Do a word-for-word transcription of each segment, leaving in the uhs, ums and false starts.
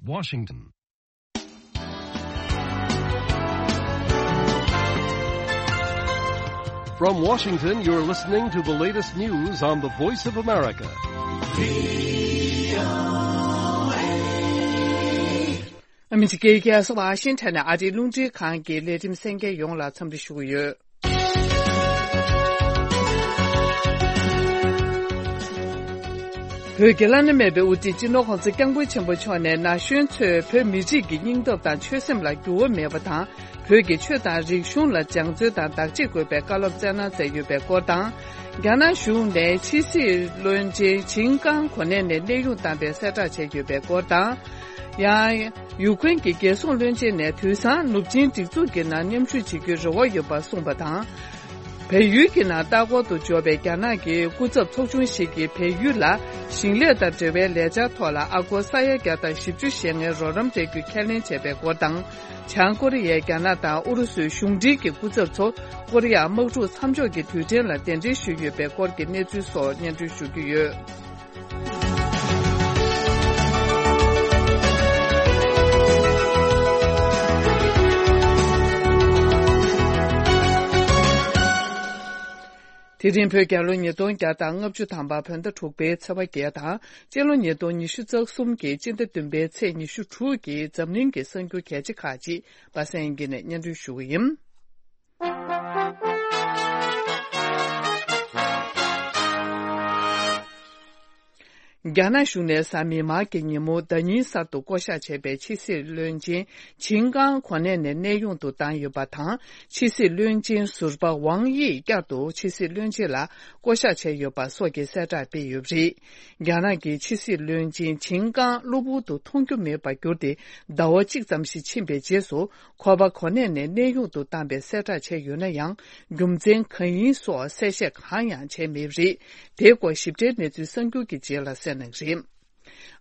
Washington. From Washington, you're listening to the latest news on the Voice of America. ཨ་མི་རི་ཀའི་རྒྱལ་ས་ཝ་ཤིང་ཊོན་ནས་ཨ་རིའི་རླུང་འཕྲིན་ཁང་གི་ལས་རིམ་གསན་མཁན་ཡོངས་ལ་འཚམས་འདྲི་ཞུ་གི་ཡོད། བོད་ཀྱི་བླ་ན་མེད་པའི་དབུ་ཁྲིད་སྤྱི་ནོར་༸གོང་ས་༸སྐྱབས་མགོན་ཆེན་པོ་མཆོག་ནས་ན་གཞོན་ཚོས་བོད་མི་རིགས་ཀྱི་སྙིང་སྟོབས་དང་ཆོད་སེམས་ལ་འགྱུར་བ་མེད་པ་དང་། བོད་ཀྱི་ཆོས་དང་རིག་གཞུང་ལ་སྦྱང་བརྩོན་དང་བདག་གཅེས་དགོས་པའི་བཀའ་སློབ་སྩལ་གནང་མཛད་ཡོད་པའི་སྐོར་དང་། རྒྱ་ནག་གཞུང་ནས་ཕྱི་སྲིད་བློན་ཆེན་ཆིང་ཀང་གོ་གནས་ནས་གནས་དབྱུང་བཏང་བའི་གསལ་བསྒྲགས་བྱས་ཡོད་པའི་སྐོར་དང་། ཡང་། ཡུཀ་རེན་གྱི་རྒྱལ་སྲུང་བློན་ཆེན་ནས་དུས་སང་ནུབ་ཆིངས་སྒྲིག་འཛུགས་ཀྱི་ནང་མཉམ་ཞུགས་བྱེད་རྒྱུའི་རེ་བ་ཡོད་པ་གསུངས་པ་དང་། བལ་ཡུལ་གྱི་ནང་ལྟ་སྐོར་དུ་འབྱོར་བའི་རྒྱ་ནག་གི་སྐུ་ཚབ་ཚོགས་ཆུང་ཞིག་གིས་བལ་ཡུལ་ལ་ཞིང་ལས་དང་འབྲེལ་བའི་ལས་འཆར་ཐོག་ལ་ཨ་སྒོར་ས་ཡ་བརྒྱ་དང་བཞི་བཅུ་ཞེ་ལྔའི་རོགས་རམ་སྤྲད་རྒྱུ་ཁས་ལེན་བྱས་པའི་སྐོར་དང་། བྱང་ཀོ་རི་ཡས་རྒྱ་ནག་དང་ཨུ་རུ་སུའི་གཞུང་འབྲེལ་གྱི་སྐུ་ཚབ་ཚོ་ཀོ་རི་ཡ་དམག་འཁྲུག་མཚམས་འཇོག་གི་དུས་དྲན་ལ་གདན་འདྲེན་ཞུས་ཡོད་པའི་སྐོར་གྱི་གནས་ཚུལ་སོགས་སྙན་སྒྲོན་ཞུ་རྒྱུ་ཡོད། དེ་རིང་བོད་རྒྱལ་ལོ་ཉིས་སྟོང་བརྒྱ་དང་ལྔ་བཅུ་ཐམ་པ་བོད་ཟླ་དྲུག་པའི་ཚེས་པ་བརྒྱད་དང་། སྤྱི་ལོ་ཉིས་སྟོང་ཉི་ཤུ་རྩ་གསུམ་གྱི་སྤྱི་ཟླ་བདུན་པའི་ཚེས་ཉི་ཤུ་དྲུག་གི་འཛམ་གླིང་གི་གསར་འགྱུར་གལ་ཆེ་ཁག་ཅིག་པ་སངས་དབྱངས་སྐྱིད་ནས་སྙན་སྒྲོན་ཞུ་གི་ཡིན། རྒྱ་ནག་གཞུང་ནས་གཟའ་མིག་དམར་གྱི་ཉིན་མོ་ཟླ་ཉིན་གསར་དུ་བསྐོ་གཞག་བྱས་པའི་ཕྱི་སྲིད་བློན་ཆེན་ཆིང་ཀང་གོ་གནས་ནས་གནས་དབྱུང་དུ་བཏང་ཡོད་པ་དང་། ཕྱི་སྲིད་བློན་ཆེན་ཟུར་པ་ཝང་དབྱི་བསྐྱར་དུ་ཕྱི་སྲིད་བློན་ཆེན་ལ་བསྐོ་གཞག་བྱས་ཡོད་པ་སོགས་ཀྱི་གསལ་བསྒྲགས་སྤེལ་ཡོད་པ་རེད། རྒྱ་ནག་གི་ཕྱི་སྲིད་བློན་ཆེན་ཆིང་ཀང་གློ་བུར་དུ་མཐོང་རྒྱུ་མེད་པར་གྱུར་ཏེ་ཟླ་བ་གཅིག་ཙམ་ཞིག་ཕྱིན་པའི་རྗེས་སུ། ཁོ་པ་གོ་གནས་ནས་གནས་དབྱུང་དུ་བཏང་པའི་གསལ་བསྒྲགས་བྱས་ཡོད་ན་ཡང་། རྒྱུ་མཚན་གང་ཡིན་སོགས་གསལ་བཤད་གང་ཡང་བྱས་མེད་པ་རེད། དེའི་སྐོར་ཞིབ་ཕྲའི་གནས་ཚུལ་གསར་འགྱུར་གྱི་རྗེས་ལ་གསན་གནང་གི་རེད།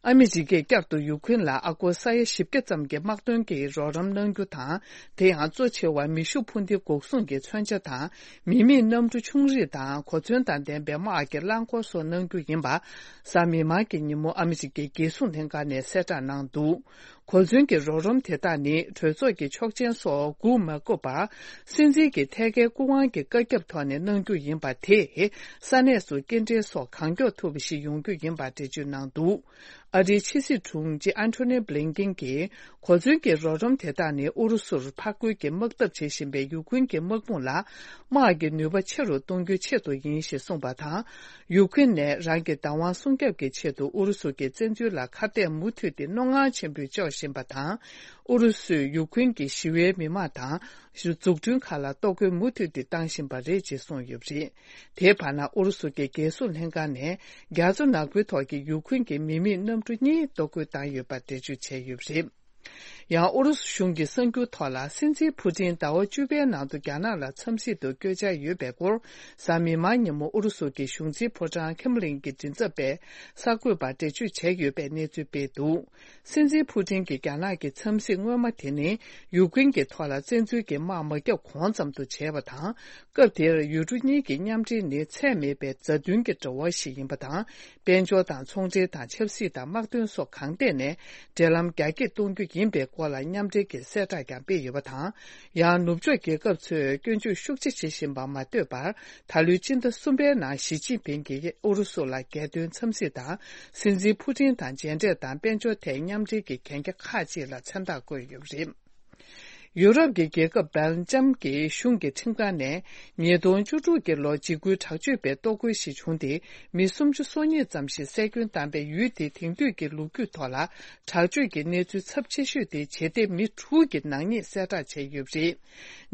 ཨ་མི་རི་ཀས་བསྐྱར་དུ་ཡུཀ་རེན་ལ་ཨ་སྒོར་ས་ཡ་བཞི་བརྒྱ་ཙམ་གྱི་དམག་དོན་གྱི་རོགས་རམ་གནང་རྒྱུ་དང་། དེ་ཡང་གཙོ་ཆེ་བ་མེ་ཤུགས་འཕུར་མདེལ་འགོག་སྲུང་གི་མཚོན་ཆ་དང་། མི་མེད་གནམ་གྲུ་ཆུང་རིགས་དང་གོ་མཚོན་དང་ལྡན་པའི་དམག་གི་རླངས་འཁོར་སོགས་གནང་རྒྱུ་ཡིན་པ། གཟའ་མིག་དམར་གྱི་ཉིན་མོ་ཨ་མི་རི་ཀའི་རྒྱལ་སྲུང་ལྷན་ཁང་ནས་གསལ་བསྒྲགས་གནང་འདུག་གོ་མཚོན་གྱི་རོགས་རམ་དེ་དག་ནི་གྲོས་ཚོགས་ཀྱི་ཆོག་མཆན་སོགས་སྒུག་མ་དགོས་པར། སྲིད་འཛིན་གྱི་ཐད་ཀའི་སྐུ་དབང་གི་བཀའ་ཁྱབ་ཐོག་ནས་གནང་རྒྱུ་ཡིན་པ་དེས། ས་གནས་སུ་སྐྱེལ་འདྲེན་སོགས་གང་མགྱོགས་ཐུབ་པ་ཞིག་ཡོང་རྒྱུ་ཡིན་པ་འགྲེལ་བརྗོད་གནང་འདུག་ཨ་རིའི་ཕྱི་སྲིད་དྲུང་ཆེ་ཨན་ཐོ་ནི་བྷི་ལིན་ཀིན་གྱིས། གོ་མཚོན་གྱི་རོགས་རམ་དེ་དག་ནི་ཨུ་རུ་སུར་ཕར་རྒོལ་གྱི་དམག་འཐབ་བྱེད་བཞིན་པའི་ཡུཀ་རེན་གྱི་དམག་དཔུང་ལ། དམག་གི་ནུས་པ་ཆེ་རུ་གཏོང་རྒྱུའི་ཆེད་དུ་ཡིན་ཞེས་གསུངས་པ་དང་། ཡུཀ་རེན་ནས་རང་གི་བདག་དབང་སྲུང་སྐྱོབ་ཀྱི་ཆེད་དུ་ཨུ་རུ་སུ་གྱི་བཙན་འཛུལ་ལ་ཁ་གཏད་མུ་མཐུད་དེ་སྣོན་ངར་ཆེན་པོས་གཅོག་བཞིན་པ་དང་། ཨུ་རུ་སུས་ཡུཀ་རེན་གྱི་ཞི་བའི་མི་མང་དང་། འཛུགས་སྐྲུན་ཁག་ལ་གཏོར་རྒོལ་མུ་མཐུད་དེ་བཏང་བཞིན་པ་རེད་ཅེས་གསུངས་ཡོད་པ་རེད། དེའི་བར་ན་ཨུ་རུ་སུ་གྱི་རྒྱལ་སྲུང་ལྷན་ཁང་ནས་རྒྱ་མཚོ་ནག་པོའི་ཐོག་གི་ཡུཀ་རེན་གྱི་མི་མེད་གནམ་གྲུ་གཉིས་གཏོར་རྒོལ་བཏང་ཡོད་པ་འགྲེལ་བརྗོད་བྱས་ཡོད་པ་རེད། ཡང་ཨུ་རུ་སུ་གཞུང་གི་གསར་འགྱུར་ཐོག་ལ། སྲིད་འཛིན་ཕུ་ཏིན་ཟླ་བ་བཅུ་པའི་ནང་དུ་རྒྱ་ནག་ལ་འཚམས་གཟིགས་དུ་བསྐྱོད་འཆར་ཡོད་པའི་སྐོར། གཟའ་མིག་དམར་ཉིན་མོ་ཨུ་རུ་སུ་གྱི་གཞུང་འཛིན་ཕོ་བྲང་ཁེམ་ལིན་གྱི་མགྲིན་ཚབ་པས་གསར་འགོད་པར་འགྲེལ་བརྗོད་བྱས་ཡོད་པའི་གནས་ཚུལ་སྤེལ་འདུག་སྲིད་འཛིན་ཕུ་ཏིན་གྱི་རྒྱ་ནག་གི་འཚམས་གཟིགས་སྔོན་མ་དེ་ནི། ཡུཀ་རེན་གྱི་ཐོག་ལ་བཙན་འཛུལ་གྱི་དམག་མ་བརྒྱབ་གོང་ཙམ་དུ་བྱས་པ་དང་། སྐབས་དེར་ཡུལ་གྲུ་གཉིས་ཀྱི་མཉམ་འབྲེལ་ནི་ཚད་མེད་པའི་མཛའ་མཐུན་གྱི་འབྲེལ་བ་ཞིག་ཡིན་པ་དང་། དཔལ་འབྱོར་དང་ཚོང་འབྲེལ་དང་ཆབ་སྲིད་དང་དམག་དོན་སོགས་གང་ཐད་ནས་འབྲེལ་ལམ་རྒྱ་སྐྱེད་གཏོང་རྒྱུ་ཡིན་པའི་སྐོར་ལ་མཉམ་འབྲེལ་གྱི་གསལ་བསྒྲགས་ཀྱང་སྤེལ་ཡོད་པ་དང་། ཡང་ནུབ་ཕྱོགས་རྒྱལ་ཁབ་ཚོས་སྐྱོན་བརྗོད་ཤུགས་ཆེ་བྱེད་བཞིན་པ་མ་ལྟོས་པར། ད་ལོའི་སྤྱི་ཟླ་གསུམ་པའི་ནང་ཞི་ཅིན་ཕིང་གིས་ཨུ་རུ་སུ་ལ་རྒྱལ་དོན་འཚམས་གཟིགས་དང་། སྲིད་འཛིན་ཕུ་ཏིན་དང་མཇལ་འཕྲད་དང་དཔལ་འབྱོར་ཐད་མཉམ་འབྲེལ་གྱི་གན་རྒྱ་ཁག་ཅིག་ལ་མཚན་རྟགས་བཀོད་ཡོད་པ་རེད། ཡུ་རོབ་ཀྱི་རྒྱལ་ཁབ་སྦེལ་ཇམ་གྱི་གཞུང་གི་ཁྲིམས་ཁང་ནས་ཉིས་སྟོང་བཅུ་དྲུག་གི་ལོ་འཇིགས་སྐུལ་དྲག་སྤྱོད་པའི་གཏོར་རྒོལ་ཞིག་བྱུང་སྟེ། མི་སུམ་ཅུ་སོ་གཉིས་ཙམ་ཞིག་བསད་སྐྱོན་བཏང་པའི་ཡུལ་དེའི་དེང་དུས་ཀྱི་ལོ་རྒྱུས་ཐོག་ལ་དྲག་སྤྱོད་ཀྱི་གནས་ཚུལ་ཚབས་ཆེ་ཤོས་དེ་ཇེ་འདེབས་མི་དྲུག་གི་ནག་ཉེས་གསལ་བསྒྲགས་བྱས་ཡོད་པ་རེད།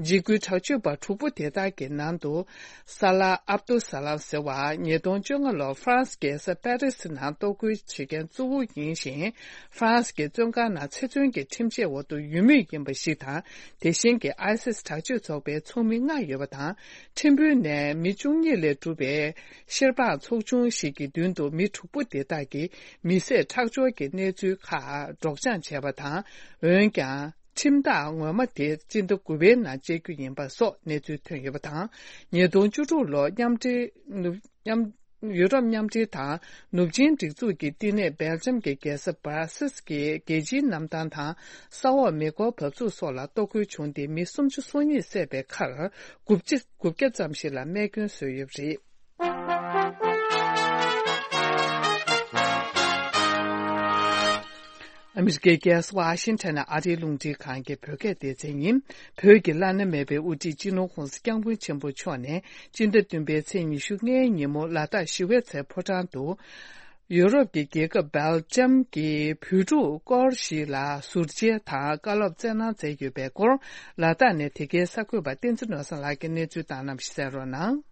འཇིགས་སྐུལ་དྲག་སྤྱོད་པ་དྲུག་པོ་དེ་དག་གི་ནང་དུ། ས་ལ་ཨབ་ཏུ་ས་ལམ་ཟེར་བ་ཉིས་སྟོང་བཅོ་ལྔ་ལོར་ཧྥ་རན་སི་རྒྱལ་ས་པེ་རི་སི་ནང་གཏོར་རྒོལ་བྱེད་མཁན་གཙོ་བོ་ཡིན་ཞིང་། ཧྥ་རན་སི་གི་བཙོན་ཁང་ནང་ཚེ་བཙོན་གྱི་ཁྲིམས་ཆད་འོག་ཏུ་ཡོད་མུས་ཡིན་པ་ཞིག་དང་། དེ་བཞིན་གྱི་ཨའི་སིས་དྲག་སྤྱོད་ཚོགས་པའི་ཚོགས་མི་ལྔ་ཡོད་པ་དང་། ཁྲིམས་དཔོན་ནས་མི་བཅུ་གཉིས་ལས་གྲུབ་པའི་ཤེར་པཱ་ཚོགས་ཆུང་ཞིག་གི་མདུན་དུ་མི་དྲུག་པོ་དེ་དག་གིས་མི་བསད་ཁྲག་སྦྱོར་གྱི་གནས་ཚུལ་ཁག་སྒྲོག་སྦྱང་བྱས་པ་དང་། འོན་ཀྱང་། ཁྲིམས་ཐག་ངོ་མ་དེ་སྤྱི་ཟླ་དགུ་པའི་ནང་བཅད་རྒྱུ་ཡིན་པ་སོགས་གནས་ཚུལ་ཐོན་ཡོད་པ་དང་། ཉིས་སྟོང་བཅུ་དྲུག་ལོར་མཉམ་འབྲེལ་ནུབ་མཉམ་ ཡུ་རོབ་མཉམ་འབྲེལ་དང་ནུབ་ཆིངས་སྒྲིག་འཛུགས་ཀྱི་བསྟི་གནས་སྦེལ་ཇམ་གྱི་རྒྱལ་ས་སྦར་སིལ་གྱི་རྒྱལ་སྤྱིའི་གནམ་ཐང་དང་ས་འོག་མེ་འཁོར་བབས་ཚུགས་སོགས་ལ་གཏོར་རྒོལ་བྱུང་སྟེ་མི་སུམ་ཅུ་སོ་གཉིས་བསད་པའི་ཁར་དགུ་བཅུ་དགུ་བརྒྱ་ཙམ་ཞིག་ལ་རྨས་སྐྱོན་བཟོས་ཡོད་པ་རེད། ཨ་མི་རི་ཀའི་རྒྱལ་ས་ཝ་ཤིང་ཊོན་ནས་ཨ་རིའི་རླུང་འཕྲིན་ཁང་གི་བོད་སྐད་སྡེ་ཚན་ཡིན། བོད་ཀྱི་བླ་ན་མེད་པའི་དབུ་ཁྲིད་སྤྱི་ནོར་༧གོང་ས་༧སྐྱབས་མགོན་ཆེན་པོ་མཆོག་ནས་སྤྱི་ཟླ་བདུན་པའི་ཚེས་ཉི་ཤུ་ལྔའི་ཉིན་མོ་ལ་དྭགས་ཞི་བའི་རྩེ་ཕོ་བྲང་དུ། ཡུ་རོབ་ཀྱི་རྒྱལ་ཁབ་སྦེལ་ཇམ་གྱི་བོད་ཕྲུག་སྐོར་ཞིག་ལ་ཟུར་མཇལ་དང་བཀའ་སློབ་སྩལ་གནང་མཛད་ཡོད་པའི་སྐོར། ལ་དྭགས་ནས་དེ་གའི་གསར་འགོད་པ་བསྟན་འཛིན་ནོར་བཟང་ལགས་ཀྱིས་གནས་ཚུལ་བཏང་གནང་བ་ཞིག་གསན་རོགས་གནང་།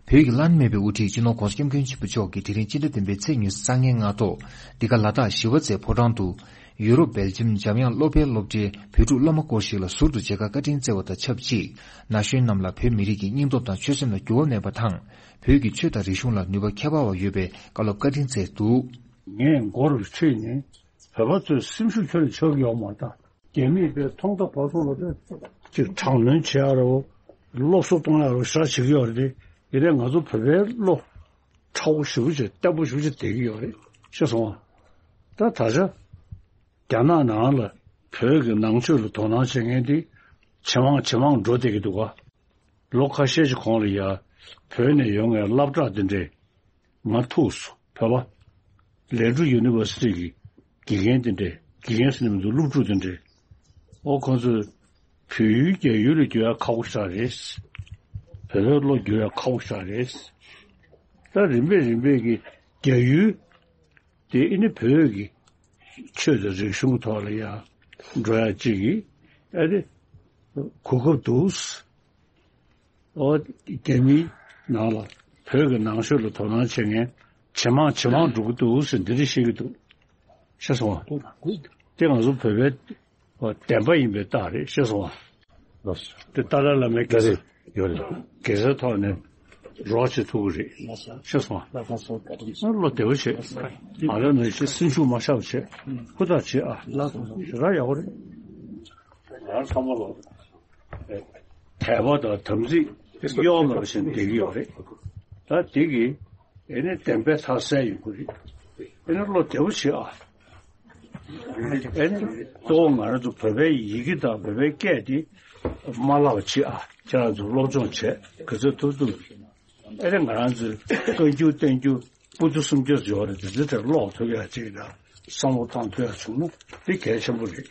བོད་ཀྱི་བླ་ན་མེད་པའི་དབུ་ཁྲིད་སྤྱི་ནོར་༧གོང་ས་༧སྐྱབས་མགོན་ཆེན་པོ་མཆོག་གིས་དེ་རིང་སྤྱི་ཟླ་བདུན་པའི་ཚེས་ཉི་ཤུ་རྩ་ལྔའི་སྔ་དྲོ། འདི་ག་ལ་དྭགས་ཞི་བ་རྩེ་ཕོ་བྲང་དུ། ཡུ་རོབ་སྦེལ་ཇམ་འཇམ་དབྱངས་སློབ་དཔེ་སློབ་གྲྭའི་བོད་ཕྲུག་སློབ་མ་སྐོར་ཞིག་ལ་ཟུར་དུ་མཇལ་ཁ་བཀའ་དྲིན་བསྩལ་བ་དང་ཆབས་ཅིག་ན་གཞོན་རྣམས་ལ་བོད་མི་རིགས་ཀྱི་སྙིང་སྟོབས་དང་ཆོད་སེམས་ལ་འགྱུར་བ་མེད་པ་དང་། བོད་ཀྱི་ཆོས་དང་རིག་གཞུང་ལ་ནུས་པ་ཁྱད་པར་བ་ཡོད་པའི་བཀའ་སློབ་བཀའ་དྲིན་བསྩལ་འདུག་ངས་མགོ་རུ་ཁྲིད་ནས་བོད་པ་ཚོའི་སེམས་ཤུགས་ཁྱོན་ནས་ཆག་གི་ཡོད་མ་རེད་ད། རྒྱ་མིས་དཔེ་ཐོག་མཐའ་བར་གསུམ་ལ་དཔེ་ཅིག་དྲག་གནོན་བྱེད་ཡ་རེད། སློབ་གསོ་གཏོང་ཡ་རེད། ཞེ་དྲག་བྱེད་ཀྱི་ཡོད་རེད་དེ། ཡིན་ནའི་ང་ཚོ་བོད་པའི་བློ་ཁྲ་བོ་ཞེ་པོ་ཅིག་བརྟན་པོ་ཞེ་པོ་ཅིག་བསྡད་ཀྱི་ཡོད་རེད། ཤེས་སོང་ང་། ད་ད་ཆ་རྒྱ་ནག་ནང་ལ་བོད་ཀྱི་ནང་ཆོས་ལ་དོ་སྣང་བྱེད་མཁན་དེ་ཇེ་མང་ཇེ་མང་འགྲོ་བསྡད་ཀྱི་འདུག་ག་ལོ་ཁ་ཤས་ཀྱི་གོང་ལ་ཡ་བོད་ནས་ཡོང་མཁན་སློབ་གྲྭ་འདི་འདྲས་མར་ཐུག་སོང་། བོད་པ་ལན་ཀྲུའུ་ཡུ་ནི་ཝར་སི་ཊི་གི་དགེ་རྒན་འདི་འདྲས། དགེ་རྒན་ཟེར་ནས་མི་འདུག་སློབ་ཕྲུག་འདི་འདྲས། ཨོ་ཁོང་ཚོས་བོད་ཡུལ་རྒྱ་ཡུལ་ལ་བསྒྱུར་ཡ་ཁག་པོ་ཞེ་དྲག་རེད། བོད་པའི་བློ་བསྒྱུར་ཡ་ཁག་པོ་ཞེ་དྲག་རེད། ད་རིམ་པས་རིམ་པས་ཀྱི་རྒྱ་ཡུལ་དེ་ཨ་ནི་བོད་ཀྱི་ཆོས་དང་རིག་གཞུང་གི་ཐོག་ལ་ཡ་འགྲོ་ཡ་གཅིག་གི་ཨ་ནི་གོ་སྐབས་འདུག་ཨོ་རྒྱ་མིའི་ནང་ལ་བོད་ཀྱི་ནང་ཆོས་ལ་དོ་སྣང་བྱེད་མཁན་ཇེ་མང་ཇེ་མང་འགྲོ་གི་འདུག་ཟེར་འདི་འདྲ་བཤད་ཀྱི་འདུག་ཤེས་སོང་ང་། དེ་ང་ཚོ་བོད་པའི་བདེན་པ་ཡིན་པའི་རྟགས་རེད། ཤེས་སོང་ང་། ལགས་སོ། དེ་ཏཱ་ལའི་བླ་མའི་དགེ་རྒན་ཡོད་རེད། དགེ་རྩའི་ཐོག་ནས་རོགས་བྱེད་ཐུབ་ཀྱི་རེད། ལགས་སོ། ཤེས་སོང་ང་། ལགས་སོ། བཀའ་དྲིན་ཆེ། བློ་བདེ་པོ་བྱེད། ང་རང་ནང་བཞིན་སེམས་ཤུགས་མ་ཆག་པ་བྱེད། ཧུར་ཐག་བྱེད་ཨ། ལགས་སོ། ཞེ་དྲག་ཡག་པོ་རེད། ང་རང་ཚང་མ་ལ་དད་པ་དང་དམ་ཚིག་གཡོ་མེད་པ་བྱས་ནས་བསྡད་ཀྱི་ཡོད་རེད། ད་དེ་གིས། ཨེ་ནི་བདེན་པའི་མཐའ་གསལ་ཡོང་གི་རེད། ཨེ་ནི་བློ་བདེ་པོ་བྱེད་ཨ། ཨེ་ནི་གཙོ་བོ་ང་རང་ཚོ་བོད་པའི་ཡི་གེ་དང་བོད་པའི་སྐད་དེ་མ་བརླག་པ་བྱེད་ཨ། ཁྱེད་རང་ཚོ་སློབ་སྦྱོང་བྱེད་ག་ཚོད་ཐུབ་ཐུབ། ཨེ་ནི་ང་རང་ཚོའི་བཀའ་འགྱུར་བསྟན་འགྱུར་པོ་ཏི་སུམ་བརྒྱ་ཡོད་རེད། དེ་ཚོ་དེར་ཀློག་ཐུབ་ཡ་ཅིག་དང་བསམ་བློ་བཏང་ཐུབ་ཡ་བྱུང་ན་དེ་གལ་ཆེན་པོ་རེད།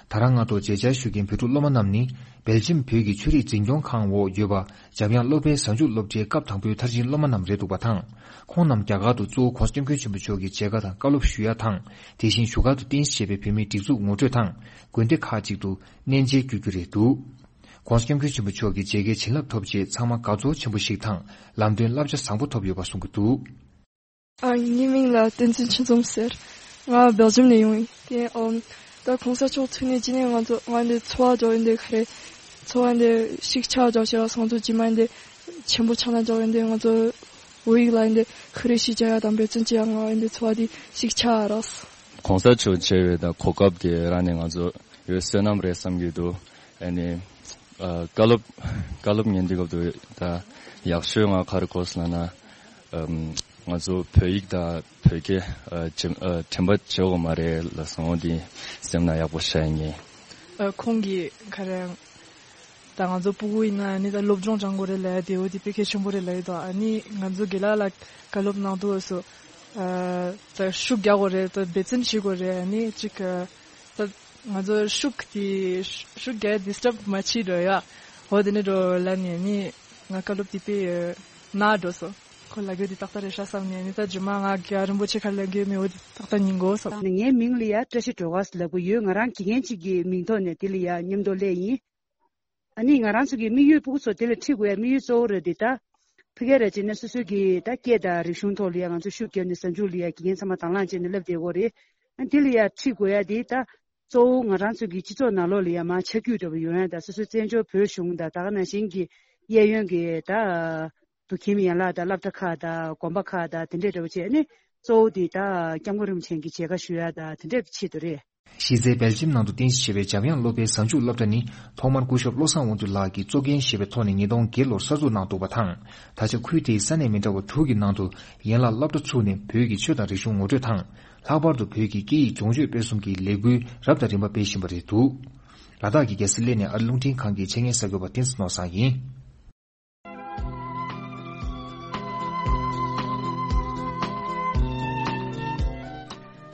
ད་རང་སྔ་དྲོ་མཇལ་བཅར་ཞུ་མཁན་བོད་ཕྲུག་སློབ་མ་རྣམས་ནི་སྦེལ་ཇམ་བོད་ཀྱི་ཆོས་རིག་འཛིན་སྐྱོང་ཁང་འོག་ཡོད་པ་འཇམ་དབྱངས་སློབ་དཔེ་གཟའ་མཇུག་སློབ་གྲྭའི་སྐབས་དང་པོའི་མཐར་ཕྱིན་སློབ་མ་རྣམས་རེད་འདུག་པ་དང་། ཁོང་རྣམས་རྒྱ་གར་དུ་གཙོ་བོ་༧གོང་ས་༧སྐྱབས་མགོན་ཆེན་པོ་མཆོག་གི་མཇལ་ཁ་དང་བཀའ་སློབ་ཞུ་ཡ་དང་། དེ་བཞིན་བཞུགས་སྒར་དུ་རྟེན་གཞི་བྱས་པའི་བོད་མིའི་སྒྲིག་འཛུགས་ངོ་སྤྲོད་དང་དགོན་སྡེ་ཁག་ཅིག་ཏུ་གནས་མཇལ་བསྐྱོད་རྒྱུ་རེད་འདུག ༧གོང་ས་༧སྐྱབས་མགོན་ཆེན་པོ་མཆོག་གི་མཇལ་ཁའི་བྱིན་རླབས་ཐོབ་རྗེས་ཚང་མ་དགའ་ཚོར་ཆེན་པོ་ཞིག་དང་ལམ་སྟོན་བསླབ་བྱ་བཟང་པོ་ཐོབ་ཡོད་པ་གསུང་གི་འདུག་ཨ། ངའི་མིང་ལ་བསྟན་འཛིན་ཆོས་འཛོམས་ཟེར། ང་སྦེལ་ཇམ་ནས་ཡོང་ཡིན། དེ་ཨམ། ད་གོང་ས་མཆོག་ཐུག་ནས་ཅི་ནས་ང་ཚོ་ང་འདི་འཚོ་བ་འཇོག་ཡིན་དེ་ག་རེ། འཚོ་བ་འདི་ཤིག་ཆགས་འཇོག་བྱས་ལ་སང་ཚོ་ཇི་མ་འདི་ཆེན་པོ་ཆགས་ན་འཇོག་ཡིན་དེ། ང་ཚོ་བོད་ཡིག་ལ་ཡིན་དེ་ག་རེ་ཤིག་བྱ་ཡ་དང་འབད་བརྩོན་བྱེད་ཡ་ང་ཡིན་དེ་འཚོ་བ་འདི་ཤིག་ཆགས་རག་གོང་ས་མཆོག་མཇལ་བའི་ད་གོ་སྐབས་དེ་རག་ནས་ང་ཚོ་ཡོད་བསོད་ནམས་རེད་བསམ་གྱི་འདུག་ཨ་ནི། ཨ། བཀའ་སློབ་བཀའ་སློབ་ཉན་དུས་སྐབས་དུ་ད་ཡག་ཤོས་ང་ག་རེ་གོ་སོང་ལབ་ན། ཨམ། ང་ཚོ་བོད་ཡིག་དང་བོད་སྐད་ཨ། དྲན་ཨ། དྲན་པ་བརྗེད་དགོས་མ་རེད་ལབ་སོང་། འོ་འདི་སེམས་ན་ཡག་པོ་ཤར་ཡིན། ཨ། ཁོང་གིས་ག་རེ་ད་ང་ཚོ་སྤུ་གུ་ཡིན་ན་ནི་ད་སློབ་སྦྱོང་སྦྱང་དགོས་རེད་ལབ་ཡ་དེ་འོ་དེ་དཔེ་གལ་ཆེན་པོ་རེད་ལབ་ཡོད་དོ། ཨ་ནི་ང་ཚོ་དགེ་ལགས་ལ་བཀའ་སློབ་གནང་དུས་སུ། ཨ། ད་ཤུགས་རྒྱག་དགོས་རེད། ད་འབད་བརྩོན་བྱེད་དགོས་རེད། ཨ་ནི་ཅིག་ཨ། ད་ང་ཚོ་ཤུགས་དེ་ཤུགས་རྒྱག་ཌི་སི་ཊབ་མ་བྱེད་འགྲོ་ཡ། འོ་དེ་ནས་འགྲོ་ལ་ནས་ནི་ང་བཀའ་སློབ་དེ་དཔེ་ན་འགྲོ་སོང་། ཁོ་ལ་རྒྱུ་དེ་ཏག་ཏག་རེད་ཤག་བསམ་ནས་ནི་ད་རྗེས་མ་ང་རྒྱལ་བ་རིན་པོ་ཆེ་ག་ལ་རྒྱུ་མེད་འོ་དེ་ཏག་ཏག་ཉན་དགོས་བསམ། ངའི་མིང་ལ་ཡ་བཀྲ་ཤིས་སྒྲོལ་དཀར་ལབ་གི་ཡོད། ང་རང་དགེ་རྒན་གཅིག་གི་མིང་ཐོག་ནས་དེ་ལ་ཡ་མཉམ་དུ་སླེབས་ཡིན། ཨ་ནི་ང་རང་ཚོ་གི་དམིགས་ཡུལ་ཕྲུ་གུ་ཚོ་དེ་ལ་ཁྲིད་དགོས་ཡ་དམིགས་ཡུལ་གཙོ་བོ་རེད་དེ། ད་ཕ་གི་ར་བྱས་ན་སོ་སོ་གི་ད་སྐད་དང་རིག་གཞུང་ཐོག་ལ་ཡ་ང་ཚོ་ཤུགས་བརྒྱབ་ནས་གཟའ་མཇུག་ལ་ཡ་དགེ་རྒན་ཚང་མ་དང་བླངས་བྱས་ནས་བསླབ་བསྡད་ཡོད་རེད། ཨ་དེ་ལ་ཡ་ཁྲིད་དགོས་ཡ་དེ་ད་གཙོ་བོ་ང་རང་ཚོ་གི་སྤྱི་ཚོགས་ནང་ལོགས་ལ་ཡ་མར་ཆ་རྒྱུས་འདྲ་པོ་ཡོང་ཡ། ད་སོ་སོའི་བཙན་བྱོལ་བོད་གཞུང་དང་ད་ག་ནང་བཞིན་གྱི་གཡས་གཡོན་གྱི་ད་བོད་ཁྱིམ་ཡན་ལག་དང་སློབ་གྲྭ་ཁག་དང་དགོན་པ་ཁག་དང་དེ་འདྲས་འདྲ་པོ་བྱས་ནས་གཙོ་བོ་དེ་ད་སྐྱབས་མགོན་རིན་པོ་ཆེ་གི་མཇལ་ཁ་ཞུ་ཡ་དང་དེ་འདྲས་ཀྱི་ཆེད་དུ་རེད། གཞི་རྩའི་སྦེལ་ཇམ་ནང་དུ་རྟེན་གཞི་བྱས་པའི་འཇམ་དབྱངས་སློབ་དཔོན་གཟའ་མཇུག་སློབ་གྲྭ་ནི་ཐོག་མར་སྐུ་ཞབས་བློ་བཟང་དབང་འདུས་ལགས་ཀྱིས་གཙོ་འགན་བཞེས་པའི་ཐོག་ནས་ཉིས་སྟོང་བརྒྱད་ལོར་གསར་འཛུགས་གནང་འདུག་པ་དང་། ད་ཆ་ཁུལ་དེའི་ས་གནས་མི་འདྲ་བ་དྲུག་གི་ནང་དུ་ཡན་ལག་སློབ་གྲྭ་ཚུགས་ནས་བོད་ཀྱི་ཆོས་དང་རིག་གཞུང་ངོ་སྤྲོད་དང་། ལྷག་པར་དུ་བོད་ཀྱི་སྐད་ཡིག་སྦྱོང་སྤྱོད་སྤེལ་གསུམ་གྱི་ལས་འགུལ་རབ་དང་རིམ་པ་སྤེལ་བཞིན་པ་རེད་འདུག་ལ་དྭགས་ཀྱི་རྒྱལ་ས་གླེ་ནས་ཨ་རི་རླུང་འཕྲིན་ཁང་གི་ཆེད་གཉེར་གསར་འགོད་པ་བསྟན་འཛིན་ནོར་བཟང་ཡིན།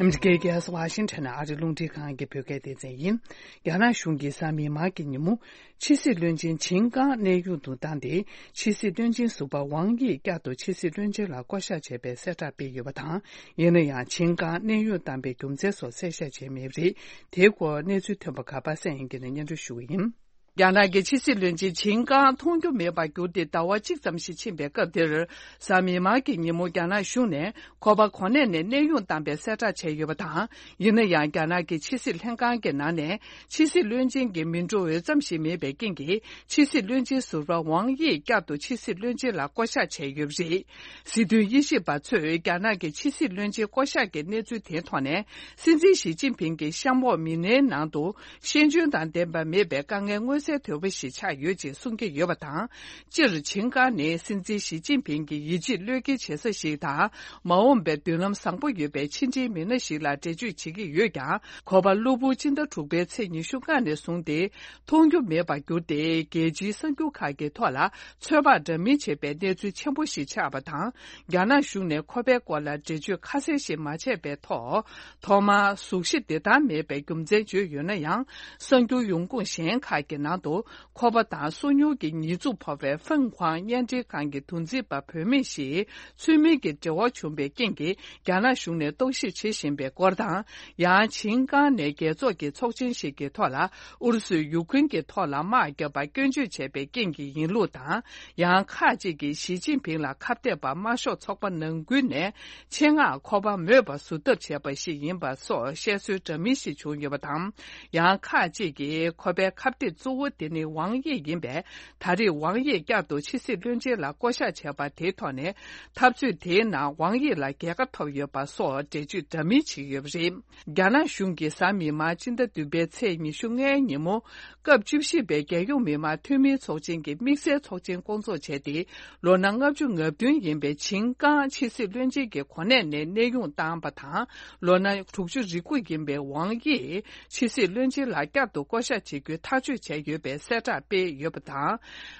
ཨ་མི་རི་ཀའི་རྒྱལ་ས་ཝ་ཤིང་ཊོན་ནས་ཨ་རི་རླུང་འཕྲིན་ཁང་གི་བོད་སྐད་སྡེ་ཚན་ཡིན། རྒྱ་ནག་གཞུང་གིས་གཟའ་མིག་དམར་གྱི་ཉིན་མོ། ཕྱི་སྲིད་བློན་ཆེན་ཆིན་ཀང་གནས་དབྱུང་དུ་བཏང་སྟེ། ཕྱི་སྲིད་བློན་ཆེན་ཟུར་པ་ཝང་དབྱིས་བསྐྱར་དུ་ཕྱི་སྲིད་བློན་ཆེན་ལ་བསྐོ་གཞག་བྱས་པའི་གསལ་བསྒྲགས་སྤེལ་ཡོད་པ་དང་། ཡིན་ན་ཡང་ཆིན་ཀང་གནས་དབྱུང་བཏང་པའི་རྒྱུ་མཚན་སོགས་གསལ་བཤད་བྱས་མེད་པ་རེད། དེའི་སྐོར་གནས་ཚུལ་ཐོན་པ་ག་པ་སངས་དབྱངས་སྐྱིད་ནས་སྙན་སྒྲོན་ཞུ་གི་ཡིན། རྒྱ་ནག་གི་ཕྱི་སྲིད་བློན་ཆེན་ཆིན་ཀང་མཐོང་རྒྱུ་མེད་པར་གྱུར་ཏེ་ཟླ་བ་གཅིག་ཙམ་ཞིག་ཕྱིན་པའི་སྐབས་དེར། གཟའ་མིག་དམར་གྱི་ཉིན་མོ་རྒྱ་ནག་གཞུང་ནས་ཁོ་པ་གོ་གནས་ནས་གནས་དབྱུང་བཏང་པའི་གསལ་བསྒྲགས་བྱས་ཡོད་པ་དང་། ཡིན་ན་ཡང་རྒྱ་ནག་གི་ཕྱི་སྲིད་ལྷན་ཁང་གི་ནང་ནས་ཕྱི་སྲིད་བློན་ཆེན་གྱི་མི་འགྲོ་འོས་ཙམ་ཞིག་མེད་པའི་རྐྱེན་གྱིས། ཕྱི་སྲིད་བློན་ཆེན་ཟུར་པ་ཝང་དབྱིས་བསྐྱར་དུ་ཕྱི་སྲིད་བློན་ཆེན་ལ་བསྐོ་གཞག་བྱས་ཡོད་པ་རེད། སྲིད་དོན་དབྱེ་ཞིབ་པ་ཚོས་རྒྱ་ནག་གི་ཕྱི་སྲིད་བློན་ཆེན་བསྐོ་གཞག་གི་གནས་ཚུལ་དེའི་ཐོག་ནས། སྲིད་འཛིན་ཞི་ཅིན་ཕིང་གི་གཤམ་འོག་མི་སྣའི་ནང་དུ། ཤེས་འཇོན་དང་ལྡན་པ་མེད་པའི་དཀའ་ངལ་མངོན་གསལ་དོད་པོ་ཞིག་ཆགས་ཡོད་ཅེས་གསུང་གི་ཡོད་པ་དང་། སྤྱིར་ཆིན་ཀང་ནི་སྲིད་འཛིན་ཞི་ཅིན་ཕིང་གི་ཡིད་ཆེས་བློས་འགེལ་བྱེད་ས་ཞིག་དང་། མ་འོངས་པའི་མདུན་ལམ་བཟང་པོ་ཡོད་པའི་ཕྱི་འབྲེལ་མི་སྣ་ཞིག་ལ་འགྲེལ་བརྗོད་བྱེད་ཀྱི་ཡོད་ཀྱང་། ཁོ་པ་གློ་བུར་སྤྱི་ཟླ་དྲུག་པའི་ཚེས་ཉི་ཤུ་ལྔ་ནས་བཟུང་སྟེ། མཐོང་རྒྱུ་མེད་པར་གྱུར་ཏེ། རྒྱལ་སྤྱིའི་གསར་འགྱུར་ཁག་གི་ཐོག་ལ་ཚོད་དཔག་འདྲ་མིན་བྱེད་པའི་གནས་ཚུལ་ཆེན་པོ་ཞིག་ཆགས་པ་དང་། རྒྱ་ནག་གཞུང་ནས་ཁོ་པའི་སྐོར་ལ་འགྲེལ་བརྗོད་ཁ་གསལ་ཞིག་མ་བྱས་པའི་ཐོག་ཐོག་མར་གཟུགས་གཞི་བདེ་ཐང་མེད་པའི་རྒྱུ་མཚན་བརྗོད་ཡོད་ན་ཡང་། གསར་འགྱུར་ཡོང་ཁུངས་གཞན་ཁག་གི་ནང་དུ། ཁོ་པ་དང་སོ་ཉུལ་གྱི་ཉེས་འཛུགས་ཕོག་པའི་ཧྥེང་ཁུའང་བརྙན་འཕྲིན་ཁང་གི་འདུ་འཛི་པ་བུད་མེད་ཞིག་ཚུལ་མིན་གྱི་འབྲེལ་བ་བྱུང་བའི་རྐྱེན་གྱིས། རྒྱ་ནག་གཞུང་ནས་རྟོག་ཞིབ་བྱེད་བཞིན་པའི་སྐོར་དང་། ཡང་ཆིན་ཀང་ནས་རྒྱལ་ཚོགས་ཀྱི་ཚོགས་ཆེན་ཞིག་གི་ཐོག་ལ། ཨུ་རུ་སུས་ཡུ་ཁུན་གྱི་ཐོག་ལ་དམག་བརྒྱབ་པར་སྐྱོན་བརྗོད་བྱས་པའི་རྐྱེན་གྱིས་ཡིན་ལུགས་དང་། ཡང་ཁག་ཅིག་གིས་ཞི་ཅིན་ཕིང་ལ་ཁ་གཏད་པ་དམར་ཤོག་ཚོགས་པ་ནང་ཁུལ་ནས་ཆེད་མངགས་ཁོ་པ་མོས་པ་བཟོ་ཐབས་བྱས་པ་ཞིག་ཡིན་པ་སོགས་བཤད་སྲོལ་འདྲ་མིན་ཞིག་བྱུང་ཡོད་པ་དང་། ཡང་ཁག་ཅིག་གིས་ཁོ་པའི་ཁ་གཏད་གཙོ་བོ་དེ་ནི་ཝང་དབྱི་ཡིན་པས། ད་རེས་ཝང་དབྱི་བསྐྱར་དུ་ཕྱི་སྲིད་བློན་ཆེན་ལ་བསྐོ་གཞག་བྱས་པ་དེའི་ཐོག་ནས། འཐབ་རྩོད་དེའི་ནང་ཝང་དབྱི་ལ་རྒྱལ་ཁ་ཐོབ་ཡོད་པ་སོགས་འགྲེལ་བརྗོད་འདྲ་མིན་བྱས་ཡོད་པ་རེད། རྒྱ་ནག་གཞུང་གིས་གཟའ་མིག་དམར་སྤྱི་ཟླ་བདུན་པའི་ཚེས་ཉི་ཤུ་ལྔའི་ཉིན་མོ། སྐབས་བཅུ་བཞི་པའི་རྒྱལ་ཡོངས་མི་དམངས་འཐུས་མིའི་ཚོགས་ཆེན་གྱི་དམིགས་བསལ་ཚོགས་ཆེན་བསྐོང་ཚོགས་བྱས་ཏེ། ལོ་ན་ལྔ་བཅུ་ང་བདུན་ཡིན་པའི་ཆིན་ཀང་ཕྱི་སྲིད་བློན་ཆེན་གྱི་གོ་གནས་ནས་གནས་དབྱུང་བཏང་པ་དང་། ལོ་ན་དྲུག་ཅུ་རེ་དགུ་ཡིན་པའི་ཝང་དབྱི་ཕྱི་སྲིད་བློན་ཆེན་ལ་བསྐྱར་དུ་བསྐོ་གཞག་བྱེད་རྒྱུའི་ཐག་གཅོད་བྱས་ཡོད་པའི་གསལ་བསྒྲགས་སྤེལ་ཡོད་པ་དང་།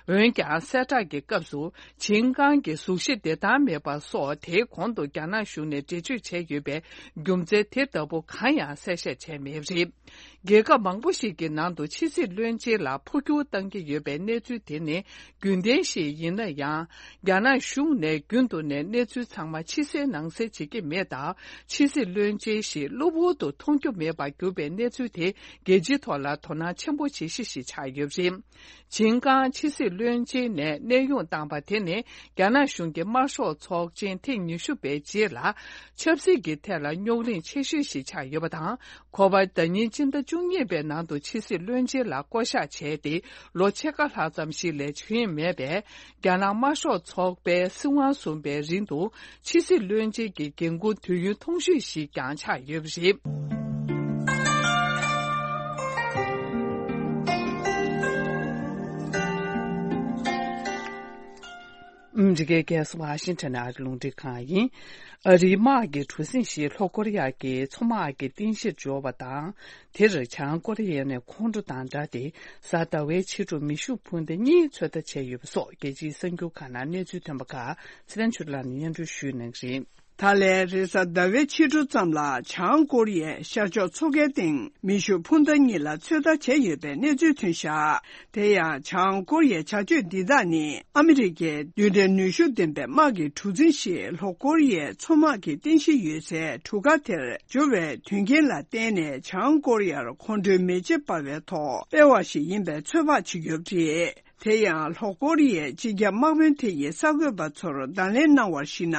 འོན་ཀྱང་གསལ་བསྒྲགས་ཀྱི་སྐབས་སུ། ཆིན་ཀང་གི་གཟུགས་གཞི་བདེ་ཐང་མེད་པ་སོགས། དེའི་གོང་དུ་རྒྱ་ནག་གཞུང་ནས་འགྲེལ་བརྗོད་བྱས་ཡོད་པའི་རྒྱུ་མཚན་དེ་ལྟ་བུ་གང་ཡང་གསལ་བཤད་བྱས་མེད་པ་རེད། རྒྱལ་ཁབ་མང་པོ་ཞིག་གི་ནང་དུ་ཕྱི་སྲིད་བློན་ཆེན་ལ་འཕོ་འགྱུར་བཏང་གི་ཡོད་པའི་གནས་ཚུལ་དེ་ནི་རྒྱུན་ལྡན་ཞིག་ཡིན་ན་ཡང་། རྒྱ་ནག་གཞུང་ནས་རྒྱུན་དུ་ནས་གནས་ཚུལ་ཚང་མ་ཕྱི་གསལ་ནང་གསལ་བྱེད་ཀྱི་མེད་སྟབས། ཕྱི་སྲིད་བློན་ཆེན་ཞིག་གློ་བུར་དུ་མཐོང་རྒྱུ་མེད་པར་གྱུར་པའི་གནས་ཚུལ་དེ། རྒྱལ་སྤྱིའི་ཐོག་ལ་དོ་སྣང་ཆེན་པོ་བྱེད་གཞི་ཞིག་ཆགས་ཡོད་པ་རེད། ཆིན་ཀང་ཕྱི་སྲིད་བློན་ཆེན་ནས་གནས་དབྱུང་བཏང་པ་དེ་ནི། རྒྱ་ནག་གཞུང་གི་དམར་ཤོག་ཚོགས་ཆེན་ཐེངས་ཉི་ཤུ་པའི་རྗེས་ལ། ཆབ་སྲིད་ཀྱི་ཐད་ལ་རྙོག་གླེང་ཆེ་ཤོས་ཤིག་ཆགས་ཡོད་པ་དང་། ཁོ་པ་ཟླ་ཉིན་སྤྱི་ཟླ་བཅུ་གཉིས་པའི་ནང་དུ་ཕྱི་སྲིད་བློན་ཆེན་ལ་བསྐོ་གཞག་བྱས་ཏེ། ལོ་ཕྱེད་ཀ་ལྷག་ཙམ་ཞིག་ལས་ཕྱིན་མེད་པས། རྒྱ་ནག་དམར་ཤོག་ཚོགས་པའི་སྲིད་དབང་བཟུང་བའི་རིང་དུ། ཕྱི་སྲིད་བློན་ཆེན་གྱི་འགན་འཁུར་དུས་ཡུན་ཐུང་ཤོས་ཤིག་ཀྱང་ཆགས་ཡོད་པ་རེད། ཨ་མི་རི་ཀའི་རྒྱལ་ས་ཝ་ཤིང་ཊོན་ཨ་རིའི་རླུང་འཕྲིན་ཁང་ཡིན། ཨ་རིའི་དམག་གི་གྲུ་གཟིངས་ཤིག་ལྷོ་ཀོ་རི་ཡ་གི་མཚོ་དམག་གི་རྟེན་གཞིར་འབྱོར་བ་དང་། དེར་བྱང་ཀོ་རི་ཡ་ནས་ཁོང་ཁྲོ་དང་སྦྲགས་ཏེ། གཟའ་ཟླ་བའི་ཕྱི་དྲོ་མེ་ཤུགས་འཕུར་མདའ་གཉིས་ཚོད་ལྟ་བྱས་ཡོད་པ་སོགས་རྒྱལ་སྤྱིའི་གསར་འགྱུར་ཁག་ནང་གནས་ཚུལ་ཐོན་པ་ཁག་ཚེ་རིང་ཆོས་ལགས་ནས་སྙན་སྒྲོན་ཞུས་གནང་གི་རེད། ད་ལན་རེས་གཟའ་ཟླ་བའི་ཕྱི་དྲོ་ཙམ་ལ་བྱང་ཀོ་རི་ཡས་ཤར་ཕྱོགས་མཚོ་ཁའི་སྟེང་མེ་ཤུགས་འཕུར་མདའ་གཉིས་ལ་ཚོད་ལྟ་བྱས་ཡོད་པའི་གནས་ཚུལ་ཐོན་བཞག་དེ་ཡང་བྱང་ཀོ་རི་ཡའི་བྱ་སྤྱོད་འདི་དག་ནི་ཨ་མི་རི་ཀའི་རྡུལ་ཕྲན་ནུས་ཤུགས་ལྡན་པའི་དམག་གི་གྲུ་གཟིངས་ཤིག་ལྷོ་ཀོ་རི་ཡའི་མཚོ་དམག་གི་རྟེན་གཞི་ཡོད་སའི་གྲུ་ཁ་དེར་འབྱོར་བའི་དོན་རྐྱེན་ལ་བརྟེན་ནས། བྱང་ཀོ་རི་ཡར་ཁོང་ཁྲོའི་མེ་ལྕེ་འབར་བའི་ཐོག་སྤེལ་བ་ཞིག་ཡིན་པའི་ཚོད་དཔག་བྱེད་ཀྱི་ཡོད་པ་རེད། དེ་ཡང་ལྷོ་ཀོ་རི་ཡའི་སྤྱི་ཁྱབ་དམག་དཔོན་དེ་ཡིས་གསར་འགོད་པ་ཚོར་བརྡ་ལན་གནང་བར་གཞིགས་ན།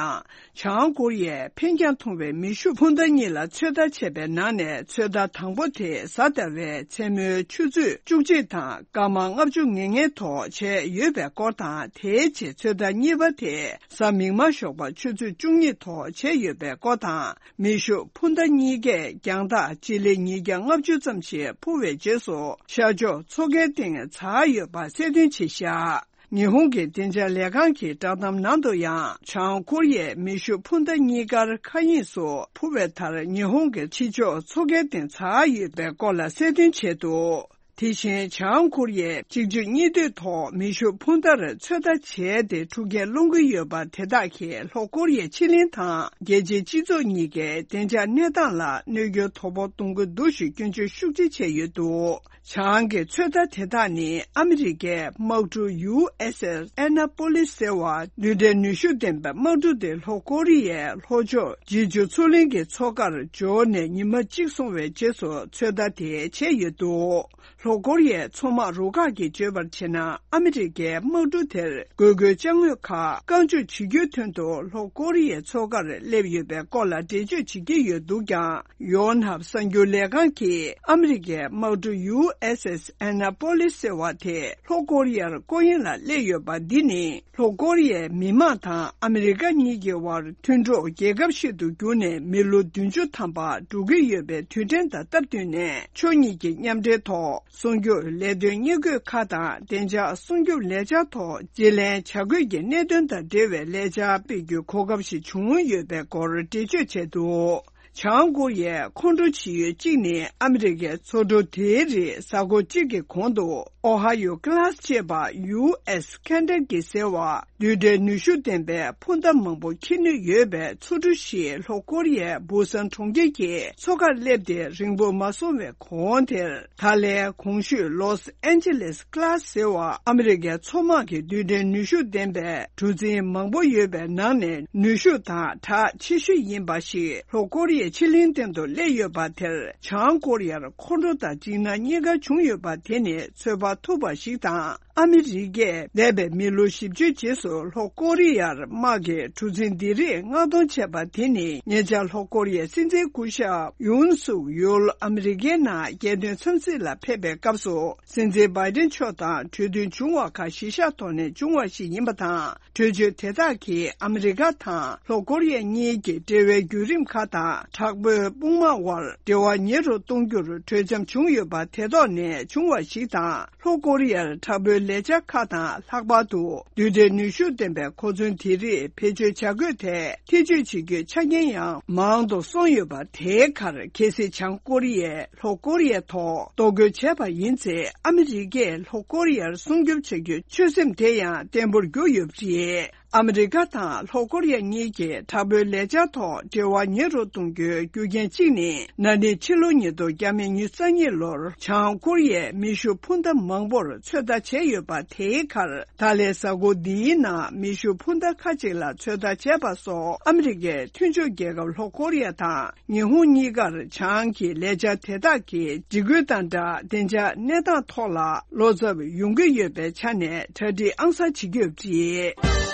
བྱང་ཀོ་རི་ཡས་འཕེན་རྒྱང་ཐུང་བའི་མེ་ཤུགས་འཕུར་མདའ་གཉིས་ལ་ཚོད་ལྟ་བྱས་པའི་ནང་ནས་ཚོད་ལྟ་དང་པོ་དེ་གཟའ་ཟླ་བའི་མཚན་མོའི་ཆུ་ཚོད་བཅུ་གཅིག་དང་སྐར་མ་ལྔ་བཅུ་ང་ལྔའི་ཐོག་བྱས་ཡོད་པའི་སྐོར་དང་། དེའི་རྗེས་ཚོད་ལྟ་གཉིས་པ་དེ་གཟའ་མིག་དམར་ཞོགས་པ་ཆུ་ཚོད་བཅུ་གཉིས་ཐོག་བྱས་ཡོད་པའི་སྐོར་དང་། མེ་ཤུགས་འཕུར་མདའ་གཉིས་ཀས་རྒྱང་ཐག་སྤྱི་ལེ་ཉིས་བརྒྱ་ལྔ་བཅུ་ཙམ་ཞིག་འཕུར་བའི་རྗེས་སུ་ཤར་ཕྱོགས་མཚོ་ཁའི་སྟེང་འཛེགས་ཡོད་པ་གསལ་སྟོན་བྱས་བཞག་ཉི་ཧོང་གི་བདེ་འཇགས་ལས་ཁང་གི་བསྒྲགས་གཏམ་ནང་དུ་ཡང་། བྱང་ཀོ་རི་ཡས་མེ་ཤུགས་འཕུར་མདའ་གཉིས་ཀར་མཁའ་དབྱིངས་སུ་འཕུར་བའི་མཐར། ཉི་ཧོང་གི་ཕྱི་ཕྱོགས་མཚོ་ཁའི་སྟེང་འཛེགས་ཡོད་པའི་སྐོར་ལ་གསལ་སྟོན་བྱས་འདུག་དེ་བཞིན་བྱང་ཀོ་རི་ཡས་གཅིག་མཆུ་གཉིས་མཐུད་ཐོག་མེ་ཤུགས་འཕུར་མདའ་ཚོད་ལྟ་བྱས་ཏེ། འཁྲུག་རྐྱེན་སློང་གི་ཡོད་པ་དེ་དག་གིས་ལྷོ་ཀོ་རི་ཡའི་ཕྱི་གླིང་དང་རྒྱལ་སྤྱིའི་སྤྱི་ཚོགས་གཉིས་ཀའི་བདེ་འཇགས་གནས་སྟངས་ལ་གནོད་སྐྱོན་དོ་ཕོག་གཏོང་གི་འདུག་ཞེས་སྐྱོན་བརྗོད་ཤུགས་ཆེ་བྱས་ཡོད་འདུག་བྱང་གི་ཚོད་ལྟ་དེ་དག་ནི་ཨ་མི་རི་ཀའི་དམག་གྲུ་ཡུ་ཨེས་ཨེས་ཨེ་ན་པོ་ལིས་ཟེར་བ། རྡུལ་ཕྲན་ནུས་ཤུགས་ལྡན་པའི་དམག་གྲུ་དེ་ལྷོ་ཀོ་རི་ཡའི་ལྷོ་ཕྱོགས་ཇི་ཇུ་མཚོ་གླིང་གི་མཚོ་ཁར་འབྱོར་ནས་ཉི་མ་གཅིག་སོང་བའི་རྗེས་སུ་ཚོད་ལྟ་དེ་བྱས་ཡོད་འདུག་ལྷོ་ཀོ་རི་ཡའི་མཚོ་དམག་རུ་ཁག་གིས་བརྗོད་པར་བྱས་ན། ཨ་མི་རི་ཀའི་དམག་གྲུ་དེར་དགོས་མཁོའི་ཅ་དངོས་ཁག་བཀག་འཇོག་བྱེད་རྒྱུའི་དོན་དུ་ལྷོ་ཀོ་རི་ཡའི་མཚོ་ཁར་སླེབས་ཡོད་པའི་སྐོར་ལ་འགྲེལ་བརྗོད་བྱེད་ཀྱི་ཡོད་འདུག་ཀྱང་། ཡོན་ཧབ་གསར་འགྱུར་ལས་ཁང་གིས་ཨ་མི་རི་ཀའི་དམག་གྲུ་ཡུ་ཨེས་ཨེས་ཨེ་ན་པོ་ལིས་ཟེར་བ་དེ་ལྷོ་ཀོ་རི་ཡར་སྐོར་གཡེང་ལ་སླེབས་ཡོད་པ་འདི་ནི། ལྷོ་ཀོ་རི་ཡའི་མི་དམངས་དང་ཨ་མི་རི་ཀ་གཉིས་ཀྱི་དབར་མཐུན་གྲོགས་རྒྱལ་ཁབ་ཞིག་ཏུ་གྱུར་ནས་མི་ལོ་བདུན་ཅུ་ཐམ་པ་འགྲོ་གི་ཡོད་པའི་དུས་དྲན་དང་སྟབས་བསྟུན་ནས། ཕྱོགས་གཉིས་ཀྱི་མཉམ་འབྲེལ་ཐོག་སྲུང་སྐྱོབ་ལས་དོན་གཉེར་སྐྱོང་ཁག་དང་། བདེ་འཇགས་སྲུང་སྐྱོབ་ལས་འཆར་ཐོག་བརྗེ་ལེན་བྱ་དགོས་ཀྱི་གནད་དོན་དང་འབྲེལ་བའི་ལས་འཆར་སྤེལ་རྒྱུའི་གོ་སྐབས་ཤིག་བྱུང་ཡོད་པའི་སྐོར་འགྲེལ་བརྗོད་བྱས་འདུག་བྱང་ཀོ་རི་ཡའི་ཁོང་ཁྲོ་བྱེད་ཡུལ་གཅིག་ནི། ཨ་མི་རི་ཀའི་མཚོ་གྲུ་དེའི་རིགས་གཟའ་འཁོར་གཅིག་གི་གོང་དུ་ཨོ་ཧ་ཡོ་ཀི་ལཱས་ཅེས་པ། ཡུ་ཨེས་ཁེན་ཌ་ཀི་ཟེར་བ། རྡུལ་ཕྲན་ནུས་ཤུགས་ལྡན་པའི་འཕུར་མདའ་མང་པོ་འཁྱེར་ནུས་ཡོད་པའི་མཚོ་གྲུ་ཞིག་ལྷོ་ཀོ་རི་ཡའི་བུ་སན་གྲོང་ཁྱེར་གྱི་མཚོ་ཁར་སླེབས་ཏེ། རིང་པོ་མ་སོང་བའི་གོང་དེར། ད་ལན་གོང་ཞུས་ལོས་ཨན་ཇེ་ལེས་ཀི་ལཱས་ཟེར་བ། ཨ་མི་རི་ཀའི་མཚོ་དམག་གི་རྡུལ་ཕྲན་ནུས་ཤུགས་ལྡན་པའི་གྲུ་གཟིངས་མང་པོ་ཡོད་པའི་ནང་ནས། ནུས་ཤུགས་དང་གྲགས་ཆེ་ཤོས་ཡིན་པ་ཞིག་ལྷོ་ཀོ་རི་ཡའི་ཕྱི་གླིང་སྟེང་དུ་སླེབས་ཡོད་པ་དེར། བྱང་ཀོ་རི་ཡར་ཁོང་ཁྲོ་དང་འཇིགས་སྣང་གཉིས་ཀ་བྱུང་ཡོད་པ་དེ་ནི་ཚོད་དཔག་ཐུབ་པ་ཞིག་དང་། ཨ་མི་རི་ཀས་འདས་པའི་མི་ལོ་བཞི་བཅུའི་རྗེས་སུ་ལྷོ་ཀོ་རི་ཡར་དམག་གི་གྲུ་གཟིངས་འདི་རིགས་མངགས་གཏོང་བྱས་པ་དེ་ནི། ཉེ་ཆར་ལྷོ་ཀོ་རི་ཡའི་སྲིད་འཛིན་སྐུ་ཞབས་ཡུན་སུག་ཡོལ་ཨ་མི་རི་ཀའི་ནང་རྒྱལ་དོན་འཚམས་གཟིགས་ལ་ཕེབས་པའི་སྐབས་སུ། སྲིད་འཛིན་བྷའི་ཏིན་མཆོག་དང་གྲོས་མཐུན་བྱུང་བ་ཁག་གཞི་བཞག་ཐོག་ནས་བྱུང་བ་ཞིག་ཡིན་པ་དང་། གྲོས་ཆོད་དེ་དག་གིས་ཨ་མི་རི་ཀ་དང་ལྷོ་ཀོ་རི་ཡ་གཉིས་ཀྱི་འབྲེལ་བའི་བརྒྱུད་རིམ་ཁག་དང་། དྲག་པོའི་དཔུང་དམག་དབར་འབྲེལ་བ་ཉེ་རུ་གཏོང་རྒྱུར་གྲོས་འཆམ་བྱུང་ཡོད་པ་དེ་ཐོག་ནས་བྱུང་བ་ཞིག་དང་། ལྷོ་ཀོ་རི་ཡར་དྲག་པོའི་ལས་འཆར་ཁག་དང་། ལྷག་པར་དུ་རྡུལ་ཕྲན་ནུས་ཤུགས་ལྡན་པའི་གོ་མཚོན་དེ་རིགས་བེད་སྤྱོད་བྱ་དགོས་ཐད་ཐེ་བྱུས་བྱེད་རྒྱུའི་ཆ་རྐྱེན་ཡང་མང་དུ་སོང་ཡོད་པ། དེའི་ཁར་གལ་སྲིད་བྱང་ཀོ་རི་ཡས་ལྷོ་ཀོ་རི་ཡའི་ཐོག་གཏོར་རྒོལ་བྱས་པ་ཡིན་ཚེ། ཨ་མི་རི་ཀས་ལྷོ་ཀོ་རི་ཡར་སྲུང་སྐྱོབ་བྱ་རྒྱུའི་ཆོད་སེམས་དེ་ཡང་བརྟན་པོར་གྱུར་ཡོད་པ་རེད། ཨ་མི་རི་ཀ་དང་ལྷོ་ཀོ་རི་ཡ་གཉིས་ཀྱིས་དྲག་པོའི་ལས་འཆར་ཐོག་འབྲེལ་བ་ཉེ་རུ་གཏོང་རྒྱུའི་རྒྱུ་རྐྱེན་གཅིག་ནི། ན་ནིང་ཕྱི་ལོ་ཉིས་སྟོང་ཉི་ཤུ་རྩ་གཉིས་ལོར་བྱང་ཀོ་རི་ཡས་མེ་ཤུགས་འཕུར་མདའ་མང་པོར་ཚོད་ལྟ་བྱས་ཡོད་པ། དེའི་ཁར་ད་ལན་གཟའ་འཁོར་འདིའི་ནང་མེ་ཤུགས་འཕུར་མདའ་ཁག་ཅིག་ལ་ཚོད་ལྟ་བྱས་པ་སོགས། ཨ་མི་རི་ཀའི་མཐུན་ཕྱོགས་རྒྱལ་ཁབ་ལྷོ་ཀོ་རི་ཡ་དང་། ཉི་ཧོང་གཉིས་ཀར་བྱང་གི་ལས་འཆར་དེ་དག་གི་འཇིགས་སྐུལ་དང་སྦྲགས། བདེ་འཇགས་གནས་སྟངས་ཐོག་ལ་བློ་འཚབ་ཡོང་གི་ཡོད་པའི་ཆ་ནས་གྲ་སྒྲིག་ཨང་གསར་བྱེད་ཀྱི་ཡོད་པ་རེད།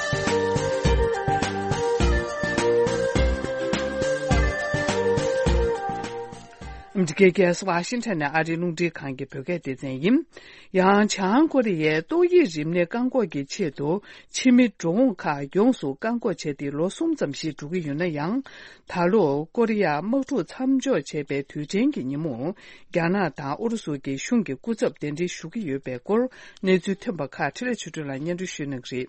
ཨ་མི་རི་ཀའི་རྒྱལ་ས་ཝ་ཤིང་ཊོན་ནས་ཨ་རིའི་རླུང་འཕྲིན་ཁང་གི་བོད་སྐད་སྡེ་ཚན་ཡིན། ཡང་བྱང་ཀོ་རི་ཡས་ཏོག་དབྱིབས་རིམས་ནད་བཀག་འགོག་གི་ཆེད་དུ། ཕྱི་མི་འགྲོ་འོང་ཁག་ཡོངས་སུ་བཀག་འགོག་བྱས་ཏེ་ལོ་གསུམ་ཙམ་ཞིག་འགྲོ་གི་ཡོད་ན་ཡང་། ད་ལོ་ཀོ་རི་ཡ་དམག་འཁྲུག་མཚམས་འཇོག་བྱས་པའི་དུས་དྲན་གྱི་ཉིན་མོ། རྒྱ་ནག་དང་ཨུ་རུ་སུ་གྱི་གཞུང་གི་སྐུ་ཚབ་གདན་འདྲེན་ཞུ་གི་ཡོད་པའི་སྐོར། གནས་ཚུལ་ཐོན་པ་ཁག་འཕྲིན་ལས་ཆོས་སྒྲོན་ལགས་སྙན་སྒྲོན་ཞུ་གནང་གི་རེད།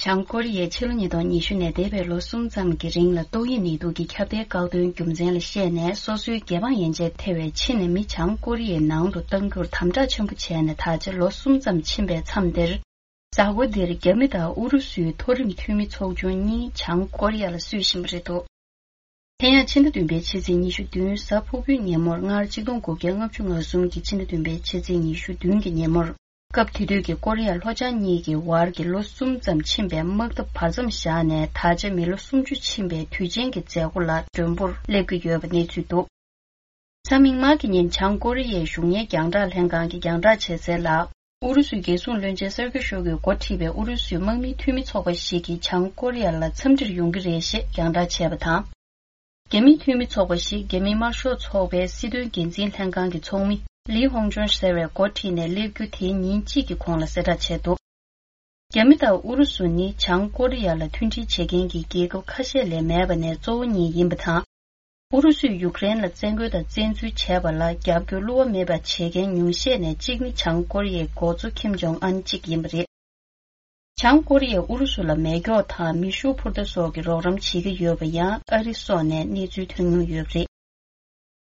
བྱང་ཀོ་རི་ཡས་ཕྱི་ལོ་ཉིས་སྟོང་ཉི་ཤུ་ནས་འདས་པའི་ལོ་གསུམ་ཙམ་གྱི་རིང་ལ་ཏོག་དབྱིབས་ནད་དུག་གི་ཁྱབ་གདལ་བཀག་སྡོམ་རྒྱུ་མཚན་ལ་བཤད་ནས། སོ་སོའི་རྒྱལ་འབངས་ཡན་ཆད་ཐེ་བའི་ཕྱི་ནས་མི་བྱང་ཀོ་རི་ཡའི་ནང་དུ་གཏང་རྒྱུར་དམ་དྲག་ཆེན་པོ་བྱས་ནས། ད་ཆ་ལོ་གསུམ་ཙམ་ཕྱིན་པའི་མཚམས་འདིར། གཟའ་འཁོར་འདིར་རྒྱ་མི་དང་ཨུ་རུ་སུའི་མཐོ་རིམ་འཐུས་མི་ཚོགས་ཆུང་གཉིས་བྱང་ཀོ་རི་ཡ་ལ་བསུ་བཞིན་པ་རེད་འདུག་དེ་ཡང་ཕྱི་ཟླ་བདུན་པའི་ཕྱི་ཚེས་ཉི་ཤུ་བདུན་གཟའ་ཕུར་བུའི་ཉིན་མོར་སྔར་ཆིག་སྟོང་དགུ་བརྒྱ་ལྔ་བཅུ་ང་གསུམ་གྱི་ཕྱི་ཟླ་བདུན་པའི་ཕྱི་ཚེས་ཉི་ཤུ་བདུན་གྱི་ཉིན་མོར། སྐབས་དེ་དུས་ཀྱི་ཀོ་རི་ཡ་ལྷོ་བྱང་གཉིས་ཀྱི་བར་གྱི་ལོ་གསུམ་ཙམ་ཕྱིན་པའི་དམག་འཐབ་བར་མཚམས་བཞག་ནས། ད་ཆ་མི་ལོ་སུམ་ཅུ་ཕྱིན་པའི་དུས་ཆེན་གྱི་མཛད་སྒོ་ལ་མགྲོན་པོར་སླེབས་ཀྱི་ཡོད་པ་གནས་ཚུལ་འདུག་གཟའ་མིག་དམར་གྱི་ཉིན་བྱང་ཀོ་རི་ཡའི་གཞུང་གཉེར་རྒྱང་བསྒྲགས་ལྷན་ཁང་གིས་རྒྱང་བསྒྲགས་བྱས་གསལ་ལ། ཨུ་རུ་སུའི་རྒྱལ་སྲུང་བློན་ཆེན་སེར་གྱི་ཤོག་གིས་འགོ་ཁྲིད་པའི་ཨུ་རུ་སུའི་དམག་མིའི་འཐུས་མི་ཚོགས་པ་ཞིག་གིས་བྱང་ཀོ་རི་ཡ་ལ་འཚམས་འདྲིར་ཡོང་གི་རེད་ཞེས་རྒྱང་བསྒྲགས་བྱས་པ་དང་། རྒྱ་མིའི་འཐུས་མི་ཚོགས་པ་ཞིག་རྒྱ་མིའི་དམར་ཤོག་ཚོགས་པའི་སྲིད་དོན་འགན་འཛིན་ལྷན་ཁང་གི་ཚོགས་མི་ལི་ཧོང་ཅོན་ཟེར་བས་འགོ་ཁྲིད་ནས་སླེབས་རྒྱུ་དེའི་ཉིན་གཅིག་གི་གོང་ལ་གསལ་བསྒྲགས་བྱས་འདུག་རྒྱ་མི་དང་ཨུ་རུ་སུ་ནི་བྱང་ཀོ་རི་ཡ་ལ་མཐུན་སྒྲིལ་བྱེད་མཁན་གྱི་རྒྱལ་ཁབ་ཁ་ཤས་ལས་མེད་པ་ནས་གཙོ་བོ་གཉིས་ཡིན་པ་དང་། ཨུ་རུ་སུས་ཡུཀ་རེན་ལ་བཙན་རྒོལ་དང་བཙན་འཛུལ་བྱས་པ་ལ་རྒྱབ་སྐྱོར་བསླུ་བ་མེད་པ་བྱེད་མཁན་ཉུང་ཤས་ནས་གཅིག་ནི་བྱང་ཀོ་རི་ཡའི་འགོ་གཙོ་ཁིམ་ཇོང་ཨན་གཅིག་ཡིན་པ་རེད། བྱང་ཀོ་རི་ཡས་ཨུ་རུ་སུ་ལ་མེ་སྒྱོགས་དང་མེ་ཤུགས་འཕུར་མདའ་སོགས་ཀྱི་རོགས་རམ་བྱེད་ཀྱི་ཡོད་པ་ཡང་ཨ་རི་སོགས་ནས་གནས་ཚུལ་ཐོན་མྱོང་ཡོད་པ་རེད།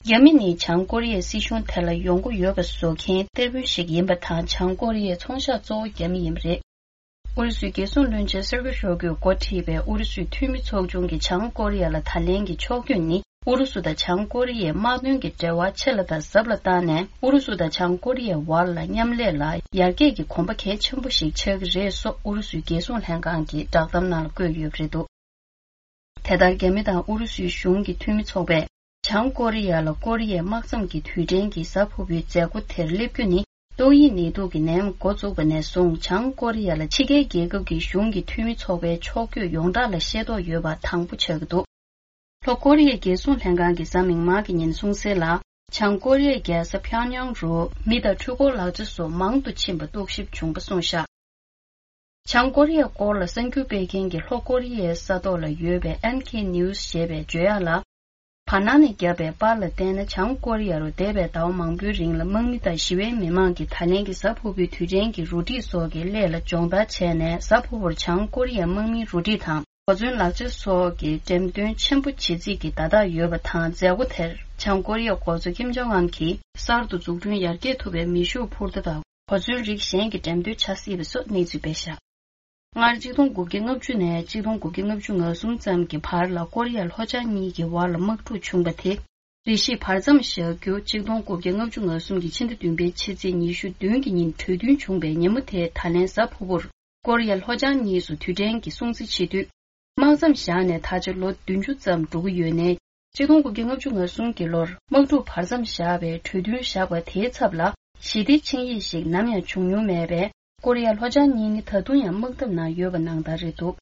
རྒྱ་མི་ནི་བྱང་ཀོ་རི་ཡའི་སྲིད་གཞུང་དེ་ལ་ཡོང་སྒོ་ཡོད་པ་བཟོ་མཁན་གཏེར་དཔོན་ཞིག་ཡིན་པ་དང་། བྱང་ཀོ་རི་ཡའི་ཚོང་ཤག་གཙོ་བོ་རྒྱ་མི་ཡིན་པ་རེད། ཨུ་རུ་སུའི་རྒྱལ་སྲུང་བློན་ཆེན་སེར་གྱི་ཤོག་གིས་འགོ་ཁྲིད་པའི་ཨུ་རུ་སུའི་འཐུས་མི་ཚོགས་ཆུང་གིས་བྱང་ཀོ་རི་ཡ་ལ་ད་ལན་གྱི་ཕྱོགས་བསྐྱོད་ནི། ཨུ་རུ་སུ་དང་བྱང་ཀོ་རི་ཡའི་དམག་དོན་གྱི་འབྲེལ་བ་ཆེ་ལ་དང་ཟབ་ལ་བཏང་ནས། ཨུ་རུ་སུ་དང་བྱང་ཀོ་རི་ཡའི་བར་ལ་མཉམ་ལས་ལ་ཡར་རྒྱས་ཀྱི་གོམ་པ་གལ་ཆེན་པོ་ཞིག་ཆགས་ཀྱི་རེད་སོགས་ཨུ་རུ་སུའི་རྒྱལ་སྲུང་ལྷན་ཁང་གི་བསྒྲགས་གཏམ་ནང་ལ་བཀོད་ཡོད་པ་རེད་འདུག་དེ་ལྟར། རྒྱ་མི་དང་ཨུ་རུ་སུའི་གཞུང་གི་འཐུས་མི་ཚོགས་པས་བྱང་ཀོ་རི་ཡ་ལ་ཀོ་རི་ཡའི་དམག་མཚམས་ཀྱི་དུས་དྲན་གྱི་གཟའ་ཕུར་བུའི་མཛད་སྒོ་དེར་སླེབས་རྒྱུ་ནི། ཏོག་དབྱིབས་ནད་དུག་གི་ནད་ཡམས་འགོ་བཙུགས་པ་ནས་བཟུང་། བྱང་ཀོ་རི་ཡ་ལ་ཕྱི་རྒྱལ་རྒྱལ་ཁབ་ཀྱི་གཞུང་གི་འཐུས་མི་ཚོགས་པའི་ཕྱོགས་བསྐྱོད་ཡོངས་གྲགས་ལ་ཤེས་རྟོགས་ཡོད་པ་དང་པོ་ཆགས་ཀྱི་འདུག་ལྷོ་ཀོ་རི་ཡའི་རྒྱལ་སྲུང་ལྷན་ཁང་གིས་གཟའ་མིག་དམར་གྱི་ཉིན་གསུངས་གསལ་ལ། བྱང་ཀོ་རི་ཡའི་རྒྱལ་ས་ཕྱག་ཉང་རུ་མི་དང་འཕྲུལ་འཁོར་ལག་ཆ་སོགས་མང་དུ་ཕྱིན་པ་རྟོག་ཞིབ་བྱུང་བ་གསུངས་བཞག་བྱང་ཀོ་རི་ཡའི་སྐོར་ལ་གསར་འགྱུར་སྤེལ་མཁན་གྱི་ལྷོ་ཀོ་རི་ཡའི་ས་ཐོག་ལ་ཡོད་པའི་ཨེན་ཁེ་ནིའུ་སི་ཞེས་པའི་བརྗོད་ཡག་ལ། བར་སྣང་ནས་བརྒྱབ་པའི་པར་ལ་བལྟས་ན། བྱང་ཀོ་རི་ཡ་རུ་འདས་པའི་ཟླ་བ་མང་པོའི་རིང་ལ་དམག་མི་དང་ཞི་བའི་མི་མང་གིས་ད་ལན་གྱི་གཟའ་ཕུར་བུའི་དུས་དྲན་གྱི་རུ་སྒྲིག་སོགས་ཀྱི་སླད་ལ་སྦྱོང་བརྡར་བྱས་ནས། གཟའ་ཕུར་བུར་བྱང་ཀོ་རི་ཡའི་དམག་མིའི་རུ་སྒྲིག་དང་གོ་མཚོན་ལག་ཆ་སོགས་ཀྱི་འགྲེམས་སྟོན་ཆེན་པོ་བྱེད་རྩིས་ཀྱི་བརྡ་རྟགས་ཡོད་པ་དང་། མཛད་སྒོ་དེར་བྱང་ཀོ་རི་ཡའི་འགོ་གཙོ་ཀིམ་ཇོང་ཨན་གྱིས་གསར་དུ་འཛུགས་སྐྲུན་ཡར་རྒྱས་ཐུབ་པའི་མེ་ཤུགས་འཕུར་མདའ་དང་། གོ་མཚོན་རིགས་གཞན་གྱི་འགྲེམས་སྟོན་བྱ་སྲིད་པ་སོགས་གནས་ཚུལ་སྤེལ་བཞག་སྔར་གཅིག་སྟོང་དགུ་བརྒྱ་ལྔ་བཅུ་ནས་གཅིག་སྟོང་དགུ་བརྒྱ་ལྔ་བཅུ་ང་གསུམ་ཙམ་གྱི་བར་ལ་ཀོ་རི་ཡ་ལྷོ་བྱང་གཉིས་ཀྱི་བར་ལ་དམག་འཁྲུག་བྱུང་བ་དེ། རེ་ཞིག་བར་མཚམས་བཞག་རྒྱུ། གཅིག་སྟོང་དགུ་བརྒྱ་ལྔ་བཅུ་ང་གསུམ་གྱི་ཕྱི་ཟླ་བདུན་པའི་ཕྱི་ཚེས་ཉི་ཤུ་བདུན་གྱི་ཉིན་གྲོས་མཐུན་བྱུང་བའི་ཉིན་མོ་དེ། ད་ལན་གཟའ་ཕུར་བུར་ཀོ་རི་ཡ་ལྷོ་བྱང་གཉིས་སུ་དུས་དྲན་གྱི་སྲུང་བརྩི་བྱེད་དུས། དམག་མཚམས་བཞག་ནས་ད་ཆ་ལོ་བདུན་ཅུ་ཙམ་འགྲོ་གི་ཡོད་ནའི། གཅིག་སྟོང་དགུ་བརྒྱ་ལྔ་བཅུ་ང་གསུམ་གྱི་ལོར་དམག་འཁྲུག་བར་མཚམས་བཞག་པའི་གྲོས་མཐུན་བཞག་པ་དེའི་ཚབ་ལ་ཞི་བདེ་ཆིངས་ཡིག་ཞིག་ནམ་ཡང་བྱུང་མྱོང་མེད་པས། ཀོ་རི་ཡ་ལྷོ་བྱང་གཉིས་ནི་ད་དུང་ཡང་དམག་འཐབ་ནང་ཡོད་པ་ནང་ལྟར་རེད་འདུག་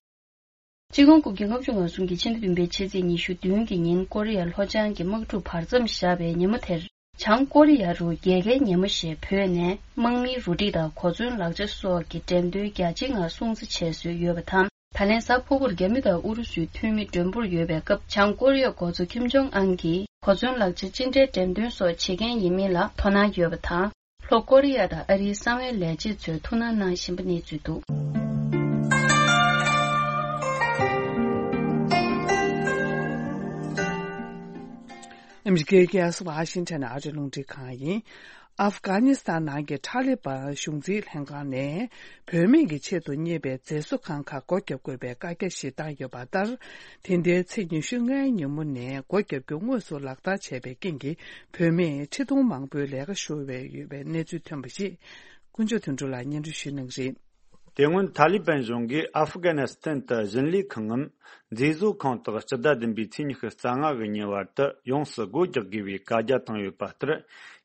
གཅིག་སྟོང་དགུ་བརྒྱ་ལྔ་བཅུ་ང་གསུམ་གྱི་ཕྱི་ཟླ་བདུན་པའི་ཕྱི་ཚེས་ཉི་ཤུ་བདུན་གྱི་ཉིན་ཀོ་རི་ཡ་ལྷོ་བྱང་གི་དམག་འཁྲུག་བར་མཚམས་བཞག་པའི་ཉིན་མོ་དེར། བྱང་ཀོ་རི་ཡ་རུ་རྒྱལ་ཁའི་ཉིན་མོ་ཞེས་བོས་ནས། དམག་མིའི་རུ་སྒྲིག་དང་གོ་མཚོན་ལག་ཆ་སོགས་ཀྱི་འགྲེམས་སྟོན་རྒྱ་ཆེའི་ངང་སྲུང་བརྩི་བྱས་སྲོལ་ཡོད་པ་དང་། ད་ལན་གཟའ་ཕུར་བུར་རྒྱ་མི་དང་ཨུ་རུ་སུའི་འཐུས་མི་མགྲོན་པོར་ཡོད་པའི་སྐབས། བྱང་ཀོ་རི་ཡའི་འགོ་གཙོ་ཁིམ་ཇོང་ཨན་གྱིས་གོ་མཚོན་ལག་ཆ་ཅི་འདྲའི་འགྲེམས་སྟོན་སོགས་བྱེད་མཁན་ཡིན་མིན་ལ་དོ་སྣང་ཡོད་པ་དང་། ལྷོ་ཀོ་རི་ཡ་དང་ཨ་རིའི་གསང་བའི་ལས་བྱེད་ཚོས་ཐུགས་སྣང་གནང་བཞིན་པ་གནས་ཚུལ་འདུག་ཨ་མི་རི་ཀའི་རྒྱལ་ས་ཝ་ཤིང་ཊོན་ཨ་རི་རླུང་འཕྲིན་ཁང་ཡིན། ཨབ་གྷ་ནི་སི་ཐན་ནང་གི་ཐ་ལི་བན་གཞུང་འཛིན་ལྷན་ཁང་ནས་བུད་མེད་ཀྱི་ཆེད་དུ་གཉེར་བའི་མཛེས་བཟོ་ཁང་ཁག་སྒོ་བརྒྱབ་དགོས་པའི་བཀའ་རྒྱ་ཞིག་བཏང་ཡོད་པ་ལྟར། དེ་ཟླའི་ཚེས་ཉི་ཤུ་ལྔའི་ཉིན་མོ་ནས་སྒོ་བརྒྱབ་རྒྱུ་དངོས་སུ་ལག་བསྟར་བྱས་པའི་རྐྱེན་གྱིས། བུད་མེད་ཁྲི་སྟོང་མང་པོའི་ལས་ཀ་ཤོར་བའི་ཡོད་པའི་གནས་ཚུལ་ཐོན་པ་ཞིག་དཀོན་མཆོག་དོན་གྲུབ་ལགས་སྙན་སྒྲོན་ཞུ་གནང་གི་རེད། དེ་སྔོན་ཐ་ལི་བན་གཞུང་གིས་ཨ་ཧྥུ་གྷ་ནི་སི་ཐན་དུ་བཞིན་ལས་ཁང་ངམ་མཛེས་བཟོ་ཁང་དག་སྤྱི་ཟླ་བདུན་པའི་ཚེས་ཉི་ཤུ་རྩ་ལྔ་གི་ཉིན་བར་དུ་ཡོངས་སུ་སྒོ་རྒྱག་དགོས་པའི་བཀའ་རྒྱ་བཏང་ཡོད་པ་ལྟར།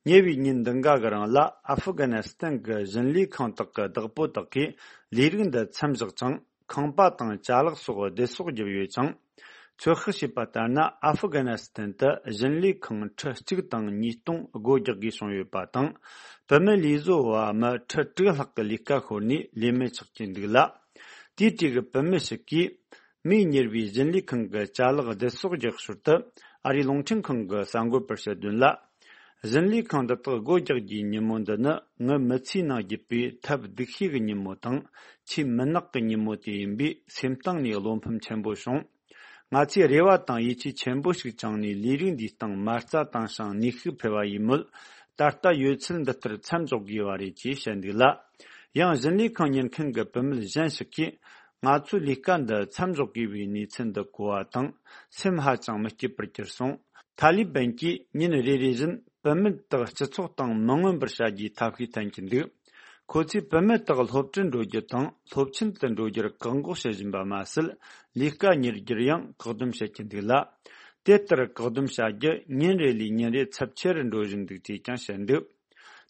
ཉེ་བའི་ཉིན་འདི་འགའ་གི་རིང་ལ་ཨ་ཧྥུ་གྷ་ནི་སི་ཐན་གྱི་བཞིན་ལས་ཁང་དག་གི་བདག་པོ་དག་གིས་ལས་རིགས་འདི་མཚམས་བཞག་ཅིང་། ཁང་པ་དང་ཅ་ལག་སོགས་བདེ་སོགས་བརྒྱབ་ཡོད་ཅིང་། ཚོད་དཔག་བྱས་པ་ལྟར་ན། ཨ་ཧྥུ་གྷ་ནི་སི་ཐན་དུ་བཞིན་ལས་ཁང་ཁྲི་གཅིག་དང་ཉིས་སྟོང་སྒོ་རྒྱག་དགོས་བྱུང་ཡོད་པ་དང་། བུད་མེད་ལས་བཟོ་བ་མི་ཁྲི་དྲུག་ལྷག་གི་ལས་ཀ་ཤོར་ནས་ལས་མེད་ཆགས་ཀྱི་འདུག་ལ། དེའི་གྲས་ཀྱི་བུད་མེད་ཞིག་གིས། མིས་གཉེར་བའི་བཞིན་ལས་ཁང་གི་ཅ་ལག་བདེ་སོགས་རྒྱག་ཞོར་དུ། ཨ་རིའི་རླུང་འཕྲིན་ཁང་གི་གསར་འགོད་པར་བཤད་དོན་ལ། བཞིན་ལས་ཁང་འདི་དག་སྒོ་རྒྱག་རྒྱུའི་ཉིན་མོ་འདི་ནི། ངའི་མི་ཚེའི་ནང་བརྒྱུད་པའི་ཐབས་སྡུག་ཤོས་ཀྱི་ཉིན་མོ་དང་། ཆེས་མུན་ནག་གི་ཉིན་མོ་དེ་ཡིན་པས། སེམས་གཏིང་ནས་བློ་ཕམ་ཆེན་པོ་བྱུང་། ང་ཚོས་རེ་བ་དང་ཡིད་ཆེས་ཆེན་པོ་ཞིག་བཅངས་ནས། ལས་རིགས་འདིའི་སྟེང་མ་རྩ་བཏང་ཞིང་ནུས་ཤུགས་འཕེལ་བ་ཡིན་མོད། ད་ལྟ་ཡོད་ཚད་འདི་ལྟར་མཚམས་འཇོག་དགོས་པ་རེད་ཅེས་བཤད་འདུག་ལ། ཡང་བཞིན་ལས་ཁང་གཉེར་མཁན་གྱི་བུད་མེད་གཞན་ཞིག་གིས། ང་ཚོའི་ལས་ཀ་འདི་མཚམས་འཇོག་དགོས་པའི་གནས་ཚུལ་འདི་གོ་བ་དང་། སེམས་ཧ་ཅང་མི་སྐྱིད་པར་གྱུར་སོང་། ཐ་ལི་བན་གྱིས་ཉིན་རེ་རེ་བཞིན་བུད་མེད་དག་སྤྱི་ཚོགས་སྟེང་མི་མངོན་པར་བྱ་རྒྱུའི་ཐབས་ཤེས་བསྟེན་གྱི་འདུག་ཁོ་ཚོས་བུད་མེད་དག་སློབ་གྲྭར་འགྲོ་རྒྱུ་དང་སློབ་ཆེན་དུ་འགྲོ་རྒྱུར་བཀག་འགོག་བྱེད་བཞིན་པ་མ་ཟད། ལས་ཀ་གཉེར་རྒྱུར་ཡང་བཀག་སྡོམ་བྱེད་ཀྱི་འདུག་ལ། དེ་ལྟར་བཀག་སྡོམ་བྱ་རྒྱུ་ཉིན་རེ་ལས་ཉིན་རེ་ཚབས་ཆེ་རུ་འགྲོ་བཞིན་འདུག་ཅེས་ཀྱང་བཤད་འདུག་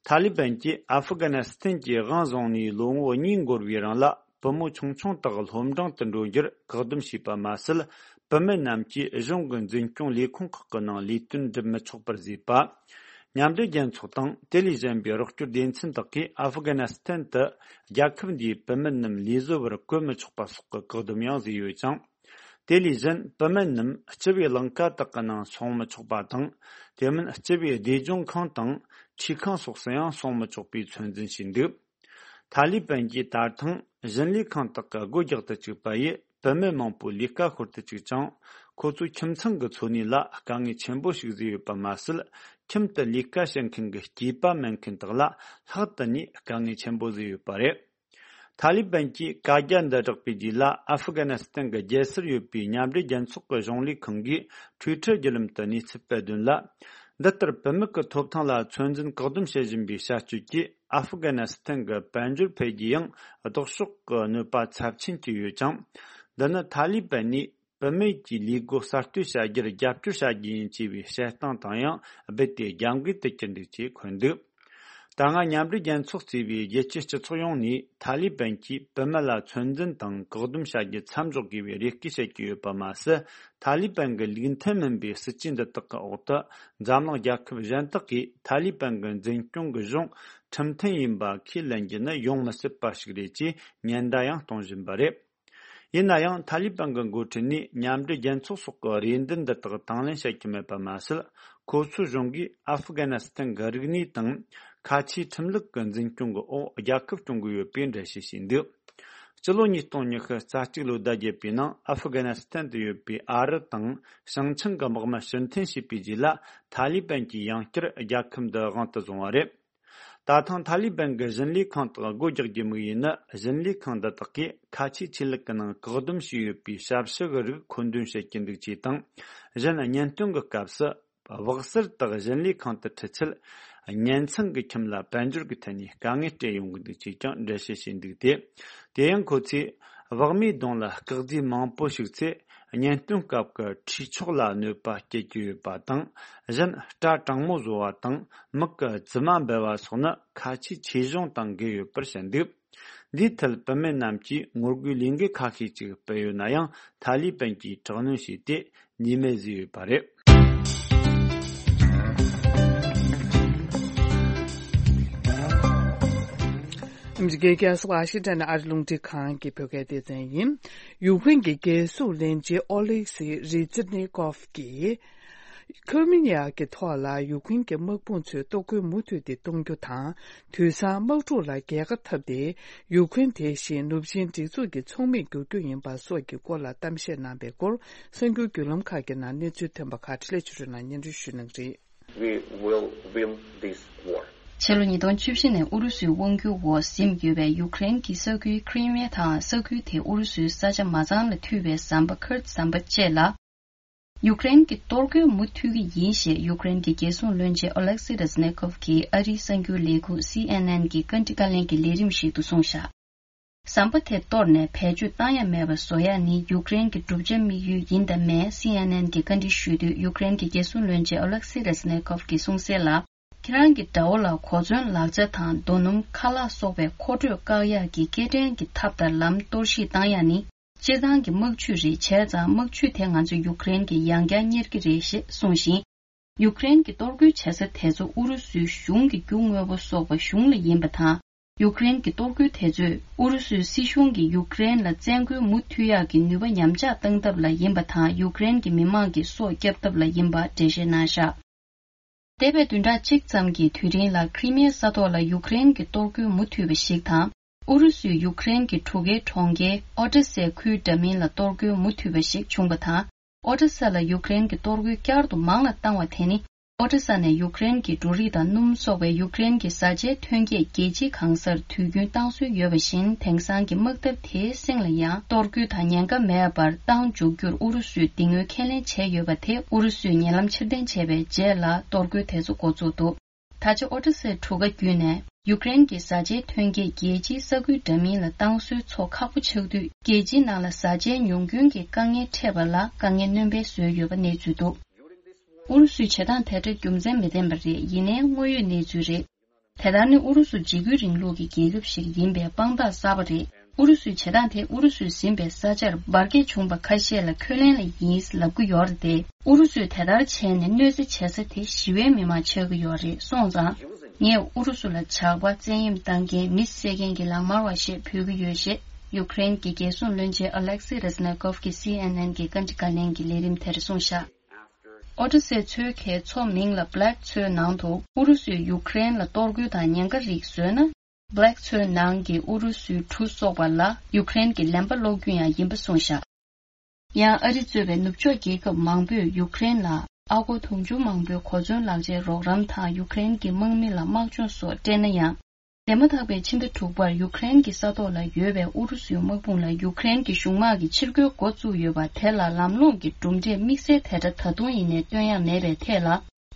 ཐ་ལི་བན་གྱིས་ཨ་ཧྥུ་ག་ན་སི་ཐན་གྱི་དབང་བཟུང་ནས་ལོ་ངོ་གཉིས་འགོར་བའི་རིང་ལ། བུ་མོ་ཆུང་ཆུང་དག་སློབ་འབྲིང་དུ་འགྲོ་རྒྱུར་བཀག་སྡོམ་བྱས་པ་མ་ཟད། བུད་མེད་རྣམས་ཀྱིས་གཞུང་གི་འཛིན་སྐྱོང་ལས་ཁུངས་ཁག་གི་ནང་ལས་དོན་སྒྲུབ་མི་ཆོག་པར་བཟོས་པ། མཉམ་འབྲེལ་རྒྱལ་ཚོགས་དང་དེ་ལས་གཞན་པའི་རོགས་སྐྱོར་སྡེ་ཚན་དག་གིས་ཨ་ཧྥུ་ག་ན་སི་ཐན་དུ་རྒྱལ་ཁབ་འདིའི་བུད་མེད་རྣམས་ལས་བཟོ་བར་བཀོལ་མི་ཆོག་པ་སོགས་ཀྱི་བཀག་སྡོམ་ཡང་བཟོས་ཡོད་ཅིང་། དེ་ལས་གཞན་བུད་མེད་རྣམས་སྤྱི་པའི་ལིང་ག་དག་གི་ནང་སོང་མི་ཆོག་པ་དང་། དེ་མིན་སྤྱི་པའི་སྡེ་ལྗོངས་ཁང་དང་ཁྲིས་ཁང་སོགས་སུ་ཡང་སོང་མི་ཆོག་པའི་ཚོད་འཛིན་བྱས་འདུག་ཐ་ལི་བན་གྱིས་ད་ཐེངས་ཞིང་ལས་ཁང་དག་གི་སྒོ་རྒྱག་ཏུ་བཅུག་པ་ཡིས་བུད་མེད་མང་པོའི་ལས་ཀ་ཤོར་དུ་བཅུག་ཅིང་། ཁོ་ཚོའི་ཁྱིམ་ཚང་གི་འཚོ་གནས་ལ་དཀའ་ངལ་ཆེན་པོ་ཞིག་བཟོས་ཡོད་པ་མ་ཟད། ཁྱིམ་དུ་ལས་ཀ་བྱེད་མཁན་གྱི་སྐྱེས་པ་མེད་མཁན་དག་ལ་ལྷག་ཏུ་ནས་དཀའ་ངལ་ཆེན་པོ་བཟོས་ཡོད་པ་རེད། ཐ་ལི་བན་གྱིས་བཀའ་རྒྱ་འདི་བསྒྲགས་པའི་རྗེས་ལ། ཨ་ཧྥུ་ག་ན་སི་ཐན་གྱི་རྒྱལ་སར་ཡོད་པའི་མཉམ་འབྲེལ་རྒྱལ་ཚོགས་ཀྱི་གཞུང་ལས་ཁང་གིས་ཊུའི་ཊར་བརྒྱུད་ལམ་དུ་གནས་ཚུལ་སྤེལ་དོན་ལ། འདི་ལྟར་བུད་མེད་ཀྱི་ཐོབ་ཐང་ལ་ཚོད་འཛིན་བཀག་སྡོམ་བྱེད་བཞིན་པའི་བྱ་སྤྱོད་ཀྱིས་ཨ་ཧྥུ་ག་ན་སི་ཐན་གྱི་དཔལ་འབྱོར་འཕེལ་རྒྱས་ཡང་ལྡོག་ཕྱོགས་ཀྱི་གནོད་པ་ཚབས་ཆེན་བསྐྱལ་ཡོད་ཅིང་། འདི་ནི་ཐ་ལི་བན་ནས་བུད་མེད་ཀྱི་ལས་སྒོ་གསར་གཏོད་བྱ་རྒྱུར་རྒྱབ་སྐྱོར་བྱ་རྒྱུ་ཡིན་ཅེས་པའི་བཤད་སྟངས་དང་ཡང་རྦད་དེ་རྒྱབ་འགལ་དུ་གྱུར་འདུག་ཅེས་འཁོད་འདུག་ད་སྔ་མཉམ་འབྲེལ་རྒྱལ་ཚོགས་གཙོས་པའི་རྒྱལ་སྤྱིའི་སྤྱི་ཚོགས་ཡོངས་ནས་ཐ་ལི་བན་གྱིས་བུད་མེད་ལ་ཚོད་འཛིན་དང་བཀག་སྡོམ་བྱ་རྒྱུ་མཚམས་འཇོག་དགོས་པའི་རེ་སྐུལ་བྱེད་ཀྱི་ཡོད་པ་མ་ཟད། ཐ་ལི་བན་གྱི་ལུགས་མཐུན་མིན་པའི་སྲིད་ཇུས་འདི་དག་གི་འོག་ཏུ། འཛམ་གླིང་རྒྱལ་ཁབ་གཞན་དག་གིས་ཐ་ལི་བན་གྱི་འཛིན་སྐྱོང་གི་གཞུང་ཁྲིམས་མཐུན་ཡིན་པ་ཁས་ལེན་རྒྱུ་ནི་ཡོང་མི་སྲིད་པ་ཞིག་རེད་ཅེས་ཉེན་བརྡ་ཡང་གཏོང་བཞིན་པ་རེད། ཡིན་ན་ཡང་། ཐ་ལི་བན་གྱི་འགོ་ཁྲིད་ནས་མཉམ་འབྲེལ་རྒྱལ་ཚོགས་སོགས་ཀྱི་རེ་འདུན་འདི་དག་དང་ལེན་བྱེད་ཀྱི་མེད་པ་མ་ཟད། ཁོ་ཚོའི་གཞུང་གིས་ཨ་ཧྥུ་ག་ན་སི་ཐན་གྱི་རིག་གནས་དང་། ཁ་ཆེའི་ཁྲིམས་ལུགས་ཀྱི་འཛིན་སྐྱོང་གི་འོག་རྒྱལ་ཁབ་སྐྱོང་གི་ཡོད་པའི་འགྲེལ་བཤད་བྱས་འདུག་སྤྱི་ལོ་ཉིས་སྟོང་ཉི་ཤུ་རྩ་གཅིག་ལོའི་ཟླ་བརྒྱད་པའི་ནང་ཨ་ཧྥུ་ག་ན་སི་ཐན་དུ་ཡོད་པའི་ཨ་རི་དང་ཞིང་ཆེན་གྱི་དམག་མི་ཕྱིར་འཐེན་བྱས་པའི་རྗེས་ལ། ཐ་ལི་བན་གྱིས་ཡང་བསྐྱར་རྒྱལ་ཁབ་འདི་དབང་དུ་བཟུང་བ་རེད། ད་ཐེངས་ཐ་ལི་བན་གྱི་ཞིང་ལས་ཁང་དག་སྒོ་རྒྱག་རྒྱུའི་དམིགས་ཡུལ་ནི། ཞིང་ལས་ཁང་འདི་དག་གིས་ཁ་ཆེའི་ཆོས་ལུགས་ཀྱི་ནང་བཀག་སྡོམ་བྱས་ཡོད་པའི་ཞབས་ཞུ་གི་རིགས་མཁོ་འདོན་བྱེད་ཀྱི་འདུག་ཅེས་དང་། གཞན། གཉེན་སྟོན་གྱི་སྐབས་སུ་བག་གསར་དག་ཞིང་ལས་ཁང་དུ་ཁྲིད་ཚེ། གཉེན་ཚན་གྱི་ཁྱིམ་ལ་དཔལ་འབྱོར་གྱི་ཐད་ནས་དཀའ་ངལ་སྤྲད་ཡོང་གི་འདུག་ཅེས་ཀྱང་འགྲེལ་བཤད་བྱས་འདུག་སྟེ། དེ་ཡང་ཁོ་ཚོས་བག་མའི་གདོང་ལ་སྐག་རྫས་མང་པོ་ཞུགས་ཚེ། གཉེན་སྟོན་སྐབས་ཀྱི་འཁྲིས་ཆོག་ལ་གནོད་པ་སྐྱེལ་གྱི་ཡོད་པ་དང་། གཞན། སྐྲ་གྲང་མོ་བཟོ་བ་དང་། མིག་གི་རྫི་མ་འབལ་བ་སོགས་ནི་ཁ་ཆེའི་ཆོས་གཞུང་དང་འགལ་ཡོད་པར་བཤད་འདུག་འདིའི་ཐད་བུད་མེད་རྣམས་ཀྱིས་ངོ་རྒོལ་ལས་འགུལ་ཁ་ཤས་ཅིག་སྤེལ་ཡོད་ན་ཡང་། ཐ་ལི་བན་གྱིས་དྲག་གནོན་བྱས་ཏེ་ནུས་མེད་བཟོས་ཡོད་པ་རེད། ཨ་མི་རི་ཀའི་རྒྱལ་ས་ཝ་ཤིང་ཊོན་ནས་ཨ་རི་རླུང་འཕྲིན་ཁང་གི་བོད་སྐད་སྡེ་ཚན་ཡིན། ཡུཀ་རེན་གྱི་རྒྱལ་སྲུང་བློན་ཆེན་ཨོ་ལེག་སི་རི་ཛི་ནི་ཀོབ་ཀྱིས། ཁི་རི་མི་ཡ་གི་ཐོག་ལ་ཡུཀ་རེན་གྱི་དམག་དཔུང་ཚོས་གཏོར་རྒོལ་མུ་མཐུད་དེ་གཏོང་རྒྱུ་དང་། དུས་སང་དམག་འཁྲུག་ལ་རྒྱལ་ཁ་འཐབ་སྟེ། ཡུཀ་རེན་དེ་བཞིན་ནུབ་ཆིངས་སྒྲིག་འཛུགས་ཀྱི་ཚོགས་མིར་འགྱུར་རྒྱུ་ཡིན་པ་སོགས་ཀྱི་སྐོར་ལ་གཏམ་བཤད་གནང་པའི་སྐོར། གསར་འགྱུར་བརྒྱུད་ལམ་ཁག་གི་ནང་གནས་ཚུལ་ཐོན་པ་ཁག་འཕྲིན་ལས་ཆོས་སྒྲོན་ལགས་སྙན་སྒྲོན་ཞུ་གནང་གི་རེད། We will win this war. ཕྱི་ལོ་ཉིས་སྟོང་བཅུ་བཞི་ནས་ཨུ་རུ་སུའི་དབང་སྒྱུར་འོག་ཟིན་ཡོད་པའི་ཡུཀ་རེན་གྱི་ས་ཁུལ་ཁི་རི་མི་ཡ་དང་ས་ཁུལ་དེ་ཨུ་རུ་སུའི་ས་ཆ་མ་ཚང་ལ་ཐུག་པའི་ཟམ་པ་ཁུར་ཟམ་པ་བཅས་ལ། ཡུཀ་རེན་གྱིས་གཏོར་རྒོལ་མུ་མཐུད་ཀྱི་ཡིན་ཞེས་ཡུཀ་རེན་གྱི་རྒྱལ་སྲུང་བློན་ཆེན་ཨོ་ལེག་སི་རེ་ཛི་ནེ་ཀོབ་ཀྱིས་ཨ་རིའི་གསར་འགྱུར་ལས་ཁུངས་སི་ཨེན་ཨེན་གྱི་བཀའ་འདྲི་བཀའ་ལན་གྱི་ལས་རིམ་ཞིག་ཏུ་གསུངས་བཞག་ཟམ་པ་དེ་གཏོར་ནས་བེད་སྤྱོད་བཏང་ཡ་མེད་པ་བཟོ་ཡ་ནི་ཡུཀ་རེན་གྱི་བསྒྲུབ་བྱ་དམིགས་ཡུལ་ཡིན་དང་མེད། སི་ཨེན་ཨེན་གྱིས་བཀའ་འདྲི་ཞུས་དུས་ཡུཀ་རེན་གྱི་རྒྱལ་སྲུང་བློན་ཆེན་ཨོ་ལེག་སི་རེ་ཛི་ནེ་ཀོབ་ཀྱིས་གསུངས་གསལ་ལ། ཁྱེད་རང་གི་དགྲ་བོ་ལ་གོ་མཚོན་ལག་ཆ་དང་རྡོ་སྣུམ་ཁ་ལག་སོགས་པའི་མཁོ་སྤྲོད་བཀག་ཡག་གི་སྐྱེལ་འདྲེན་གྱི་ཐབས་དང་ལམ་གཏོར་བཤིག་བཏང་ཡ་ནི། སྤྱིར་བཏང་གི་དམག་ཇུས་རེད། བྱས་ཙང་དམག་ཇུས་དེ་ང་ཚོ་ཡུཀ་རེན་གྱིས་ཡང་བསྐྱར་གཉེར་གྱི་རེད་ཞེས་གསུངས་ཤིང་། ཡུཀ་རེན་གྱི་གཏོར་རྒོལ་བྱེད་ས་དེ་ཚོ་ཨུ་རུ་སུའི་གཞུང་གི་རྒྱུ་དངོས་པོ་གསོག་པ་གཞུང་ལ་ཡིན་པ་དང་། ཡུཀ་རེན་གྱི་གཏོར་རྒོལ་དེ་ཚོས་ཨུ་རུ་སུའི་སྲིད་གཞུང་གིས་ཡུཀ་རེན་ལ་བཙན་རྒོལ་མུ་མཐུད་ཡག་གི་ནུས་པ་ཉམས་ཆག་བཏང་ཐབས་ལ་ཡིན་པ་དང་། ཡུཀ་རེན་གྱི་མི་མང་གི་སྲོག་སྐྱབས་ཐབས་ལ་ཡིན་པ་འགྲེལ་བཤད་གནང་བཞག་འདས་པའི་བདུན་ཕྲག་གཅིག་ཙམ་གྱི་དུས་རིང་ལ་ཁི་རི་མི་ཡའི་ས་ཐོག་ལ་ཡུཀ་རེན་གྱི་གཏོར་རྒོལ་མུ་མཐུད་པ་ཞིག་དང་། ཨུ་རུ་སུས་ཡུཀ་རེན་གྱི་གྲུ་ཁའི་གྲོང་ཁྱེར་ཨོ་ཏྲ་སའི་ཁུལ་འདྲ་མིན་ལ་གཏོར་རྒོལ་མུ་མཐུད་པ་ཞིག་བྱུང་བ་དང་། ཨོ་ཏྲ་ས་ལ་ཡུཀ་རེན་གྱི་གཏོར་རྒོལ་བསྐྱར་དུ་མང་ལ་བཏང་བ་དེ་ནི། ཨོ་ཏྲ་ས་ནས་ཡུཀ་རེན་གྱི་འབྲུ་རིགས་དང་སྣུམ་སོགས་པའི་ཡུཀ་རེན་གྱི་བཟའ་བཅའི་ཐོན་སྐྱེད་རྒྱལ་སྤྱིའི་གང་སར་དུས་རྒྱུན་བཏང་སྲོལ་ཡོད་པ་བཞིན། དེང་སང་གི་དམག་འཐབ་དེའི་གསེང་ལ་ཡང་གཏོར་རྒོལ་དང་ཉེན་ཁ་མེད་པར་བཏང་འཇུག་རྒྱུར་ཨུ་རུ་སུས་འདི་སྔོན་ཁས་ལེན་བྱས་ཡོད་པ་དེ་ཨུ་རུ་སུས་ཉེ་ལམ་ཕྱིར་འཐེན་བྱས་པའི་རྗེས་ལ་གཏོར་རྒོལ་དེ་ཚོ་འགོ་བཙུགས་འདུག་ད་ཆ་ཨོ་ཏྲ་སའི་གྲུ་ཁ་བརྒྱུད་ནས་ཡུཀ་རེན་གྱི་བཟའ་བཅའི་ཐོན་སྐྱེད་རྒྱལ་སྤྱིའི་ས་ཁུལ་འདྲ་མིན་ལ་བཏང་སྲོལ་ཚོ་ཁག་པོ་ཆགས་དུས། རྒྱལ་སྤྱིའི་ནང་ལ་བཟའ་བཅའི་ཉུང་སྐྱོན་གྱི་དཀའ་ངལ་འཕྲད་པ་ལ་དཀའ་ངལ་སྣོན་སྤེལ་བཟོས་ཡོད་པ་གནས་ཚུལ་འདུག་ཨུ་རུ་སུའི་བྱེད་སྟངས་དེ་འདྲ་རྒྱུ་མཚན་མི་ལྡན་པ་རེད། ཡིན་ནའི་དངོས་ཡོད་གནས་ཚུལ་རེད། དེ་ལྟར་ནི་ཨུ་རུ་སུ་འཇིགས་སྐུལ་རིང་ལུགས་ཀྱི་རྒྱལ་ཁབ་ཞིག་ཡིན་པའི་དཔང་རྟགས་གསར་པ་རེད། ཨུ་རུ་སུའི་བྱེད་སྟངས་དེ་ཨུ་རུ་སུས་ཟིན་པའི་ས་ཆར་འབར་གས་བྱུང་པ་ཁ་ཤས་ལ་ཁས་ལེན་ལ་ཡིན་ལབ་ཀྱི་ཡོད་རེད་དེ། ཨུ་རུ་སུས་དེ་ལྟར་བྱས་ནས་གནོད་འཚེ་བྱེད་ས་དེ་ཞི་བའི་མི་མང་ཆགས་ཀྱི་ཡོད་རེད་སོང་ཙང་། ངས་ཨུ་རུ་སུ་ལ་ཇག་པ། བཙན་གཡེམ་བཏང་མཁན། མི་བསད་མཁན་གྱི་ལག་དམར་བ་ཞེས་འབོད་ཀྱི་ཡོད་ཞེས་ཡུཀ་རེན་གྱི་རྒྱལ་སྲུང་བློན་ཆེན་ཨ་ལེག་སི་རེ་ཛི་ནེ་ཀོབ་ཀྱིས་སི་ཨེན་ཨེན་གྱི་བཀའ་འདྲི་བཀའ་ལན་གྱི་ལས་རིམ་དེར་གསུངས་བཞག་ཨོ་ཌི་སེ་མཚོ་ཁའི་མཚོ་མིང་ལ་Black མཚོའི་ནང་དུ་ཨུ་རུ་སུས་ཡུཀ་རེན་ལ་གཏོར་རྒོལ་དང་ཉེན་ཁ་རིགས་བཟོས་ན། Black མཚོའི་ནང་གི་ཨུ་རུ་སུའི་གྲུ་གསོག་པ་ལ་ཡུཀ་རེན་གྱི་ལན་པ་སློག་རྒྱུ་ཡང་ཡིན་པ་གསུངས་བཞག་ཡང་ཨ་རི་གཙོས་པའི་ནུབ་ཕྱོགས་རྒྱལ་ཁབ་མང་པོས་ཡུཀ་རེན་ལ་ཨ་སྒོར་དུང་ཕྱུར་མང་པོའི་གོ་མཚོན་ལག་ཆའི་རོགས་རམ་དང་ཡུཀ་རེན་གྱི་དམག་མི་ལ་དམག་སྦྱོང་སོགས་སྤྲད་ན་ཡང་། འདས་མ་ཐག་པའི་ཕྱི་ཟླ་དྲུག་པར་ཡུཀ་རེན་གྱི་ས་ཐོག་ལ་ཡོད་པའི་ཨུ་རུ་སུའི་དམག་དཔུང་ལ་ཡུཀ་རེན་གྱི་གཞུང་དམག་གིས་ཕྱིར་རྒོལ་འགོ་བཙུགས་ཡོད་པ་དེ་ལ་ལམ་ལྷོང་གི་གྲུབ་འབྲས་དམིགས་བསལ་དེ་འདྲ་ད་དུང་ཡིན་ནའི་སྟོན་ཡ་མེད་པའི་ཐད་ལ།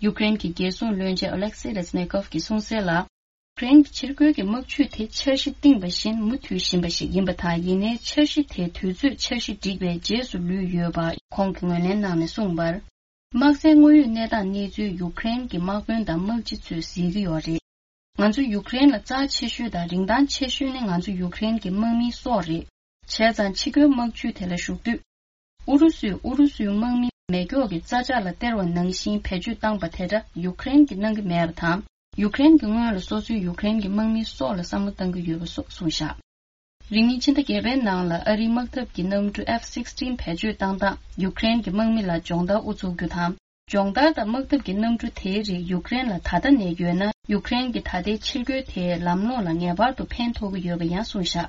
ཡུཀ་རེན་གྱི་རྒྱལ་སྲུང་བློན་ཆེན་ཨོ་ལེག་སི་རེ་ཛི་ནེ་ཀོབ་ཀྱིས་གསུངས་གསལ་ལ། ཡུཀ་རེན་གྱི་ཕྱིར་རྒོལ་གྱི་དམག་ཇུས་དེ་འཆར་གཞི་བཏིང་བ་བཞིན་མུ་མཐུད་བཞིན་པ་ཞིག་ཡིན་པ་དང་། ཡིན་ནའི་འཆར་གཞི་དེ་དུས་ཚོད་འཆར་གཞི་བསྒྲིགས་པའི་རྗེས་སུ་ལུས་ཡོད་པ་ཁོང་གིས་ངོས་ལེན་གནང་ནས་གསུངས་པར། དམག་སའི་དངོས་ཡོད་གནས་སྟངས་གནས་ཚུལ་ཡུཀ་རེན་གྱི་དམག་དཔོན་དང་དམག་སྤྱི་ཚོས་གཟིགས་ཀྱི་ཡོད་རེད། ང་ཚོ་ཡུཀ་རེན་ལ་རྩ་ཆེ་ཤོས་དང་རིན་ཐང་ཆེ་ཤོས་ནི་ང་ཚོ་ཡུཀ་རེན་གྱི་དམག་མིའི་སྲོག་རེད། བྱས་ཙང་ཕྱི་རྒོལ་དམག་ཇུས་དེ་ལ་ཞུགས་དུས། ཨུ་རུ་སུས་ཨུ་རུ་སུའི་དམག་མི་མེ་སྒྱོགས་ཀྱི་རྩ་ཆག་ལ་སྟེར་བ་ནང་བཞིན་བེད་སྤྱོད་བཏང་པ་དེ་འདྲ་ཡུཀ་རེན་གྱིས་གནང་གི་མེད་པ་དང་། ཡུཀ་རེན་གྱི་སྔོན་ལ་སོ་སོའི་ཡུཀ་རེན་གྱི་དམག་མིའི་སྲོག་ལ་བསམ་བློ་བཏང་གི་ཡོད་པ་སོགས་གསུངས་བཞག་རིང་མིན་ཕྱི་ཟླ་བརྒྱད་པའི་ནང་ལ་ཨ་རིའི་དམག་འཐབ་ཀྱི་གནམ་གྲུ་F sixteen བེད་སྤྱོད་བཏང་སྟངས་ཡུཀ་རེན་གྱི་དམག་མི་ལ་སྦྱོང་བརྡར་དབུ་འཛུགས་རྒྱུ་དང་། སྦྱོང་བརྡར་དང་དམག་འཐབ་ཀྱི་གནམ་གྲུ་དེའི་རིགས་ཡུཀ་རེན་ལ་ད་ལྟ་ནས་ཡོད་ན། ཡུཀ་རེན་གྱི་ད་ལྟའི་ཕྱིར་རྒོལ་དེའི་ལམ་ལྷོང་ལ་ངེས་པར་དུ་ཕན་ཐོགས་ཀྱི་ཡོད་པ་ཡང་གསུངས་བཞག་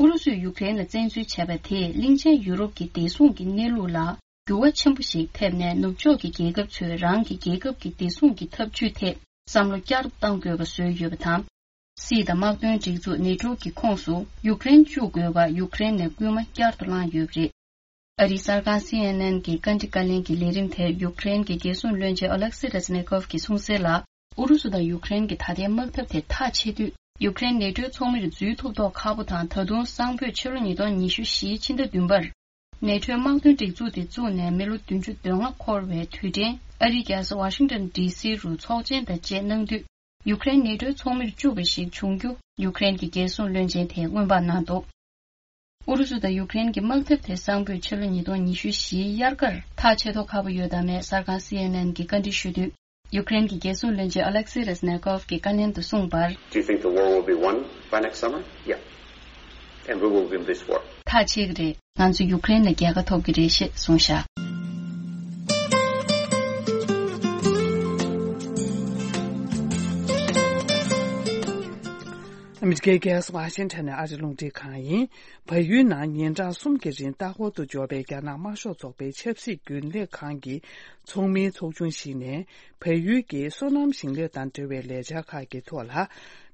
ཨུ་རུ་སུས་ཡུཀ་རེན་ལ་བཙན་འཛུལ་བྱས་པ་དེས་གླིང་ཆེན་ཡུ་རོབ་ཀྱི་བདེ་སྲུང་གི་གནས་ལུགས་ལ་འགྱུར་བ་ཆེན་པོ་ཞིག་ཐེབས་ནས། ནུབ་ཕྱོགས་ཀྱི་རྒྱལ་ཁབ་ཚོས་རང་གི་རྒྱལ་ཁབ་ཀྱི་བདེ་སྲུང་གི་འཐབ་ཇུས་ཐད་བསམ་བློ་བསྐྱར་དུ་གཏང་དགོས་པ་བཟོས་ཡོད་པ་དང་། སྲིད་དང་དམག་དོན་སྒྲིག་འཛུགས་ནེ་ཊོ་གི་ཁོངས་སུ་ཡུཀ་རེན་བཅུག་དགོས་པར་ཡུཀ་རེན་ནས་སྐུལ་མ་བསྐྱར་དུ་བསླངས་ཡོད་པ་རེད། ཨ་རིའི་གསར་ཁང་C N N གྱི་བཀའ་འདྲི་བཀའ་ལན་གྱི་ལས་རིམ་དེར་ཡུཀ་རེན་གྱི་རྒྱལ་སྲུང་བློན་ཆེན་ཨོ་ལེག་སི་རེ་ཛི་ནེ་ཀོབ་ཀྱིས་གསུངས་གསལ་ལ། ཨུ་རུ་སུ་དང་ཡུཀ་རེན་གྱི་ད་ལྟའི་དམག་འཐབ་དེ་མཐའ་ཆད་དུས། ཡུཀ་རེན་ནེ་ཊོའི་ཚོགས་མིར་འཛུལ་ཐུབ་མདོག་ཁ་པོ་དང་། ད་དུང་སང་ཕོད་ཕྱི་ལོ་ཉིས་སྟོང་ཉི་ཤུ་བཞིའི་ཕྱི་ཟླ་བདུན་པར། ནེ་ཊོའི་དམག་དོན་སྒྲིག་འཛུགས་དེ་བཙུགས་ནས་མི་ལོ་བདུན་ཅུ་དོན་ལྔ་འཁོར་བའི་དུས་དྲན་ཨ་རིའི་རྒྱལ་ས་ཝ་ཤིང་ཏོན་ཌི་སི་རུ་ཚོགས་ཆེན་དང་བཅས་གནང་དུས། ཡུཀ་རེན་ནེ་ཊོའི་ཚོགས་མིར་བཅུག་པ་ཞིག་བྱུང་རྒྱུ་ཡུཀ་རེན་གྱི་རྒྱལ་སྲུང་བློན་ཆེན་དེས་སྔོན་དཔག་གནང་འདུག་ཨུ་རུ་སུ་དང་ཡུཀ་རེན་གྱི་དམག་འཐབ་དེ་སང་ཕོད་ཕྱི་ལོ་ཉིས་སྟོང་ཉི་ཤུ་བཞིའི་དབྱར་ཁར་མཐའ་ཆད་མདོག་ཁ་པོ་ཡོད་དམ་མེད་གསར་ཁང་C N N གྱིས་བཀའ་འདྲི་ཞུས་དུས། ཡུཀ་རེན་གྱི་རྒྱལ་སྲུང་བློན་ཆེན་ཨ་ལེག་སི་རེ་ཛི་ནེ་ཀོབ་ཀྱིས་བཀའ་ལན་དུ་གསུངས་པར། Do you think the war will be won by next summer? Yeah. And we will win this war. མཐའ་ཆད་ཀྱི་རེད། ང་ཚོ་ཡུཀ་རེན་ལ་རྒྱལ་ཁ་ཐོབ་ཀྱི་རེད་ཞེས་གསུངས་བཞག་ཨ་མི་རི་ཀའི་རྒྱལ་ས་ཝ་ཤིང་ཊོན་ནས་ཨ་རི་རླུང་འཕྲིན་ཁང་ཡིན། བལ་ཡུལ་ནང་ཉིན་གྲངས་གསུམ་གྱི་རིང་ལྟ་སྐོར་དུ་འབྱོར་བའི་རྒྱ་ནག་དམར་ཤོག་ཚོགས་པའི་ཆབ་སྲིད་རྒྱུན་ལས་ཁང་གི་ཚོགས་མིའི་ཚོགས་ཆུང་ཞིག་ནས། བལ་ཡུལ་གྱི་སོ་ནམ་ཞིང་ལས་དང་འབྲེལ་བའི་ལས་འཆར་ཁག་གི་ཐོག་ལ།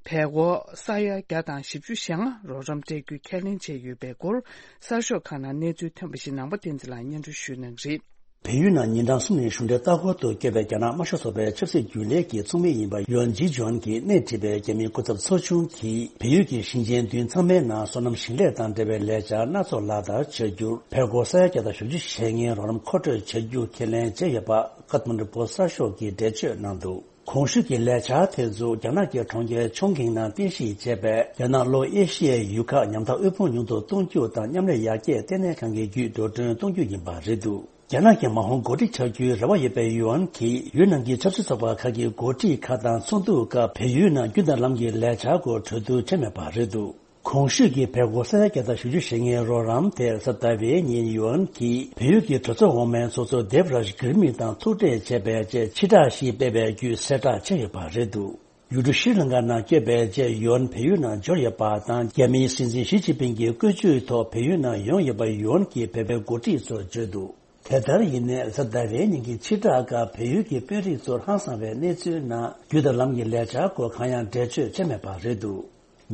བལ་སྒོར་ས་ཡ་བརྒྱ་དང་བཞི་བཅུ་ཞེ་ལྔ་རོགས་རམ་སྤྲད་རྒྱུའི་ཁས་ལེན་བྱས་ཡོད་པའི་སྐོར། གསར་ཤོག་ཁག་ནང་གནས་ཚུལ་ཐོན་པ་ཞིག་ནང་པ་བསྟན་འཛིན་ལགས་སྙན་སྒྲོན་ཞུ་གནང་གི་རེད། བལ་ཡུལ་ནང་ཉིན་གྲངས་གསུམ་རིང་གཞུང་འབྲེལ་ལྟ་སྐོར་དུ་བསྐྱོད་པའི་རྒྱ་ནག་དམར་ཤོག་ཚོགས་པའི་ཆབ་སྲིད་རྒྱུན་ལས་ཀྱི་ཚོགས་མི་ཡིན་པ་ཡོན་ཇི་ཇོན་གྱིས་སྣེ་ཁྲིད་པའི་རྒྱ་མིའི་སྐུ་ཚབ་ཚོགས་ཆུང་གིས། བལ་ཡུལ་གྱི་ཞིང་ཆེན་བདུན་ཚང་མའི་ནང་སོ་ནམ་ཞིང་ལས་དང་འབྲེལ་བའི་ལས་འཆར་སྣ་ཚོགས་ལག་བསྟར་བྱ་རྒྱུར། བལ་སྒོར་ས་ཡ་བརྒྱ་དང་བཞི་བཅུ་ཞེ་ལྔའི་རོགས་རམ་མཁོ་སྤྲོད་བྱ་རྒྱུ་ཁས་ལེན་བྱས་ཡོད་པ། ཀ་ཐ་མན་ཌུ་པོ་སི་གསར་ཤོག་གིས་འགྲེལ་བརྗོད་གནང་འདུག་གོང་ཞུས་ཀྱི་ལས་འཆར་དེ་ཚོ་རྒྱ་ནག་གི་གྲོང་ཁྱེར་ཆོང་ཁིང་ནང་རྟེན་གཞི་བྱས་པའི་རྒྱ་ནག་ལྷོ་ཨེ་ཤི་ཡའི་ཡུལ་ཁག་ཉམ་ཐག་དབུལ་ཕོངས་ཉུང་དུ་གཏོང་རྒྱུ་དང་མཉམ་ལས་ཡར་རྒྱས་ལྟེ་གནས་ཁང་གི་བརྒྱུད་འགྲོ་གྲོན་གཏོང་རྒྱུ་ཡིན་པ་རེད་འདུག་རྒྱ་ནག་གི་མ་འོངས་འགོ་ཁྲིད་ཆགས་རྒྱུའི་རེ་བ་ཡོད་པའི་ཡུའན་གྱིས་ཡུལ་ནང་གི་ཆབ་སྲིད་ཚོགས་པ་ཁག་གི་འགོ་ཁྲིད་ཁག་དང་ཚོགས་འདུ་སྐབས་བལ་ཡུལ་ནང་རྒྱུན་དང་ལམ་གྱི་ལས་འཆར་སྐོར་གྲོས་བསྡུར་བྱས་མེད་པ་རེད་འདུག་གོང་ཞུས་ཀྱི་བལ་སྒོར་ས་ཡ་བརྒྱ་དང་བཞི་བཅུ་ཞེ་ལྔའི་རོགས་རམ་དེ་གཟའ་ཟླ་བའི་ཉིན་ཡུའན་གྱིས་བལ་ཡུལ་གྱི་གྲོས་ཚོགས་འོག་མའི་ཚོགས་གཙོ་དེབ་རཱཇ་གིར་མི་དང་ཐུག་འཕྲད་བྱས་པའི་རྗེས་ཕྱིར་བསྒྲགས་ཤིག་སྤེལ་བའི་བརྒྱུད་གསལ་བསྒྲགས་བྱས་ཡོད་པ་རེད་འདུག་ཡུལ་གྲུ་ཤྲི་ལང་ཀ་ནང་བསྐྱོད་པའི་རྗེས་ཡུའན་བལ་ཡུལ་ནང་འབྱོར་ཡོད་པ་དང་། རྒྱ་མིའི་སྲིད་འཛིན་ཞི་ཅིན་ཕིང་གི་བཀོད་ཇུས་ཐོག་བལ་ཡུལ་ནང་ཡོང་ཡོད་པ་ཡུའན་གྱིས་བལ་པོའི་འགོ་ཁྲིད་ཚོར་བརྗོད་འདུག་དེ་ལྟར་ཡིན་ནའི་གཟའ་ཟླ་བའི་ཉིན་གྱི་ཕྱིར་བསྒྲགས་སྐབས་བལ་ཡུལ་གྱི་དཔོན་རིགས་ཚོར་ཧང་སང་བའི་གནས་ཚུལ་ནང་རྒྱུ་དང་ལམ་གྱི་ལས་འཆར་སྐོར་གང་ཡང་འགྲེལ་བརྗོད་བྱས་མེད་པ་རེད་འདུག་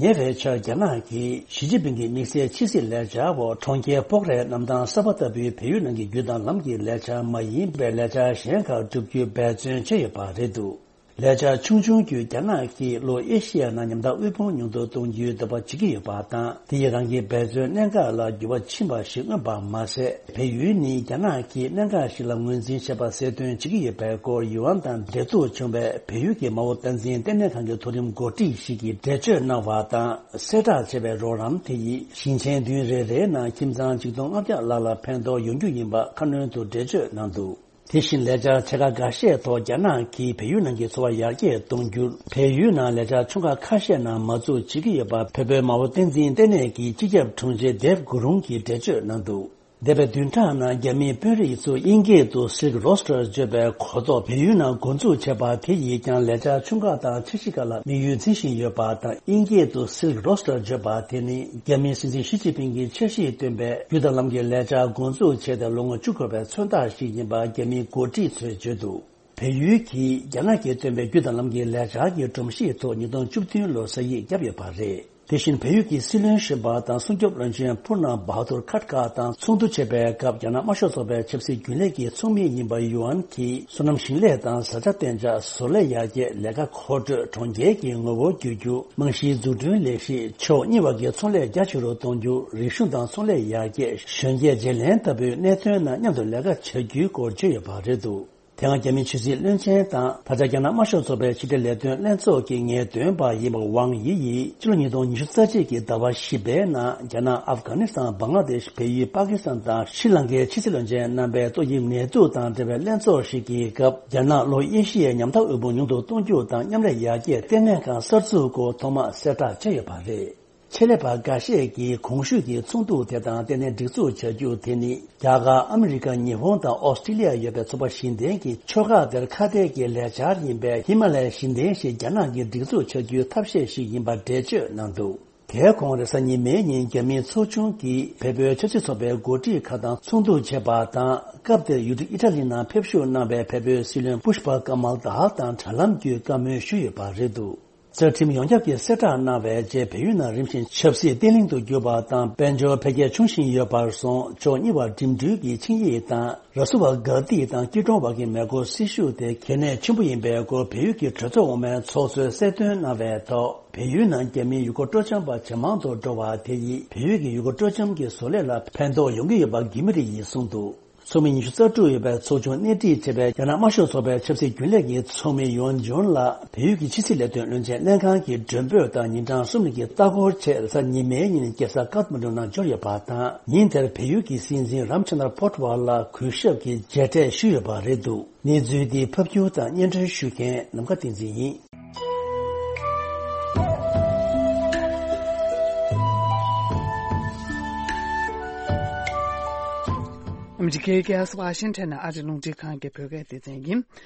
ཉེ་བའི་ཆར་རྒྱ་ནག་གིས་ཞི་ཅིན་ཕིང་གི་དམིགས་བསལ་ཕྱི་སྲིད་ལས་འཆར་འོག་གྲོང་ཁྱེར་སྤོག་རའི་གནམ་ཐང་གསར་པ་ལྟ་བུའི་བལ་ཡུལ་ནང་གི་རྒྱུ་དང་ལམ་གྱི་ལས་འཆར་མ་ཡིན་པའི་ལས་འཆར་གཞན་ཁག་བསྒྲུབ་རྒྱུའི་འབད་བརྩོན་བྱས་ཡོད་པ་རེད་འདུག་ལས་འཆར་ཆུང་ཆུང་བརྒྱུད་རྒྱ་ནག་གིས་ལྷོ་ཨེ་ཤི་ཡའི་ནང་ཉམ་ཐག་དབུལ་ཕོངས་ཉུང་དུ་གཏོང་རྒྱུའི་འདོད་པ་བྱེད་ཀྱི་ཡོད་པ་དང་། དེ་ཡིས་རང་གི་འབད་བརྩོན་གནད་འགག་ལ་འགྱུར་བ་ཕྱིན་པ་ཞིག་མངོན་པ་མ་ཟད། བལ་ཡུལ་ནི་རྒྱ་ནག་གིས་གནད་འགག་ཞིག་ལ་ངོས་འཛིན་བྱས་པ་གསལ་སྟོན་བྱེད་ཀྱི་ཡོད་པའི་སྐོར་ཡུ་ཨན་དང་འབྲེལ་གཏུག་བྱུང་བའི་བལ་ཡུལ་གྱི་མ་འོངས་བསྟན་འཛིན་ལྟེ་གནས་ཁང་གི་མཐོ་རིམ་འགོ་ཁྲིད་ཞིག་གིས་འགྲེལ་བརྗོད་གནང་བ་དང་། གསལ་བསྒྲགས་བྱས་པའི་རོགས་རམ་དེ་ཡིས་ཞིང་ཆེན་བདུན་རེ་རེའི་ནང་ཁྱིམ་ཚང་ཆིག་སྟོང་ལྔ་བརྒྱ་ལྷག་ལ་ཕན་ཐོགས་ཡོང་རྒྱུ་ཡིན་པ་ཁ་སྣོན་དུ་འགྲེལ་བརྗོད་གནང་འདུག་དེ་བཞིན་ལས་འཆར་ཆེ་ཁག་འགའ་ཤས་ཐོག་རྒྱ་ནག་གིས་བལ་ཡུལ་ནང་གི་འཚོ་བ་ཡར་རྒྱས་གཏོང་རྒྱུར། བལ་ཡུལ་ནང་ལས་འཆར་ཆུང་ཁག་ཁ་ཤས་ནང་མ་འཛུལ་བྱེད་ཀྱི་ཡོད་པ། བལ་པོའི་མ་འོངས་བསྟན་འཛིན་ལྟེ་གནས་ཀྱི་སྤྱི་ཁྱབ་དྲུང་ཆེ་དེབ་གུ་རུང་གིས་འགྲེལ་བརྗོད་གནང་འདུག་འདས་པའི་བདུན་ཕྲག་ནང་རྒྱ་མིའི་དཔོན་རིགས་ཚོས་དབྱིན་སྐད་དུ་Silk Roaster བརྗོད་པའི་གོ་རྟོགས་བལ་ཡུལ་ནང་འགོ་འཛུགས་བྱས་པ་དེ་ཡིས་ཀྱང་ལས་འཆར་ཆུང་ཁག་དང་འཆར་གཞི་ཁག་ལ་དམིགས་ཡུལ་འཛིན་བཞིན་ཡོད་པ་དང་། དབྱིན་སྐད་དུ་Silk Roaster བརྗོད་པ་དེ་ནི་རྒྱ་མིའི་སྲིད་འཛིན་ཞི་ཅིན་ཕིང་གིས་འཆར་གཞི་བཏོན་པའི་རྒྱུན་དང་ལམ་གྱི་ལས་འཆར་འགོ་འཛུགས་བྱས་ཏེ་ལོ་ངོ་བཅུ་འཁོར་བའི་མཚོན་རྟགས་ཤིག་ཡིན་པ་རྒྱ་མིའི་འགོ་ཁྲིད་ཚོས་བརྗོད་འདུག་བལ་ཡུལ་གྱིས་རྒྱ་ནག་གིས་བཏོན་པའི་རྒྱུན་དང་ལམ་གྱི་ལས་འཆར་གྱི་སྒྲོམ་གཞིའི་ཐོག་ཉིས་སྟོང་བཅུ་བདུན་ལོར་ས་ཡིག་བརྒྱབ་ཡོད་པ་རེད། དེ་བཞིན་བལ་ཡུལ་གྱི་སྲིད་བློན་གཞོན་པ་དང་སྲུང་སྐྱོབ་བློན་ཆེན་ཕུར་ནམ་བྷ་དུར་ཁཱ་ཏ་དང་ཚོགས་འདུ་བྱེད་པའི་སྐབས། རྒྱ་ནག་དམར་ཤོག་ཚོགས་པའི་ཆབ་སྲིད་རྒྱུན་ལས་ཀྱི་ཚོགས་མི་ཡིན་པ་ཡུའན་གྱིས། སོ་ནམ་ཞིང་ལས་དང་བཟའ་བཅའ་གཏན་འཇགས། བཟོ་ལས་ཡར་རྒྱས། ལས་ཀ་མཁོ་སྤྲོད། གྲོང་ཁྱེར་གྱི་ངོ་བོ་བསྒྱུར་རྒྱུ། རྨང་གཞིའི་འཛུགས་སྐྲུན་ལས་གཞི། ཕྱོགས་གཉིས་བར་གྱི་ཚོང་ལས་རྒྱ་ཆེ་རུ་གཏོང་རྒྱུ། རིག་གཞུང་དང་ཚོང་ལས་ཡར་རྒྱས། གཞོན་སྐྱེས་བརྗེ་ལེན་ལྟ་བུའི་གནད་དོན་རྣམས་མཉམ་དུ་ལས་ཀ་བྱ་རྒྱུའི་སྐོར་བརྗོད་ཡོད་པ་རེད་འདུག་དེ་སྔ་རྒྱ་མིའི་ཆབ་སྲིད་བློན་ཆེན་དང་། ད་ཆ་རྒྱ་ནག་དམར་ཤོག་ཚོགས་པའི་ཕྱི་འབྲེལ་ལས་དོན་ལྷན་ཚོགས་ཀྱི་ངེས་སྟོན་པ་ཡིན་པ་ཝང་ཡི་ཡིས། ཕྱི་ལོ་ཉིས་སྟོང་ཉི་ཤུ་རྩ་གཅིག་གི་ཟླ་བ་བཞི་པའི་ནང་རྒྱ་ནག་ཨབ་གྷ་ནི་སི་ཐན། བང་ལ་དེཤ། བལ་ཡུལ། པ་ཀི་སི་ཐན་དང་ཤྲི་ལང་ཀའི་ཕྱི་སྲིད་བློན་ཆེན་རྣམ་པའི་ཏོག་དབྱིབས་ནད་དུག་དང་འབྲེལ་བའི་ལྷན་ཚོགས་ཤིག་གི་སྐབས། རྒྱ་ནག་ལྷོ་ཨེ་ཤི་ཡའི་ཉམ་ཐག་དབུལ་ཕོངས་ཉུང་དུ་གཏོང་རྒྱུ་དང་མཉམ་ལས་ཡར་རྒྱས་ལྟེ་གནས་ཁང་གསར་འཛུགས་སྐོར་ཐོག་མར་གསལ་བསྒྲགས་བྱས་ཡོད་པ་རེད། ཆེད་ལས་པ་འགའ་ཤས་ཀྱིས་གོང་ཞུས་ཀྱི་ཚོགས་འདུ་དེ་དང་ལྟེ་གནས་སྒྲིག་འཛུགས་བྱ་རྒྱུ་དེ་ནི། རྒྱ་གར། ཨ་མི་རི་ཀ། ཉི་ཧོང་དང་ཨོ་སི་ཀྲི་ལི་ཡ་ཡོད་པའི་ཚོགས་པ་བཞི་ལྡན་གྱི་ཕྱོགས་ཁག་དེར་ཁ་གཏད་ཀྱི་ལས་འཆར་ཡིན་པས། ཧི་མ་ལ་ཡའི་ཞི་བདེ་ཞེས་རྒྱ་ནག་གིས་སྒྲིག་འཛུགས་བྱ་རྒྱུའི་ཐབས་ཤེས་ཤིག་ཡིན་པར་འགྲེལ་བརྗོད་གནང་འདུག་དེའི་གོང་རེས་གཟའ་ཉི་མའི་ཉིན་རྒྱ་མིའི་ཚོགས་ཆུང་གིས་བལ་པོའི་ཆབ་སྲིད་ཚོགས་པའི་འགོ་ཁྲིད་ཁག་དང་ཚོགས་འདུ་བྱས་པ་དང་། སྐབས་དེར་ཡུལ་གྲུ་ཨི་ཊ་ལི་ནང་ཕེབས་བཞུགས་གནང་བའི་བལ་པོའི་སྲིད་བློན་པུཤ་པ་ཀ་མལ་དྷ་དང་དྲ་ལམ་བརྒྱུད་བཀའ་མོལ་ཞུས་ཡོད་པ་རེད་འདུག་རྩ་ཁྲིམས་ཡོངས་ཁྱབ་ཀྱིས་གསལ་བསྒྲགས་གནང་བའི་རྗེས། བལ་ཡུལ་ནང་རིམ་བཞིན་ཆབ་སྲིད་བརྟན་ལྷིང་དུ་གྱུར་པ་དང་། དཔལ་འབྱོར་འཕེལ་རྒྱས་བྱུང་བཞིན་ཡོད་པར་སོང་། ཕྱོགས་གཉིས་བར་འགྲིམ་འགྲུལ་གྱི་ཆིངས་ཡིག་དང་། ར་སུ་བ་གྷ་ཏི་དང་སྐྱིད་གྲོང་བར་གྱི་མེ་འཁོར་སྲི་ཞུ་དེ་གལ་གནད་ཆེན་པོ་ཡིན་པའི་སྐོར་བལ་ཡུལ་གྱི་གྲོས་ཚོགས་འོག་མའི་ཚོགས་གཙོས་གསལ་སྟོན་གནང་བའི་ཐོག་བལ་ཡུལ་ནང་རྒྱ་མིའི་ཡུལ་སྐོར་སྤྲོ་འཆམ་པ་ཇེ་མང་དུ་འགྲོ་བ་དེ་ཡིས། བལ་ཡུལ་གྱི་ཡུལ་སྐོར་སྤྲོ་འཆམ་གྱི་བཟོ་ལས་ལ་ཕན་ཐོགས་ཡོང་གི་ཡོད་པ་གི་མི་རིགས་ཡིན་གསུངས་འདུག་ཚོགས་མི་ཉི་ཤུ་རྩ་དྲུག་ཡོད་པའི་ཚོགས་ཆུང་སྣེ་ཁྲིད་བྱས་པའི་རྒྱ་ནག་དམར་ཤོག་ཚོགས་པའི་ཆབ་སྲིད་རྒྱུན་ལས་ཀྱི་ཚོགས་མི་ཡོན་ཇུན་ལ་བལ་ཡུལ་གྱི་ཕྱི་སྲིད་ལས་དོན་བློན་ཆེན་ལྷན་ཁང་གི་མགྲོན་འབོད་དང་ཉིན་གྲངས་གསུམ་རིང་གི་ལྟ་སྐོར་ཆེད་གཟའ་ཉི་མའི་ཉིན་རྒྱལ་ས་ཀཏ་མན་ཌུ་ནང་འབྱོར་ཡོད་པ་དང་། ཉིན་དེར་བལ་ཡུལ་གྱི་སྲིད་འཛིན་རམ་ཆན་དར་པོ་ཊ་ཝ་ལ་གུས་ཞབས་ཀྱི་མཇལ་འཕྲད་ཞུས་ཡོད་པ་རེད་འདུག་གནས་ཚུལ་འདི་ཕབ་སྒྱུར་དང་སྙན་སྒྲོན་ཞུ་མཁན་ནམ་མཁའ་བསྟན་འཛིན་ཡིན། ཨ་མི་རི་ཀའི་རྒྱལ་ས་ཝ་ཤིང་ཊོན་ནས་ཨ་རི་རླུང་འཕྲིན་ཁང་གི་བོད་སྐད་སྡེ་ཚན་ཡིན།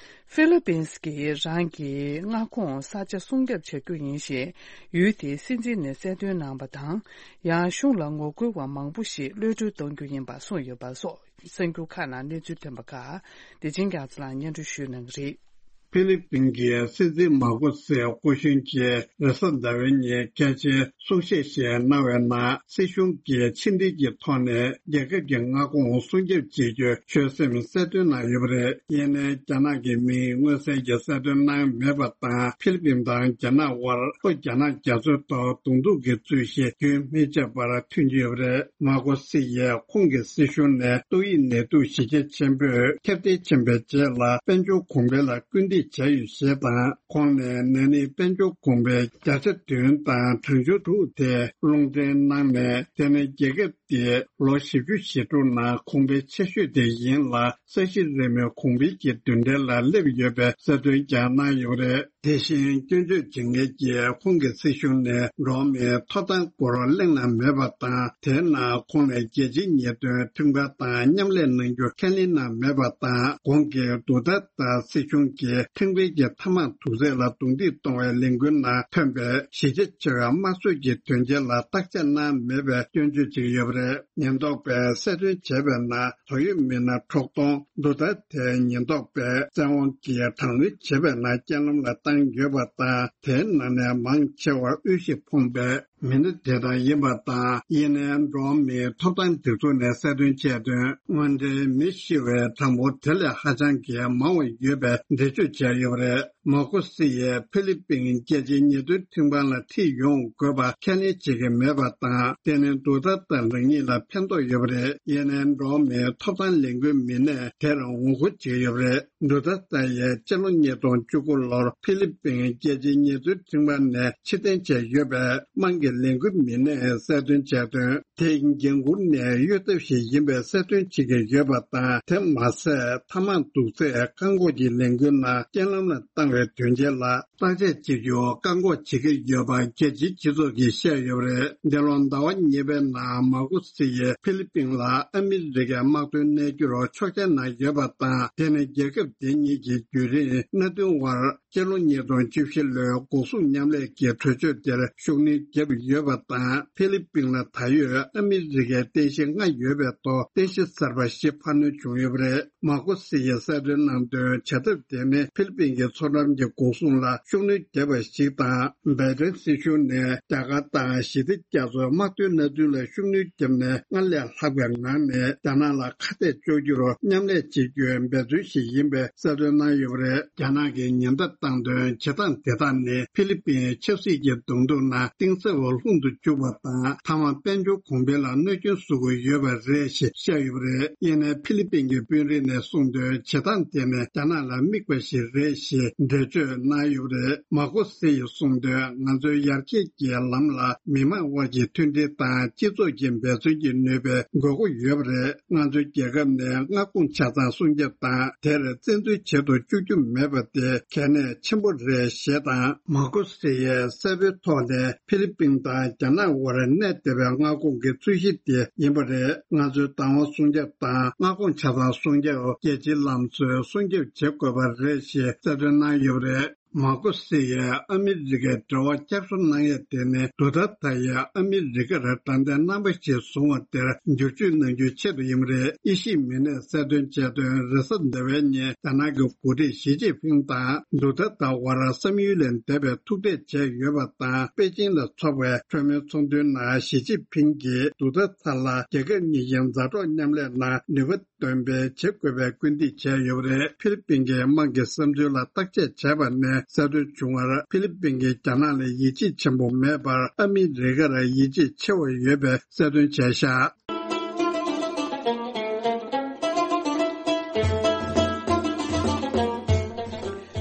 ཧྥི་ལི་པིན་སི་གིས་རང་གི་མངའ་ཁོངས་ས་ཆ་སྲུང་སྐྱོབ་བྱ་རྒྱུ་ཡིན་ཞེས་ཡུལ་དེའི་སྲིད་འཛིན་ནས་གསལ་སྟོན་གནང་བ་དང་། ཡང་གཞུང་ལ་ངོ་རྒོལ་བ་མང་པོ་ཞིག་གློད་གྲོལ་གཏོང་རྒྱུ་ཡིན་པ་གསུངས་ཡོད་པ་སོགས་གསར་འགྱུར་ཁག་ནང་གནས་ཚུལ་ཐོན་པ་ཁག་བདེ་ཆེན་རྒྱ་མཚོ་ལགས་སྙན་སྒྲོན་ཞུ་གནང་གི་རེད། ཧྥི་ལི་པིན་གྱི་སྲིད་འཛིན་མཱ་ཀོ་སིའི་སྐུ་གཞོན་གྱིས་རེས་གཟའ་ཟླ་བའི་ཉིན་གལ་ཆེའི་གསུང་བཤད་ཞིག་གནང་བའི་ནང་། སྲིད་གཞུང་གིས་ཕྱི་འབྲེལ་གྱི་ཐོག་ནས་རྒྱལ་ཁབ་ཀྱི་མངའ་ཁོངས་སྲུང་སྐྱོབ་བྱེད་རྒྱུའི་ཆོད་སེམས་གསལ་སྟོན་གནང་ཡོད་པ་རེད། ཡིན་ནའི་རྒྱ་ནག་གི་མིང་མངོན་གསལ་གྱིས་གསལ་སྟོན་གནང་མེད་པ་དང་། ཧྥི་ལི་པིན་དང་རྒྱ་ནག་དབར་ལྷོ་རྒྱ་ནག་རྒྱ་མཚོའི་ཐོག་གདོང་ཐུག་གི་རྩོད་གཞི་རྒྱུན་མི་ཆད་པར་ཐོན་གྱི་ཡོད་པ་རེད། མཱ་ཀོ་སི་ཡིས་ཁོང་གི་སྲིད་གཞུང་ནས་ཏོག་དབྱིབས་ནད་དུག་གཞི་རྒྱ་ཆེན་པོས་ཁྱབ་གདལ་ཕྱིན་པའི་རྗེས་ལ་དཔལ་འབྱོར་གོང་འཕེལ་ལ་སྐུལ་འདེད་བྱས་ཡོད་ཞེས་དང་། ཁོང་ནས་ན་ནིང་དཔལ་འབྱོར་གོང་འཕེལ་བརྒྱ་ཆ་བདུན་དང་གྲངས་ཆུང་དྲུག་དེ་རླུང་འཕྲིན་གནང་ནས། དེ་ནི་རྒྱལ་ཁབ་དེ་ལོ་བཞི་བཅུ་ཞེ་དྲུག་ནང་གོང་འཕེལ་ཆེ་ཤོས་དེ་ཡིན་ལ། ས་གཞི་རི་མོའི་གོང་འཕེལ་གྱི་མདུན་གྲལ་ལ་སླེབས་ཡོད་པའི་གསལ་སྟོན་ཀྱང་གནང་ཡོད་པ་རེད། དེ་བཞིན་སྐྱོན་བརྗོད་བྱེད་མཁན་གྱིས་ཁོང་གི་སྲིད་གཞུང་ནས་འགྲོ་བ་མིའི་ཐོབ་ཐང་སྐོར་གླེང་གནང་མེད་པ་དང་། དེའི་ནང་ཁོང་ནས་རྒྱལ་སྤྱིའི་ཉེས་དོན་ཁྲིམས་ཁང་དང་མཉམ་ལས་གནང་རྒྱུ་ཁས་ལེན་གནང་མེད་པ་དང་། གོང་གི་དུ་ཏར་ཏེ་སྲིད་གཞུང་གིས་ཁྲིམས་འགལ་གྱི་ཐབས་མང་དུག་རྫས་ལ་རྡུང་རྡེག་གཏོང་བའི་ལས་འགུལ་ནང་ཐོན་པའི་གཞི་རྒྱ་ཆེ་བའི་དམར་གསོད་ཀྱི་དོན་རྐྱེན་ལ་བརྟག་དཔྱད་གནང་མེད་པའི་སྐྱོན་བརྗོད་བྱེད་ཀྱི་ཡོད་པ་རེད། ཉེན་རྟོག་པས་གསལ་སྟོན་བྱས་པའི་ནང་། དོགས་ཡོད་མི་སྣ་དྲུག་སྟོང་དུ་ཏར་ཏེའི་ཉེན་རྟོག་པས་བཙན་དབང་གིས་དྲག་གནོན་བྱས་པའི་ནང་རྐྱེན་ལམ་ལ་བཏང་ཡོད་པ་དང་། དེའི་ནང་ནས་མང་ཆེ་བར་དབུལ་ཞིང་ཕོངས་པའི་ མི་སྣ་དེ་དག་ཡིན་པ་དང་། ཡིན་ནའི་འགྲོ་བ་མིའི་ཐོབ་ཐང་སྒྲིག་འཛུགས་ནས་གསལ་སྟོན་བྱས་དོན། དངོས་འབྲེལ་མི་ཤི་བའི་གྲངས་འབོར་དེ་ལས་ཧ་ཅང་གི་མང་བ་ཡོད་པའི་འགྲེལ་བརྗོད་བྱས་ཡོད་པ་རེད། མར་ཁོ་སི་ཡིས་ཧྥི་ལི་པིན་རྒྱལ་སྤྱིའི་ཉེས་དོན་ཁྲིམས་ཁང་ལ་ཁྲིད་ཡོང་དགོས་པ་ཁས་ལེན་བྱེད་ཀྱི་མེད་པ་དང་། དེ་ནི་ཌུ་ཐར་ཏ་རང་ཉིད་ལ་ཕན་ཐོགས་ཡོད་པ་རེད། ཡིན་ནའི་འགྲོ་བ་མིའི་ཐོབ་ཐང་ལས་འགུལ་མི་སྣས་དེར་ངོ་རྒོལ་བྱེད་ཀྱི་ཡོད་པ་རེད། ཌུ་ཐར་ཏ་ཡིས་སྤྱི་ལོ་ཉིས་སྟོང་བཅུ་དགུ་ལོར་ཧྥི་ལི་པིན་རྒྱལ་སྤྱིའི་ཉེས་དོན་ཁྲིམས་ཁང་ནས་ཕྱིར་འཐེན་བྱས་ཡོད་པའི་དམངས་ཀྱི་ལས་འགུལ་མི་སྣས་གསལ་སྟོན་བྱས་དོན། དེ་འགན་འཁུར་ནས་གཡོལ་ཐབས་ཤིག་ཡིན་པའི་གསལ་སྟོན་བྱེད་ཀྱི་ཡོད་པ་དང་། དེ་མ་ཟད། ཐ་མག་འདུག་ཚད་བཀག་འགོག་གི་ལས་འགུལ་ནང་རྐྱེན་ལམ་ལ་བཏང་བའི་དོན་རྐྱེན་ལ། བརྟག་དཔྱད་བྱེད་རྒྱུ་བཀག་འགོག་བྱེད་ཀྱི་ཡོད་པ་རྒྱལ་སྤྱིའི་སྤྱི་ཚོགས་ཀྱིས་བཤད་ཡོད་པ་རེད། འདི་ལོ་ཟླ་བ་གཉིས་པའི་ནང་མར་ཁོ་སི་ཡིས་ཧྥི་ལི་པིན་ལ་ཨ་མི་རི་ཀའི་དམག་དོན་གནས་འགྱུར་ཆོག་མཆན་གནང་ཡོད་པ་དང་། དེ་ནི་རྒྱལ་ཁབ་དེ་གཉིས་ཀྱི་བརྒྱུད་རིམ་མནའ་མཐུན་དབར་སྤྱི་ལོ་ཉིས་སྟོང་བཅུ་བཞི་ལོའི་འགོག་སྲུང་མཉམ་ལས་ཀྱི་གྲོས་ཆོད་དེར་ཤུགས་སྣོན་བརྒྱབ་ཡོད་པ་དང་། ཧྥི་ལི་པིན་ལ་ད་ཡོད་ཨ་མི་རི་ཀའི་རྟེན་གཞི་ལྔ་ཡོད་པའི་ཐོག་རྟེན་གཞི་གསར་པ་བཞི་འཕར་སྣོན་བྱུང་ཡོད་པ་རེད། མར་ཁོ་སི་ཡིས་གསལ་སྟོན་གནང་དོན། བྱ་ཐབས་དེ་ནི་ཧྥི་ལི་པིན་གྱི་མཚོ་འགྲམ་གྱི་འགོག་སྲུང་ལ་ཤུགས་སྣོན་བརྒྱབ་པ་ཞིག་དང་། བྷའི་ཏིན་སྲིད་གཞུང་ནས་རྒྱ་གར་དང་ཞི་བདེ་རྒྱ་མཚོའི་དམག་དོན་མནའ་མཐུན་ལ་ཤུགས་སྣོན་བརྒྱབ་ནས། སྔར་ལས་ལྷག་པའི་ངང་ནས་རྒྱ་ནག་ལ་ཁ་གཏད་གཅོག་རྒྱུར་མཉམ་ལས་བྱེད་རྒྱུའི་འབད་བརྩོན་ཞིག་ཡིན་པའི་གསལ་སྟོན་གནང་ཡོད་པ་རེད། རྒྱ་ནག་གིས་ཉེན་བརྡ་བཏང་དོན། བྱེད་སྟངས་དེ་དག་ནི་ཧྥི་ལི་པིན་ཆབ་སྲིད་ཀྱི་གདོང་ཐུག་ནང་གཏིང་ཟབ་པ་ལྷུང་དུ་བཅུག་པ་དང་། ཐ་མག་དཔལ་འབྱོར་གོང་འཕེལ་ལ་གནོད་སྐྱོན་བཟོ་གི་ཡོད་པ་རེད་ཞེས་བཤད་ཡོད་པ་རེད། ཡིན་ནའི་ཧྥི་ལི་པིན་གྱི་དཔོན་རིགས་ནས་གསུངས་དོན། བྱེད་སྟངས་དེ་ནི་རྒྱ་ནག་ལ་དམིགས་པ་ཞིག་རེད་ཞེས་འགྲེལ་བརྗོད་གནང་ཡོད་པ་རེད། མར་ཁོ་སི་ཡིས་གསུངས་དོན། ང་ཚོའི་ཡར་རྒྱས་ཀྱི་ལམ་ལ་མི་དམངས་དབར་གྱི་མཐུན་སྒྲིལ་དང་སྤྱི་ཚོགས་ཀྱི་འབད་བརྩོན་གྱི་ནུས་པའི་དགོས་མཁོ་ཡོད་པ་རེད། ང་ཚོའི་རྒྱལ་ཁབ་ནས་མངའ་ཁོངས་ཆ་ཚང་སྲུང་སྐྱོབ་དང་། དེར་བཙན་འཛུལ་བྱེད་དུ་བཅུག་རྒྱུ་མེད་པ་དེ་གལ་གནད་ཆེན་པོ་རེད་ཞེས་དང་། མར་ཁོ་སི་ཡིས་གསལ་པོའི་ཐོག་ནས་ཧྥི་ལི་པིན་དང་རྒྱ་ནག་དབར་གནས་བསྡད་པའི་མངའ་ཁོངས་ཀྱི་རྩོད་གཞི་དེ་ཡིན་པ་རེད། ང་ཚོའི་བདག་དབང་སྲུང་སྐྱོབ་དང་མངའ་ཁོངས་ཆ་ཚང་སྲུང་སྐྱོབ། རྒྱལ་སྤྱིའི་ལམ་སྲོལ་སྲུང་སྐྱོབ་བྱེད་དགོས་པ་རེད་ཞེས་གསལ་སྟོན་གནང་ཡོད་པ་རེད། མར་ཁོ་སི་ཡིས་ཨ་མི་རི་ཀའི་འབྲེལ་བ་བསྐྱར་གསོ་གནང་ཡས་དེ་ནི་ཌུ་ཐར་ཏ་ཡིས་ཨ་མི་རི་ཀར་དྲང་བདེན་རྣམ་པ་ཞིག་བཟུང་བ་དེར་བསྒྱུར་བཅོས་གནང་རྒྱུའི་ཆེད་དུ་ཡིན་པ་རེད། དབྱེ་ཞིབ་མི་སྣས་གསལ་སྟོན་བྱས་དོན། རེས་གཟའ་ཟླ་བའི་ཉིན་རྒྱ་ནག་གི་འགོ་ཁྲིད་ཞི་ཅིན་ཕིང་དང་ཌུ་ཐར་ཏ་དབར་བསམ་ཡུལ་ལས་འདས་པའི་ཐུག་འཕྲད་བྱས་ཡོད་པ་དང་། པེ་ཅིང་ལ་འཚོགས་པའི་གྲོས་མོལ་ཚོགས་འདུའི་ནང་ཞི་ཅིན་ཕིང་གིས་ཌུ་ཐར་ཏ་ལ་རྒྱལ་ཁབ་གཉིས་ཀྱི་མཛའ་གྲོགས་མཉམ་ལས་ནང་ནུས་པ་འདོན་སྤེལ་བྱེད་དགོས་པའི་སྐུལ་འདེད་བྱས་ཡོད་པ་རེད། ཧྥི་ལི་པིན་གྱི་དམངས་ཀྱི་བསམ་ཚུལ་ལ་བརྟག་དཔྱད་བྱས་པ་ནས་གསལ་སྟོན་བྱུང་བར། ཧྥི་ལི་པིན་གྱིས་རྒྱ་ནག་ལ་ཡིད་ཆེས་ཆེན་པོ་མེད་པར་ཨ་མི་རི་ཀར་ཡིད་ཆེས་ཆེ་བ་ཡོད་པའི་གསལ་སྟོན་བྱས་ཤག་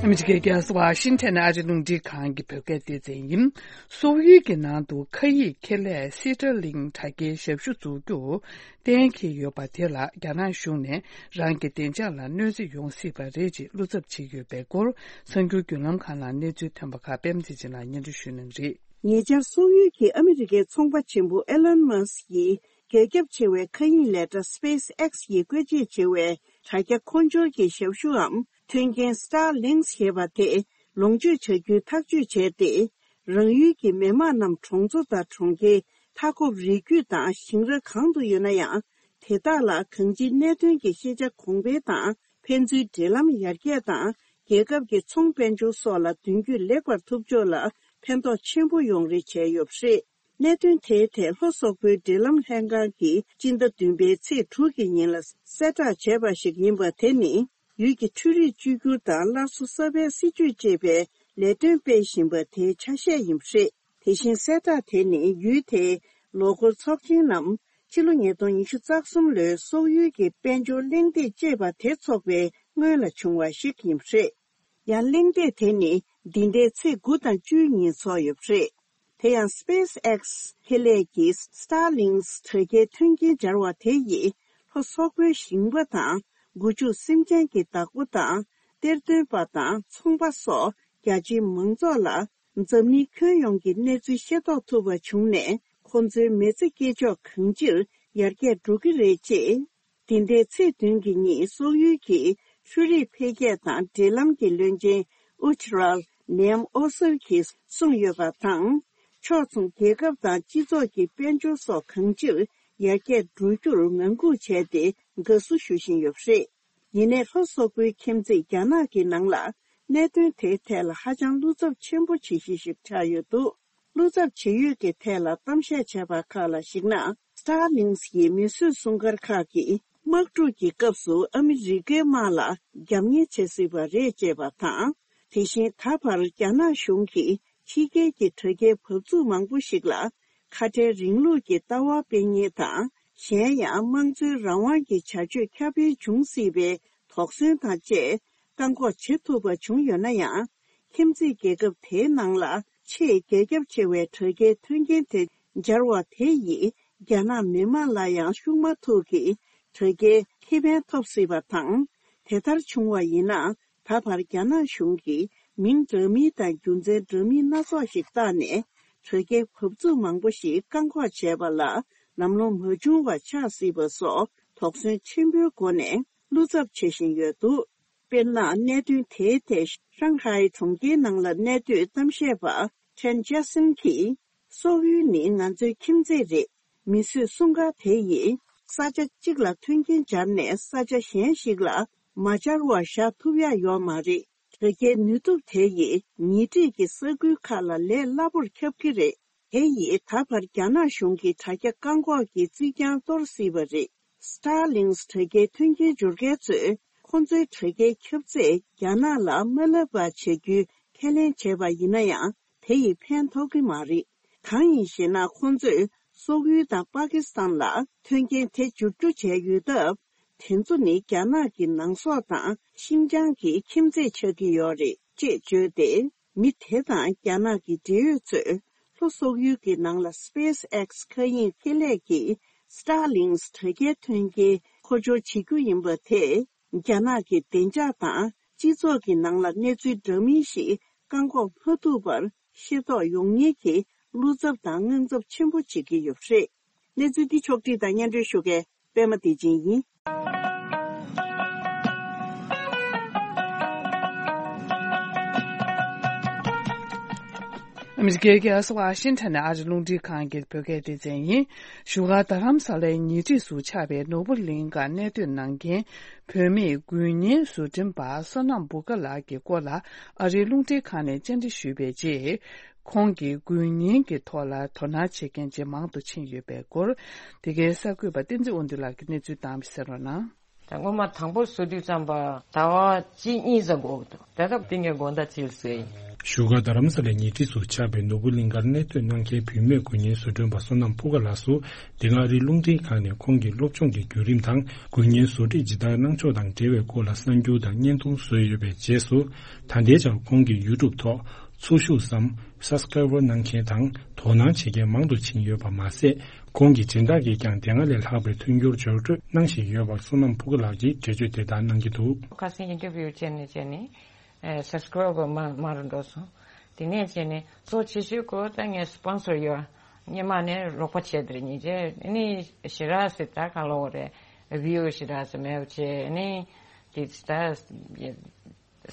ཨ་མི་རི་ཀའི་རྒྱལ་ས་ཝ་ཤིང་ཊོན་ཨ་རི་རླུང་འཕྲིན་ཁང་གི་བོད་སྐད་སྡེ་ཚན་ཡིན། སོག་ཡུལ་གྱི་ནང་དུ་ཁ་ཡིག་ཁེ་ལས་སི་ཊར་ལིང་དྲ་རྒྱའི་ཞབས་ཞུ་འཛུགས་རྒྱུ། གཏན་འཁེལ་ཡོད་པ་དེ་ལ་རྒྱ་ནག་གཞུང་ནས་རང་གི་བདེ་འཇགས་ལ་གནོད་འཚེ་ཡོང་སྲིད་པ་རེད་ཅེས་བློ་འཚབ་བྱེད་ཀྱི་ཡོད་པའི་སྐོར། གསར་འགྱུར་བརྒྱུད་ལམ་ཁང་ནང་གནས་ཚུལ་ཐོན་པ་ཁག་པད་མ་ཚེ་རིང་ལགས་སྙན་སྒྲོན་ཞུ་གནང་གི་རེད། ཉེ་ཆར་སོག་ཡུལ་གྱི་ཨ་མི་རི་ཀའི་ཚོང་པ་ཆེན་པོ་ཨེ་ལོན་མཱ་སི་ཡིས་རྒྱ་ཁྱབ་ཆེ་བའི་མཁའ་དབྱིངས་ལས་གྲྭ་སི་པེ་སི་ཨེག་སི་ཡིས་བཀོལ་སྤྱོད་བྱེད་པའི་དྲ་རྒྱ་འཁོར་སྦྱོར་གྱི་ཞབས་ཞུའམ་མཐུན་རྐྱེན་སི་ཊར་ལིང་ཞེས་པ་དེ་ལོངས་སྤྱོད་བྱ་རྒྱུའི་ཐག་གཅོད་བྱས་ཏེ། རང་ཡུལ་གྱི་མི་དམངས་རྣམས་གྲོང་ཚོ་དང་གྲོང་ཁྱེར། མཐའ་འཁོབ་རི་རྒྱུད་དང་ཞིང་ར་གང་དུ་ཡོད་ན་ཡང་། དེ་དག་ལ་གང་ཅིའི་གནད་དོན་གྱི་ཤེས་བྱ་གོང་འཕེལ་དང་། ཕན་ཚུན་འབྲེལ་ལམ་ཡར་རྒྱས་དང་། རྒྱལ་ཁབ་ཀྱི་ཚོང་དཔལ་འབྱོར་སོགས་ལ་མདུན་སྐྱོད་ལེགས་པར་ཐུབ་ཕྱོགས་ལ་ཕན་ཐོགས་ཆེན་པོ་ཡོང་རེ་བྱས་ཡོད་པ་རེད། གནད་དོན་དེའི་ཐད་ལྷོ་སོག་པོའི་འབྲེལ་ལམ་ལྷན་ཁང་གིས་སྤྱི་ཟླ་བདུན་པའི་ཚེས་དྲུག་གི་ཉིན་ལ་གསལ་བསྒྲགས་བྱས་པ་ཞིག་ཡིན་པ། དེ་ནི། ཡུལ་གྱི་འཕྲུལ་རིག་བཅོས་བསྒྱུར་དང་སླར་གསོ་གསར་པའི་སྲིད་ཇུས་ཅེས་པའི་ལས་དོན་སྤེལ་བཞིན་པ་དེའི་ཆ་ཤས་ཡིན་པ་རེད། དེ་བཞིན་གསལ་བསྒྲགས་དེ་ནི་ཡུལ་དེའི་ལོ་འཁོར་ཚོགས་ཆེན་ནམ། ཕྱི་ལོ་ཉིས་སྟོང་ཉི་ཤུ་རྩ་གསུམ་ལོའི་སོག་ཡུལ་གྱི་དཔལ་འབྱོར་གླེང་སྟེགས་ཅེས་པ་དེ་འཚོགས་པའི་སྔོན་ལ་བྱུང་བ་ཞིག་ཡིན་པ་རེད། ཡང་གླེང་སྟེགས་དེ་ནི་འདི་ཟླའི་ཚེས་དགུ་དང་བཅུའི་ཉིན་འཚོགས་ཡོད་པ་རེད། དེ་ཡང་སི་པེ་སི་ཨེག་སི་ཁེ་ལས་ཀྱི་སི་ཊར་ལིང་དྲ་རྒྱའི་མཐུན་རྐྱེན་སྦྱར་བ་དེ་ཡིས་ལྷོ་སོག་པོའི་ཞིང་པ་དང་། སྒོ་ཕྱུགས་སེམས་ཅན་གྱི་བདག་པོ་དང་། གཏེར་འདོན་པ་དང་ཚོང་པ་སོགས་རྒྱ་ཆེའི་མང་ཚོགས་ལ་འཛམ་གླིང་ཁྱོན་ཡོངས་ཀྱི་གནས་ཚུལ་ཤེས་རྟོགས་ཐུབ་པ་བྱུང་ནས། ཁོ་ཚོའི་མི་ཚེ་སྐྱེལ་ཕྱོགས་གང་ཅིར་ཡར་རྒྱས་འགྲོ་གི་རེད་ཅེས། འདི་ཟླའི་ཚེས་བདུན་གྱི་ཉིན་སོག་ཡུལ་གྱི་འཕྲུལ་རིག་འཕེལ་རྒྱས་དང་འབྲེལ་ལམ་གྱི་བློན་ཆེན་ཨུ་ཅི་རལ་ནེམ་ཨོ་སར་གྱིས་གསུངས་ཡོད་པ་དང་། ཕྱོགས་མཚུངས་རྒྱལ་ཁབ་དང་སྤྱི་ཚོགས་ཀྱི་དཔལ་འབྱོར་སོགས་གང་ཅིར་ཡར་རྒྱས་འགྲོ་རྒྱུར་ངང་སྒུག་བྱས་ཏེ་དགའ་བསུ་ཞུ་བཞིན་ཡོད་པ་རེད། ཡིན་ནའི་ལྷོ་སོག་པོའི་ཁྱིམ་མཚེས་རྒྱ་ནག་གི་ནང་ལ་གནད་དོན་དེའི་ཐད་ལ་ཧ་ཅང་བློ་འཚབ་ཆེན་པོ་བྱེད་གཞི་ཞིག་ཆགས་ཡོད་འདུག་བློ་འཚབ་བྱེད་ཡུལ་གྱི་ཐད་ལ་གཏམ་བཤད་བྱས་པ་ཁག་ལ་གཞིགས་ན། Starlink ཡི་མིས་བཟོས་སྲུང་སྐར་ཁག་གིས་དམག་འཁྲུག་གི་སྐབས་སུ་ཨ་མི་རི་ཀའི་དམག་ལ་རྒྱབ་གཉེར་བྱེད་སྲིད་པ་རེད་ཅེས་པ་དང་། དེ་བཞིན་ད་བར་རྒྱ་ནག་གཞུང་གིས་ཕྱི་རྒྱལ་གྱི་དྲ་རྒྱའི་བབས་ཚུགས་མང་པོ་ཞིག་ལ་ཁ་བྲལ་རིང་ལུགས་ཀྱི་ལྟ་བ་སྤེལ་མཁན་དང་། གཞན་ཡང་དམངས་གཙོའི་རང་དབང་གི་བྱ་སྤྱོད་ཁྱབ་སྤེལ་འབྱུང་སྲིད་པའི་དོགས་ཟོན་དང་བཅས་བཀག་འགོག་བྱེད་ཐུབ་པ་བྱུང་ཡོད་ན་ཡང་། ཁྱིམ་མཚེས་རྒྱལ་ཁབ་དེའི་ནང་ལ་ཆེས་རྒྱ་ཁྱབ་ཆེ་བའི་དྲ་རྒྱའི་མཐུན་རྐྱེན་དེ་སྦྱར་བ་དེ་ཡིས་རྒྱ་ནག་མི་དམངས་ལ་ཡང་ཤུགས་མ་ཐུག་གི་དྲ་རྒྱའི་ཁེ་ཕན་ཐོབ་སྲིད་པ་དང་། དེ་ལྟར་བྱུང་བ་ཡིན་ན། ད་བར་རྒྱ་ནག་གཞུང་གིས་མིང་འདྲ་མིན་དང་རྒྱུ་མཚན་འདྲ་མིན་སྣ་ཚོགས་ཤིག་བཏགས་ནས་དྲ་རྒྱའི་བབས་ཚུགས་མང་པོ་ཞིག་བཀག་འགོག་བྱས་པ་ལ་ལམ་ལྷོང་མ་བྱུང་བ་ཆགས་སྲིད་པ་སོགས་དོགས་ཟོན་ཆེན་པོའི་སྒོ་ནས་བློ་འཚབ་བྱེད་བཞིན་ཡོད་འདུག་དཔེར་ན། གནད་དོན་དེའི་ཐད་ཧྲང་ཧའེ་གྲོང་ཁྱེར་ནང་ལ་གནས་སྡོད་གཏམ་བཤད་པ་ཁྲེན་ཅཱ་སིན་གྱིས། སོག་ཡུལ་ནི་ང་ཚོའི་ཁྱིམ་མཚེས་རེད། མིས་བཟོས་སྲུང་སྐར་དེ་ཡིས་ས་ཆ་གཅིག་ལ་མཐུན་རྐྱེན་སྦྱར་ནས་ས་ཆ་གཞན་ཞིག་ལ་མ་སྦྱར་བར་བཞག་ཐུབ་ཡ་ཡོད་མ་རེད། དྲ་རྒྱའི་ནུས་སྟོབས་དེ་ཡིས་ཉེ་འཁྲིས་ཀྱི་ས་ཁུལ་ཁག་ལ་ལས་སླ་པོར་ཁྱབ་ཀྱི་རེད། དེ་ཡིས་ད་བར་རྒྱ་ནག་གཞུང་གིས་དྲ་རྒྱ་བཀག་འགོག་གི་རྩིས་རྐྱང་གཏོར་སྲིད་པ་རེད། Starlink དྲ་རྒྱའི་མཐུན་རྐྱེན་སྦྱོར་མཁན་ཚོས་ཁོང་ཚོའི་དྲ་རྒྱའི་ཁྱབ་ཚད་རྒྱ་ནག་ལ་མ་བསླབ་པ་བྱ་རྒྱུའི་ཁས་ལེན་བྱས་པ་ཡིན་ན་ཡང་། དེ་ཡིས་ཕན་ཐོགས་ཀྱི་མ་རེད། གང་ཡིན་ཞེ་ན། ཁོང་ཚོས་སོག་ཡུལ་དང་པ་ཀི་སི་ཐན་ལ་མཐུན་རྐྱེན་དེ་བསྒྱུར་རྒྱུ་བྱས་ཡོད་སྟབས། དེ་ཚོ་ནི་རྒྱ་ནག་གི་ནང་སོག་དང་ཤིན་ཅང་གི་ཁྱིམ་མཚེས་ཆགས་ཀྱི་ཡོད་རེད་ཅེས་བརྗོད་དེ། མི་དེ་དང་རྒྱ་ནག་གི་འབྲེལ་ཡོད་ཚོས་ལྷོ་སོག་ཡུལ་གྱི་ནང་ལ་SpaceX མཁའ་དབྱིངས་ཁེ་ལས་ཀྱི་Starlink དྲ་རྒྱའི་མཐུན་རྐྱེན་མཁོ་སྦྱོར་བྱེད་རྒྱུ་ཡིན་པ་དེས། རྒྱ་ནག་གི་བདེ་འཇགས་དང་སྤྱི་ཚོགས་ཀྱི་ནང་ལ་གནས་ཚུལ་འདྲ་མིན་ཞིག་བཀག་འགོག་མ་ཐུབ་པར་ཤེས་རྟོགས་ཡོང་ཉེན་གྱི་བློ་འཚབ་དང་དངངས་འཚབ་ཆེན་པོ་བྱེད་ཀྱི་ཡོད་པ་རེད། གནས་ཚུལ་འདི་ཕྱོགས་བསྒྲིགས་དང་སྙན་སྒྲོན་ཞུ་མཁན་པད་མ་བདེ་ཆེན་ཡིན། ཨ་མི་རི་ཀའི་རྒྱལ་ས་ཝ་ཤིང་ཊོན་ནས་ཨ་རི་རླུང་འཕྲིན་ཁང་གི་བོད་སྐད་སྡེ་ཚན་ཡིན། བཞུགས་སྒར་རྡ་རམ་ས་ལའི་ཉེ་འཁྲིས་སུ་ཆགས་པའི་ནོར་བུ་གླིང་གར་གནས་སྡོད་གནང་མཁན་བུད་མེད་འགུལ་བརྙན་བཟོ་སྐྲུན་པ་བསོད་ནམས་སྤུ་དགའ་ལགས་ཀྱི་སྐོར་ལ་ཨ་རིའི་རླུང་འཕྲིན་ཁང་ནས་བཅར་འདྲི་ཞུས་པའི་རྗེས། ཁོང་གིས་འགུལ་བརྙན་གྱི་ཐོག་ལ་དོ་སྣང་བྱེད་མཁན་ཇེ་མང་དུ་ཕྱིན་ཡོད་པའི་སྐོར། འདི་གའི་གསར་འགོད་པ་བསྟན་འཛིན་དབང་འདུས་ལགས་ཀྱིས་གནས་ཚུལ་བཏང་བ་གསན་རོགས་གནང་། ད་སྔོན་མ་དང་པོ་བཟོ་དུས་ཙམ་པ་ཟླ་བ་གཅིག་གཉིས་ཙམ་འགོར་འདུག་ད་སྐབས་དེ་ངས་དགོང་དག་ཅིག་བཟོས་ཡིན། བཞུགས་སྒར་རྡ་རམ་ས་ལའི་ཉེ་འཁྲིས་སུ་ཆགས་པའི་ནོར་བུ་གླིང་གར་གནས་སྡོད་གནང་མཁན་བུད་མེད་འགུལ་བརྙན་བཟོ་སྐྲུན་པ་བསོད་ནམས་སྤུ་དགའ་ལགས་སུ། འདི་སྔ་ཨ་རིའི་རླུང་འཕྲིན་ཁང་ནས་ཁོང་གི་སློབ་སྦྱོང་གི་བརྒྱུད་རིམ་དང་། འགུལ་བརྙན་བཟོ་སྒྲིག་ཇི་ལྟར་གནང་ཕྱོགས་དང་འབྲེལ་བའི་སྐོར་ལ་གསར་འགྱུར་དང་བརྙན་ཐུང་བཟོས་ཡོད་པའི་རྗེས་སུ། ད་ལྟའི་ཆར་ཁོང་གི་ཡུ་ཊུབ་ཐོག་ཚོགས་ཞུགས་སམ་སབ་སི་ཀ་རའི་བར་གནང་མཁན་དང་དོ་སྣང་བྱེད་མཁན་མང་དུ་ཕྱིན་ཡོད་པ་མ་ཟད། ཁོང་གི་སྦྱིན་བདག་གིས་ཀྱང་དེ་སྔ་ལས་ལྷག་པའི་མཐུན་འགྱུར་འབྱོར་སྤྲོད་གནང་བཞིན་ཡོད་པར་བསོད་ནམས་སྤུ་དགའ་ལགས་ཀྱིས་འགྲེལ་བརྗོད་དེ་ལྟར་གནང་གི་འདུག་ཁ་སང་ཨིན་ཊར་བིའུ་བྱས་ནས་བྱས་ནས། ཨེ་སབ་སི་ཀ་རའི་བར་མང་མང་རུ་འགྲོ་སོང་། དེ་ནས་བྱས་ནས་གཙོ་ཆེ་ཤོས་ཁོ་ད་ངའི་སི་པོན་སར་ཡོད། སྔོན་མ་ནས་རོགས་པ་བྱས་དེར་ཉིན་བྱས་ནི་ཞེ་དྲག་སེ་ད་ག་ལོ་རེད། བིའུ་ཞེ་དྲག་སེ་མེད་པ་བྱས་ནི་དེ་ད།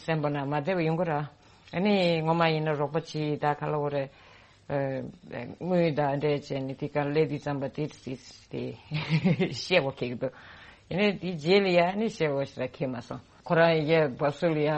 སེམས་པ་ན་མ་བདེ་བ་ཡོང་གི་ར། ཨ་ནི་ངོ་མ་ཡིན་ན་རོགས་པ་བྱེད་ད་ག་ལ་འོ་རེད། དངུལ་ད་འདྲས་བྱས་ནས་དེ་ག་ལས་དེ་ཙམ་པ་དེ་དེ་དེ་ཤེས་པ་ཁེགས་འདུག་ཡིན་ནའི་དེ་རྗེས་ལ་ཡ་ནི་ཤེས་པ་ཞིག་ལ་ཁེགས་མ་སོང་། ཁོ་རང་ཡ་བབས་སུ་ལ་ཡ་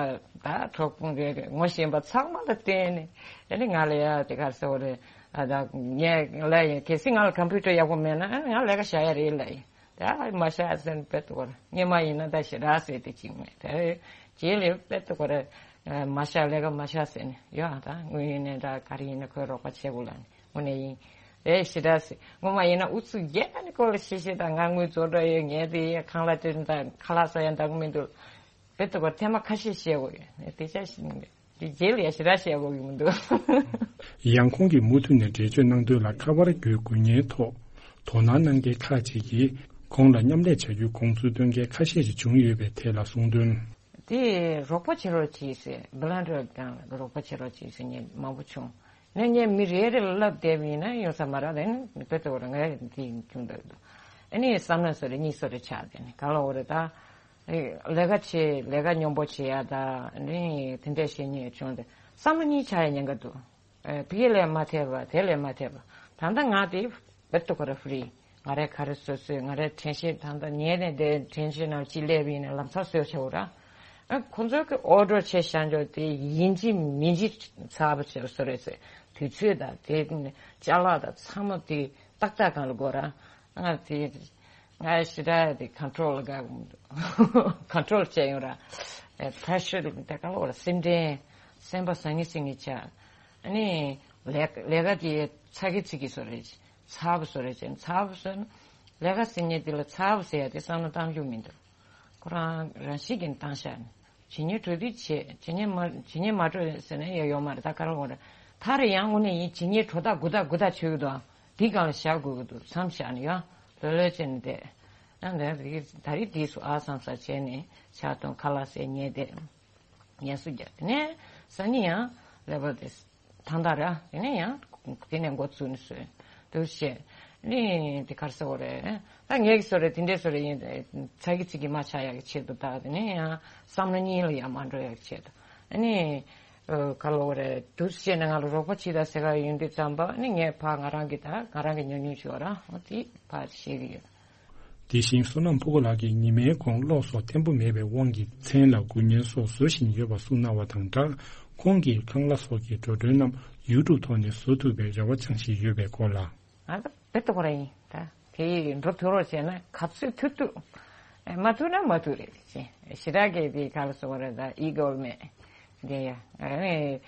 ད་གྲོགས་པོ་རེད་ངོ་ཤེས་པ་ཚང་མ་ལ་བརྟེན་ནས་ཨ་ནི་ང་ལ་ཡ་དེ་ག་ཟེར་བ་རེད། ཨ་ད་ངས་ལ་ཡ་གལ་སྲིད་ང་ལ་ཀམ་པུ་ཊར་ཡག་པོ་མེད་ན་ཨ་ནི་ང་ལས་ཀ་བྱ་ཡ་རེད་ལ་ཡ། ད་མ་ཤ་ཟེར་ནས་དཔེ་ཏོ་གོ་ར་སྔོན་མ་ཡིན་ན་ད་ཞེ་དྲག་ཟེར་དེ་གཅིག་མེད་དེ་རྗེས་ལ་དཔེ་ཏོ་གོ་ར་མ་ཤ་ལས་ཀ་མ་ཤ་ཟེར་ནས་ཡོད་ཨ། ད་དངོས་ཡིན་ནས་ད་ག་རེ་ཡིན་ན་ཁོས་རོགས་པ་བྱེད་དགོས་ལ་ནི་དངོས་གནས་ཡིན་རེད་ཞེ་དྲག་ཟེར། སྔོན་མ་ཡིན་ན་ཨུ་ཚུགས་རྒྱག་ནས་ཁོ་ལ་ཤེས་ཤེས་ད་ང་དངུལ་རྫོགས་འགྲོ་ཡོད་ངས་དེ་ཡས་ཁང་གླ་སྤྲད་ད་ཁ་ལག་ཟ་ཡ་འདང་གི་མི་འདུག་དཔེ་ཏོ་གོ་ཐེངས་མ་ཁ་ཤས་བཤད་དགོས་ཡོད་དེ་ཆ་ཞིག་མི་འདུག་དེ་རྗེས་ལ་ཡ་ཞེ་དྲག་བཤད་དགོས་ཀྱི་མི་འདུག་ཡང་ཁོང་གིས་མུ་མཐུད་ནས་འགྲེལ་བརྗོད་གནང་དོན་ལ་ཁ་པར་བརྒྱུད་འགུལ་བརྙན་ཐོག་དོ་སྣང་གནང་མཁན་ཁག་ཅིག་གིས་ཁོང་ལ་མཉམ་ལས་བྱ་རྒྱུའི་དགོངས་ཚུལ་བཏོན་མཁན་ཁ་ཤས་ཤིག་བྱུང་ཡོད་པའི་ཐད་ལ་གསུངས་དོན། དེ་རོགས་པ་བྱེད་རོགས་བྱེད་ཟེར་བི་ལན་ཊར་གང་ལ་རོགས་པ་བྱེད་རོགས་བྱེད་ཟེར་མཁན་མང་པོ་བྱུང་། ནས་ངས་མི་རེ་རེ་ལ་ལབ་བསྡད་པ་ཡིན་ན་ཡོང་ས་མ་རེད་དེ་ནི་དཔེ་ཏོ་གོ་ར་ངས་དེ་བྱུང་འདུག་ཨ་ནི་བསམ་ན་སོ་རེ་གཉིས་སོ་རེ་ཆགས་དེ་ནི་ག་ལ་འོ་རེ་ད། ལས་ཀ་བྱེད་ལས་ཀ་སྙོམས་པོ་བྱེད་ཡ་ད་ནི་དེ་འདྲས་བྱེད་མཁན་བྱུང་སྟེ་བསམ་བློ་གཉིས་ཆགས་ཡ་ཉེན་ཁ་འདུག་ཨེ་ཕ་གི་ལས་མ་ཐེབས་པ་དེ་ལས་མ་ཐེབས་པ་ད་ལྟ་ང་དེ་བེད་དུ་ཁོ་ར་ཧྥི་རི་ང་རའི་ག་རེ་བཟོ་བཟོས་ང་རའི་དྲན་ཤེས་ད་ལྟ་ཉལ་ནས་བསྡད་དྲན་ཤེས་ནང་ཅི་སླེབས་ཡིན་ན་ལམ་སང་བཟོས་བྱའོ་ར། ཨ་ཁོང་ཚོས་ཀྱི་ཨོ་ཌར་བྱས་བཞག་འཇོག་དེ་ཡིན་གཅིག་མིན་གཅིག་ཚགས་པ་བྱས་བཟོ་རེད་ཟེར། དུས་ཚོད་དང་དེ་ཅ་ལག་དང་ཚང་མ་དེ་ཏག་ཏག་སྒང་ལ་དགོས་ར། ང་དེ་ང་ཞེ་དྲག་དེ་ཀོན་ཊོལ་ལ་དགའ། ཀོན་ཊོལ་བྱས་ཡོང་ར། ཨེ་པེ་རེ་ཤར་དེ་ག་ལ་བར་སེམས་ཁྲལ། སེམས་པ་ཟང་ངེ་ཟིང་ངེ་བྱ། ཨ་ནི་ལས་ལས་ཀ་དེ་ཚ་གི་ཚིག་གི་བཟོ་རེད། ཚགས་པ་བཟོ་རེད་བྱས། ཚགས་པ་བཟོས་ན་ལས་ཀ་ཟེར་མཁན་དེ་ལ་ཚགས་པ་ཟེར་ཡ་དེ་བསམ་བློ་བཏང་རྒྱུ་མི་འདུག་ཁོ་རང་རང་བཞིན་གྱིས་བཏང་བཞག་ནས། ཇི་སྙེད་འགྲོ་དུས་བྱེད། ཇི་སྙེད་མ་ཇི་སྙེད་མ་འགྲོ་ཟེར་ན་ཡང་ཡོད་མ་རེད། ད་ག་རེ་འོང་རེད། ད་རེ་ཡང་དངོས་གནས་ཡིན་ཇི་སྙེད་འགྲོ་ཐག་འགུ་ཐག་འགུ་ཐག་ཆོད་ཀྱི་འདུག་འདི་སྒང་ལ་བཞག་དགོས་ཀྱི་འདུག་བསམ་བཞག་ནས་ཡང་ལྷོད་ལྷོད་བྱས་ནས་བསྡད། ཡང་ད་རེས་ད་རེས་འདི་སུ་ཨ་བསམ་ས་བྱས་ནས་ཕྱག་སྟོན་ཁ་ལག་ཟས་ཉལ་བསྡད། ངལ་གསོ་རྒྱག་དེ་ནས་སང་ཉིན་ཡང་ཀླད་པ་དེ་ཐང་ཐང་ར། དེ་ནས་ཡང་དེ་ནས་འགོ་བཙུགས་ནས་བཟོས་འདུག་བྱས། ནི་དེ་ག་རེ་ཟེར་དགོས་རེད། ད་ངས་ཀྱི་བཟོ་རེད། དེ་འདྲའི་བཟོ་རེད། ཡིན་ཚ་གི་ཚིག་གི་མ་ཆགས་ཡག་གི་ཆེད་དུ། ད་དེ་ནས་ཡང་བསམ་བློ་གཉིས་ལ་ཡང་མ་འགྲོ་ཡག་གི་ཆེད་དུ། ཨ་ནི་ཨ་ག་ལབ་དགོས་རེད། འདུག་བྱས་ནས་ང་ལ་རོགས་པ་བྱེད་དང་ཟེར་ག་ཡོང་དུས་ཙམ་པ། ཨ་ནི་ངས་ཕར་ང་རང་གི་ད་ང་རང་གི་ཉོ་ཉོ་བྱོས་ར། འོ་དེ་ཕར་ཤེས་ཀྱི་ཡོད། དེ་བཞིན་བསོད་ནམས་ཕུར་བུ་ལགས་ཀྱིས་ཉི་མའི་གོང་གློག་སོགས་བརྟན་པོ་མེད་པའི་དབང་གིས་མཚན་ལ་དགུན་བརྙན་སོགས་བཟོ་བཞིན་ཡོད་པ་གསུངས་གནང་བ་དང་སྦྲགས། ཁོང་གིས་ཁང་གླ་སོགས་ཀྱི་འགྲོ་གྲོན་རྣམས་ཡུ་ཊུབ་ཐོག་ནས་བཟོ་ཐུབ་པའི་རེ་བ་བཅངས་བཞིན་ཡོད་པའི་སྐོར་ལ། ང་ད་དཔེ་ཏོག་ར་ཡིན། ད་དེ་ཡིས་འགྲོ་ཐུབ་རོགས་བྱས་ན་ག་ཚོད་ཐུབ་ཐུབ། ཨེ་མ་ཐུབ་ན་མ་ཐུབ་རེད་ཅེས། ཞེ་དྲག་གི་དེ་ག་ལ་སོགས་རེད། ད་ཨི་གོ་མེད་དེ་ཡ། ཨེ་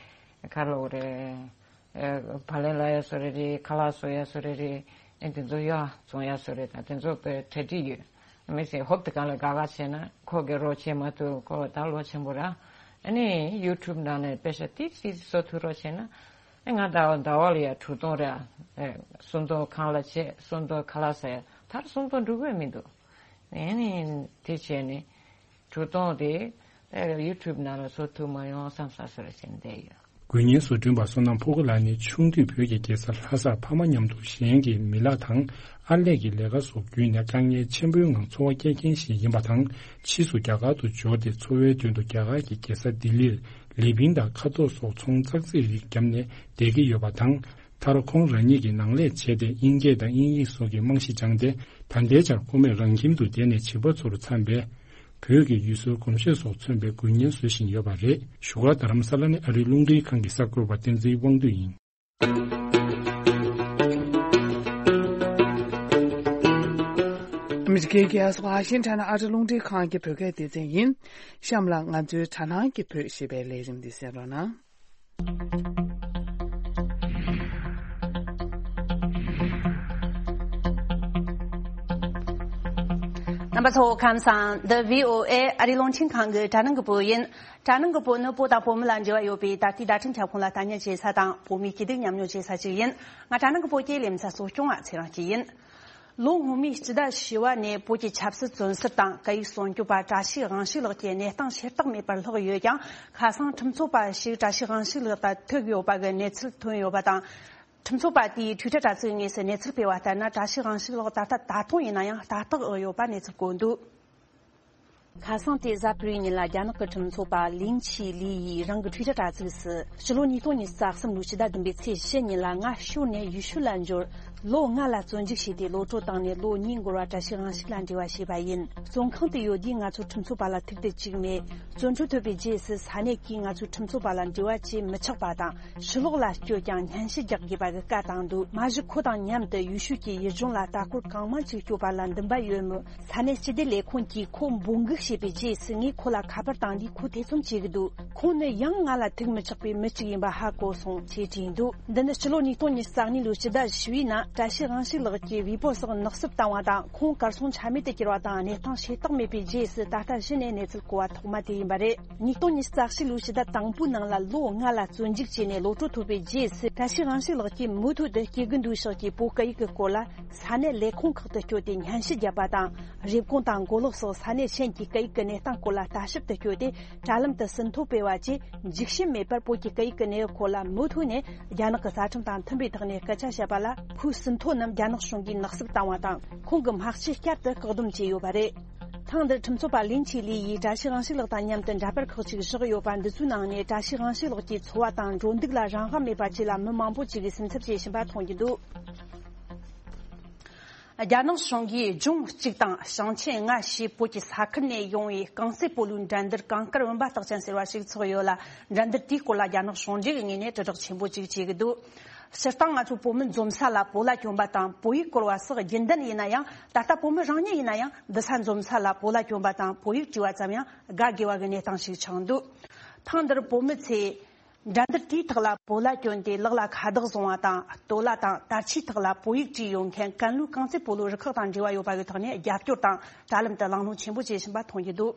ག་ལབ་དགོས་རེད། ཨེ་བག་ལེབ་ལ་ཡ་བཟོ་རེ་རེད། ཁ་ལག་བཟོ་ཡ་བཟོ་རེ་རེད། ཨེ་དེ་ཚོ་ཡ་བཙོང་ཡ་བཟོ་རེད། ད་དེ་ཚོ་དཔེ་གྲ་སྒྲིག་ཡོད། མི་ཚེ་ཧོབ་ཏེ་གང་ལ་དགའ་དགའ་བྱས་ན་ཁོ་གི་རོགས་བྱེད་མ་ཐུབ། ཁོ་ད་ལོ་ཆེན་པོ་ར། ཨ་ནི་ཡུ་ཊུབ་ནང་ནས་དཔེ་ཤ་ཏིག་ཏིག་བཟོ་ཐུབ་རོགས་བྱས་ན། ཨེ་ང་ཟླ་བ་ཟླ་བ་ལ་ཡ་དྲུག་སྟོང་ར། ཨེ་སུམ་སྟོང་ཁང་གླ་བྱས། སུམ་སྟོང་ཁ་ལག་ཟ་ཡ། ད་སུམ་སྟོང་འགྲོ་གི་མི་འདུག་ཨེ་ནི་དེ་བྱས་ནས་དྲུག་སྟོང་དེ་ཨེ་ཡུ་ཊུབ་ནང་ལ་བཟོ་ཐུབ་མ་ཡོང་བསམ་བསམ་བཟོ་ར་བྱས་ནས་བསྡད་ཡོད། དགུན་བརྙན་བཟོ་སྐྲུན་པ་བསོད་ནམས་ཕུར་བུ་ལགས་ནི་ཆུང་དུས་བོད་ཀྱི་རྒྱལ་ས་ལྷ་སར་ཕ་མ་མཉམ་དུ་གཞན་གྱི་མི་ལག་དང་ཨར་ལས་ཀྱི་ལས་ཀ་སོགས་བརྒྱུད་ནས་དཀའ་ངལ་ཆེན་པོའི་ངང་འཚོ་བ་སྐྱེལ་མཁན་ཞིག་ཡིན་པ་དང་། ཕྱིས་སུ་རྒྱ་གར་དུ་འབྱོར་ཏེ་འཚོ་བའི་དོན་དུ་རྒྱ་གར་གྱི་རྒྱལ་ས་ལྡི་ལིར་ལི་ཕིང་དང་ཁ་དོག་སོགས་ཚོང་ཙག་ཙིག་རིགས་བརྒྱབ་ནས་བསྡད་ཀྱི་ཡོད་པ་དང་། མཐར་ཁོང་རང་ཉིད་ཀྱིས་ནང་ལས་བྱས་ཏེ་དབྱིན་སྐད་དང་དབྱིན་ཡིག་སོགས་ཀྱི་རྨང་གཞི་སྦྱངས་ཏེ། ད་ལྟའི་ཆར་ཁོ་མོས་རང་ཁྱིམ་དུ་བསྡད་ནས་བྱིས་པ་ཚོར་འཚམས་པའི་བོད་ཀྱི་ཡུལ་སྲོལ་གོམས་གཤིས་སོགས་མཚོན་པའི་དགུན་བརྙན་བཟོ་བཞིན་ཡོད་པ་རེད། བཞུགས་སྒར་རྡ་རམ་ས་ལ་ནས་ཨ་རིའི་རླུང་འཕྲིན་ཁང་གི་གསར་འགོད་པ་བསྟན་འཛིན་དབང་འདུས་ཡིན། ཨ་མི་རི་ཀའི་རྒྱལ་ས་ཝ་ཤིང་ཊོན་ཨ་རིའི་རླུང་འཕྲིན་ཁང་གི་བོད་སྐད་སྡེ་ཚན་ཡིན། གཤམ་ལ་ང་ཚོའི་དྲ་སྣང་གི་བོད་ཞེས་པའི་ལས་རིམ་འདི་གསན་རོགས་གནང་། རྣམ་པ་ཚོ་ཁམས་བཟང་། འདི་བྷི་ཨོ་ཨེ་ཨ་རིའི་རླུང་འཕྲིན་ཁང་གི་དྲ་སྣང་གི་བུ་ཡིན། དྲ་སྣང་གི་བུ་ནི་བོད་དང་བོད་མི་ལ་འབྲེལ་བ་ཡོད་པའི་ད་ལྟའི་བརྡ་འཕྲིན་ཁྱབ་ཁོངས་ལ་ལྟ་ཉན་བྱེད་ས་དང་། བོད་མིའི་སྐྱིད་སྡུག་མཉམ་མྱོང་བྱེད་ས་ཞིག་ཡིན། ང་དྲ་སྣང་གི་བུ་སྐྱེས་ལེ་མི་ཚ་གསོ་སྐྱོང་བ་ཚེ་རིང་སྐྱིད་ཡིན། ལོ་སྔོན་མའི་སྤྱི་ཟླ་བཞི་བ་ནས་བོད་ཀྱི་ཆབ་སྲིད་བཙོན་ཟུར་དང་སྐད་ཡིག་སྲུང་སྐྱོབ་པ་བཀྲ་ཤིས་དབང་ཕྱུག་ལགས་ཀྱི་གནས་སྟངས་ཤེས་རྟོགས་མེད་པར་ལྷག་ཡོད་ཀྱང་། ཁ་སང་ཁྲིམས་རྩོད་པ་ཞིག་བཀྲ་ཤིས་དབང་ཕྱུག་ལགས་དང་ཐུག་ཡོད་པ་གི་གནས་ཚུལ་ཐོན་ཡོད་པ་དང་། ཁྲིམས་རྩོད་པ་དེས་ཊུའི་ཊར་དྲ་ཚིགས་དངོས་སུ་གནས་ཚུལ་སྤེལ་བ་ལྟར་ན། བཀྲ་ཤིས་དབང་ཕྱུག་ལགས་ད་ལྟ་ད་དུང་ཡིན་ན་ཡང་ལྟ་རྟོག་འོག་ཡོད་པ་གནས་ཚུལ་བཀོད་འདུག་ཁ་སང་སྟེ་གཟའ་ཕུར་བུའི་ཉིན་ལ་རྒྱ་ནག་གི་ཁྲིམས་རྩོད་པ་ལིན་ཆི་ལི་ཡིས་རང་གི་ཊུའི་ཊར་དྲ་ཚིགས་སུ། ཕྱི་ལོ་ཉིས་སྟོང་ཉི་ཤུ་རྩ་གསུམ་ལོའི་ཕྱི་ཟླ་བདུན་པའི་ཚེས་བཞི་ཉིན་ལ། ང་ཞོར་ནས་ཡུལ་ཤུལ་ལ་འབྱོར། ལོ་ལྔ་ལ་བཙོན་འཇུག་བྱས་ཏེ་གློད་གྲོལ་བཏང་ནས་ལོ་གཉིས་འགོར་བར་བཀྲ་ཤིས་དབང་ཕྱུག་ལ་འབྲེལ་བ་བྱས་པ་ཡིན། བཙོན་ཁང་དུ་ཡོད་དུས་ང་ཚོ་ཁྲིམས་རྩོད་པ་ལ་ཐུག་དུས་བཅུག་མེད། བཙོན་གྲོལ་ཐོབ་པའི་རྗེས་སུ་ས་གནས་ཀྱིས་ང་ཚོའི་ཁྲིམས་རྩོད་པ་ལ་འབྲེལ་བ་བྱེད་མི་ཆོག་པ་དང་། ཕྱི་ལོགས་ལ་བསྐྱོད་ཀྱང་སྙན་ཞུ་རྒྱག་དགོས་པ་གི་བཀའ་བཏང་འདུག་མ་གཞི་ཁོ་དང་མཉམ་དུ་ཡུལ་ཤུལ་གྱི་ཡུལ་ལྗོངས་ལ་ལྟ་སྐོར་གང་མང་ཅིག་སྐྱོད་པ་ལ་འདུན་པ་ཡོད་མོད། ས་གནས་སྤྱི་བདེ་ལས་ཁུངས་ཀྱིས་ཁོ་འབོད་འགུག་བྱས་པའི་རྗེས་སུ། ངས་ཁོ་ལ་ཁ་པར་བཏང་དུས་ཁོ་ཐེ་ཚོམ་བྱེད་ཀྱི་འདུག་ཁོང་ནི་ཡང་ང་ལ་ཐུག་མི་ཆོག་པའི་མི་གཅིག་ཡིན་པ་ཧ་གོ་སོང་ཞེས་བྲིས་འདུག་འདི་ནི་ཕྱི་ལོ་ཉིས་སྟོང་ཉི་ཤུ་རྩ་གཉིས་ལོའི་ཕྱི་ཟླ་བཞི་བའི་ནང་བཀྲ་ཤིས་དབང་ཕྱུག་ལགས་ཀྱིས་ཝེ་པོ་སོགས་ནག་བསུབ་བཏང་བ་དང་། ཁོང་གར་སོང་ཆ་མེད་དུ་གྱུར་བ་དང་། གནས་སྟངས་ཤེས་རྟོགས་མེད་པའི་རྗེས་སུ་ད་ལྟ་གཞི་ནས་གནས་ཚུལ་གོ་བ་ཐོག་མ་དེ་ཡིན་པ་རེད། ཉིས་སྟོང་ཉི་ཤུ་རྩ་གཅིག་ལོའི་ཕྱི་ཟླ་དང་པོའི་ནང་ལ་ལོ་ལྔ་ལ་བཙོན་འཇུག་བྱས་ནས་གློད་གྲོལ་ཐོབ་པའི་རྗེས་སུ། བཀྲ་ཤིས་དབང་ཕྱུག་ལགས་ཀྱིས་མུ་མཐུད་དུ་སྐྱེ་རྒུ་མདོའི་ཕྱོགས་ཀྱི་བོད་སྐད་ཡིག་གི་སྐོར་ལ་ས་གནས་ལས་ཁུངས་ཁག་ཏུ་བསྐྱོད་དེ་སྙན་ཞུ་བརྒྱབ་པ་དང་། རེབ་གོང་དང་མགོ་ལོག་སོགས་ས་གནས་གཞན་གྱི་སྐད་ཡིག་གི་གནས་སྟངས་སྐོར་ལ་ལྟ་ཞིབ་ཏུ་བསྐྱོད་དེ། དྲ་ལམ་དུ་ཟིན་ཐོ་སྤེལ་བ་བཅས་འཇིགས་ཞུམ་མེད་པར་བོད་ཀྱི་སྐད་ཡིག་གི་གནས་བབ་སྐོར་ལ་མུ་མཐུད་ནས་རྒྱ་ནག་གི་རྩ་ཁྲིམས་དང་མཐུན་པའི་ཐོག་ནས་སྐད་ཆ་བཤད་པ་ལ། ཁོའི་ཟིན་ཐོ་རྣམས་རྒྱ་ནག་གཞུང་གིས་ནག་བསུབ་བཏང་བ་དང་། ཁོང་གི་མ་ལྕེ་བསྐྱར་དུ་བཀག་སྡོམ་བྱས་ཡོད་པ་རེད། ཐེངས་འདིར་ཁྲིམས་རྩོད་པ་ལིན་ཆི་ལི་ཡིས་བཀྲ་ཤིས་དབང་ཕྱུག་ལགས་དང་མཉམ་དུ་འདྲ་པར་ཁག་ཅིག་བཞག་ཡོད་པ་འདི་ཚོའི་ནང་ནས། བཀྲ་ཤིས་དབང་ཕྱུག་ལགས་ཀྱི་འཚོ་བ་དང་འགྲོ་འདུག་ལ་རང་དབང་མེད་པ་བཅས་ལ་མི་མང་པོ་ཅིག་གིས་སེམས་འཚབ་བྱེད་བཞིན་པ་མཐོང་རྒྱུ་འདུག་རྒྱ་ནག་གཞུང་གིས་ལྗོངས་གཅིག་དང་ཞིང་ཆེན་ལྔ་ཞེས་བོད་ཀྱི་ས་ཁུལ་ནས་ཡོང་བའི་རྐང་རྩེད་སྤོ་ལོའི་འགྲན་བསྡུར་གངས་དཀར་བུམ་པ་རྟགས་ཅན་ཟེར་བ་ཞིག་ཚོགས་ཡོད་ལ། འགྲན་བསྡུར་དེའི་སྐོར་ལ་རྒྱ་ནག་གཞུང་འབྲེལ་གྱི་ངོས་ནས་དྲིལ་བསྒྲགས་ཆེན་པོ་ཅིག་བྱེད་ཀྱི་འདུག་སྤྱིར་བཏང་ང་ཚོ་བོད་མི་འཛོམས་ས་ལ་བོད་ལྭ་གྱོན་པ་དང་བོད་ཡིག་བསྐུར་བ་སོགས་རྒྱུན་ལྡན་ཡིན་ན་ཡང་། ད་ལྟ་བོད་མི་རང་ཉིད་ཡིན་ན་ཡང་འདི་ས་འཛོམས་ས་ལ་བོད་ལྭ་གྱོན་པ་དང་བོད་ཡིག་བྲིས་པ་ཙམ་ཡང་དགའ་དགོས་པ་གི་གནས་སྟངས་ཤིག་ཆགས་འདུག་ཐེངས་འདིར་བོད་མི་ཚོས་འགྲན་བསྡུར་དེའི་ཐོག་ལ་བོད་ལྭ་གྱོན་ཏེ་ལག་ལ་ཁ་བཏགས་བཟུང་བ་དང་སྟོད་ལྭ་དང་དར་ཆའི་ཐོག་ལ་བོད་ཡིག་བྲིས་ཡོད་མཁན་ཀན་ལྷོའི་རྐང་རྩེད་སྤོ་ལོ་རུ་ཁག་དང་འབྲེལ་བ་ཡོད་པ་གི་ཐོག་ནས་རྒྱབ་སྐྱོར་དང་དྲ་ལམ་དུ་གླེང་སློང་ཆེན་པོ་བྱེད་བཞིན་པ་མཐོང་རྒྱུ་འདུག་